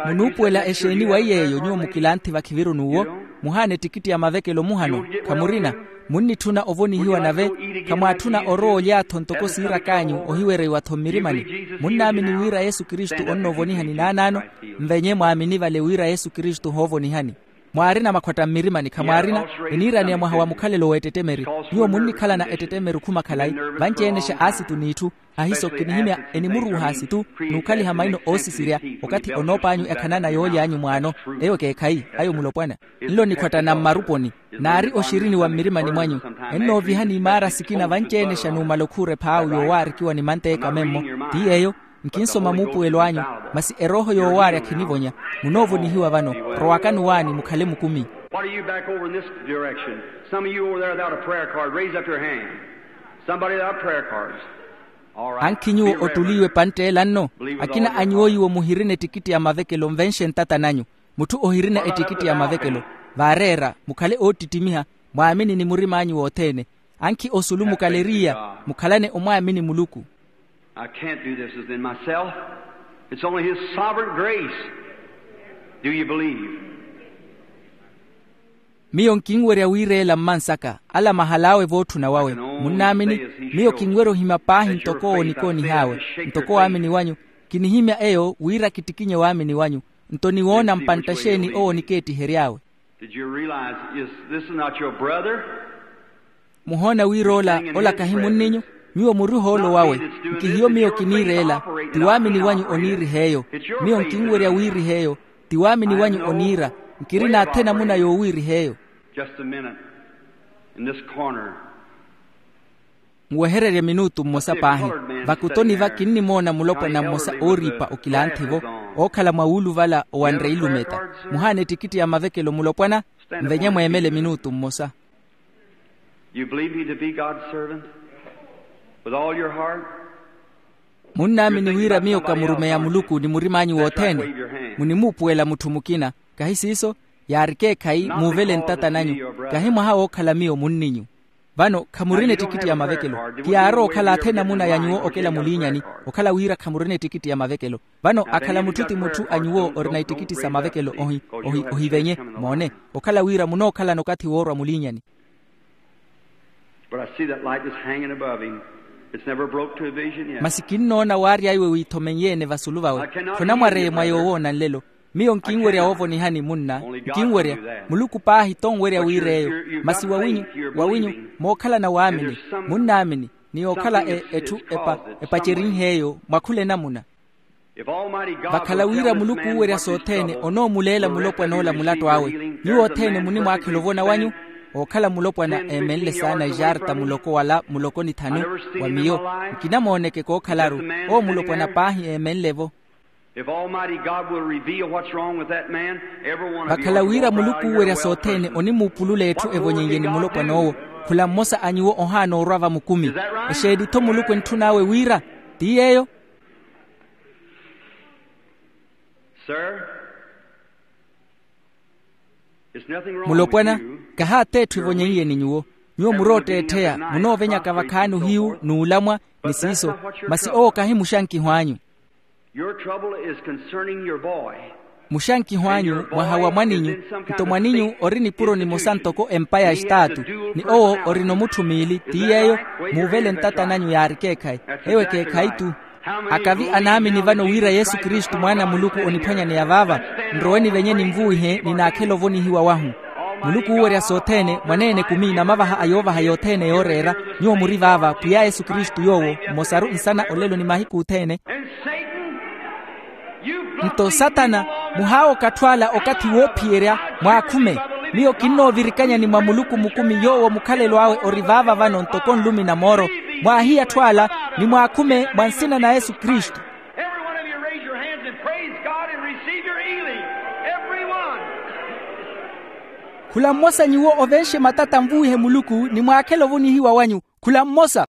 Munuupuwela exeeni wa iy'eyo nyuwo mukilanthi vakhiviru n'uwo? Muhaana ettikitti ya mavekelo muhano? Khamurina. Munnitthuna ovonihiwa nave. Khamwaatthuna orowa olyaatho ntoko siirak'anyu ohiwereiwa-tho mmirimani. Munnaamini wira yesu kristu onnoovonihani naanaano? Nvenye mwaamini vale wira yesu kristu ohoovonihani. Mwaarina makhwatta mmirimani khamwaarina? Eniiraneya mwaha wa mukhalelo w'ettettemeri. Nyuwo munnikhalana ettettemeri okhuma khalayi. Vanci-enexa aasitu n'itthu. Ahiso kinihimya enimuruuha asitu n'ukhaliha maino oosisirya. Okathi onoop'anyu ekhanana yooly'anyu mwaano, eyo ekeekhayi. Ayo mulopwana. Nlo nikhwattana mmaruponi. Naari oxirini wa mmirimani mwanyu. Ennoovihani imaara sikina vanci-enexa numala okhuura ephaawu yoowaarikiwa ni manteeka memmo. Ti yeeyo. Nkinsoma muupuwelo anyu. Masi erooho yoowaarya khinivonya. Munoovonihiwa vano. Rowakani owaani mukhale mukumi. What are you back over in this direction? Some of you over there without a prayer card, raise up your hand. Somebody without prayer cards. All right. Ankhi nyuwo ottuli iwe pantteela nno? Akina a nyuwo iwo muhirina ettikitti ya mavekelo nvenxe ntata nanyu. Mutthu ohirina ettikitti ya mavekelo, vaareera mukhale oottittimiha. Mwaamini ni murim'anyu wothene. Ankhi osulu mukaleriya, mukhalane omwaamini muluku. I can't do this within myself. It's only his sovereign grace. Do you believe? Miyo nkinwerya wiireela mmansaka ala mahal'awe vootthuna wawe. Munnaamini? Miyo kinwerya ohimya paahi ntoko owo nikoonih'awe. Ntoko waamini wanyu. Kinihimya eyo wira kittikinye waamini wanyu. Nto niwoona mpantta exeeni owo nikeettihery'awe? Did you realize is this is not your brother? Muhoona wira ola ola kahi munninyu? Nyuwo muri ohoolo wawe. Nkihiyo miyo kiniireela. Ti waamini wanyu oniirih'eyo. Miyo nkinwerya wiirih'eyo. Ti waamini wanyu oniira. Nkirina athe namuna yoowiirih'eyo. Just a minute. In this corner. Nwehererye minutu mmosa paahi. Vakutoni va kinnimoona mulopwana mmosa ooriipa okilanthi-vo, ookhala mwa wuuluvala owanre ilumeta. Muhaana ettikitti ya mavekelo mulopwana? Nvenye mweemele minutu mmosa. You believe me to be God's servant with all your heart? Munnaamini wira miyo ka murumeyi a muluku ni murim'anyu wothene? Munimuupuwela mutthu mukina. Kahi siiso? Yaari ekeekhayi muuvele ntata nanyu. Kahi mwaha wookhala miyo munninyu. Vano khamurina ettikitti ya mavekelo. Kiyaarowa okhala athe namuna ya nyuwo okela muliinyani, okhala wira khamurina ettikitti ya mavekelo. Vano akhala mutthu ti mutthu a nyuwo orina ettikitti sa mavekelo ohi ohi ohivenye. Moone. Okhala wira munookhalana okathi woorwa muliinyani. But I see that light is hanging above him. It's never broke to a vision yet. Masi kinnoona waarya iwe wiithomenyeene vasulu vawe. Khonamwareye mwa yoowoona nlelo. Miyo nkinwerya woovonihani munna. Nkinwerya. Muluku paahi tonwerya wiir'eyo. Masi wawinyu wawinyu mookhalana waamini, munnaamini ni yookhala etthu epacerinh'eyo mwa khula enamuna. Vakhala wira muluku uuwerya sothene onoomuleela mulopwan'ola mulattu awe. Nyuwo othene munimwaakhela ovona wanyu. Ookhala mulopwana eemenle saana ejarta muloko wala muloko nithanu. Wa miyo nkinamooneke kookhalaru. Owo mulopwana paahi eemenle-vo. Vakhala wira muluku uuwerya sothene onimuupulula etthu evonyen'ye ni mulopwan'owo. Khula mmosa a nyuwo ohaana orwa vamukumi. Exeeni-tho muluku entthun'awe wira? Ti yeeyo. Mulopwana, kahaatha etthu evonyen'ye ni nyuwo. Nyuwo muri ootteettheya munoovenyaka vakhaani ohiyu n'ulamwa ni siiso. Masi owo kahi muxankiho anyu. Muxankiho anyu mwaha wa mwaninyu. Nto mwaninyu ori nipuro nimosa ntoko empa ya estaatu. Ni owo orina omutthu miili ti yeeyo. Muuvele ntata nanyu yaari ekeekhayi. Eyo ekeekhayi-tu. Akavi anaamini vano wira yesu kristu mwaana a muluku oniphwanyaneya vaava. Nrowe nivenye ninvuwihe ninaakhela ovonihiwa wahu. Muluku uuwerya sothene mwaneene ekumi namavaha a yoovaha yothene yooreera. Nyuwo muri vaava pwiya yesu kristu yoowo mmosaru nsana olelo ni mahiku othene. Nto satana, muhaawoka atthu ala okathi woophiyerya. Mwaakhume. Miyo kinnoovirikanyani mwa muluku mukumi yoowo mukhalelo awe ori vaava vano ntoko nlumi na mooro. Mwaahiye atthu ala ni mwaakhume mwa nsina na yesu kristu. Every one of you raise your hands and praise God and receive your healing. Every one. Khula mmosa nyuwo ovenxe matata nvuwihe muluku ni mwaakhele ovonihiwa wanyu. Khula mmosa.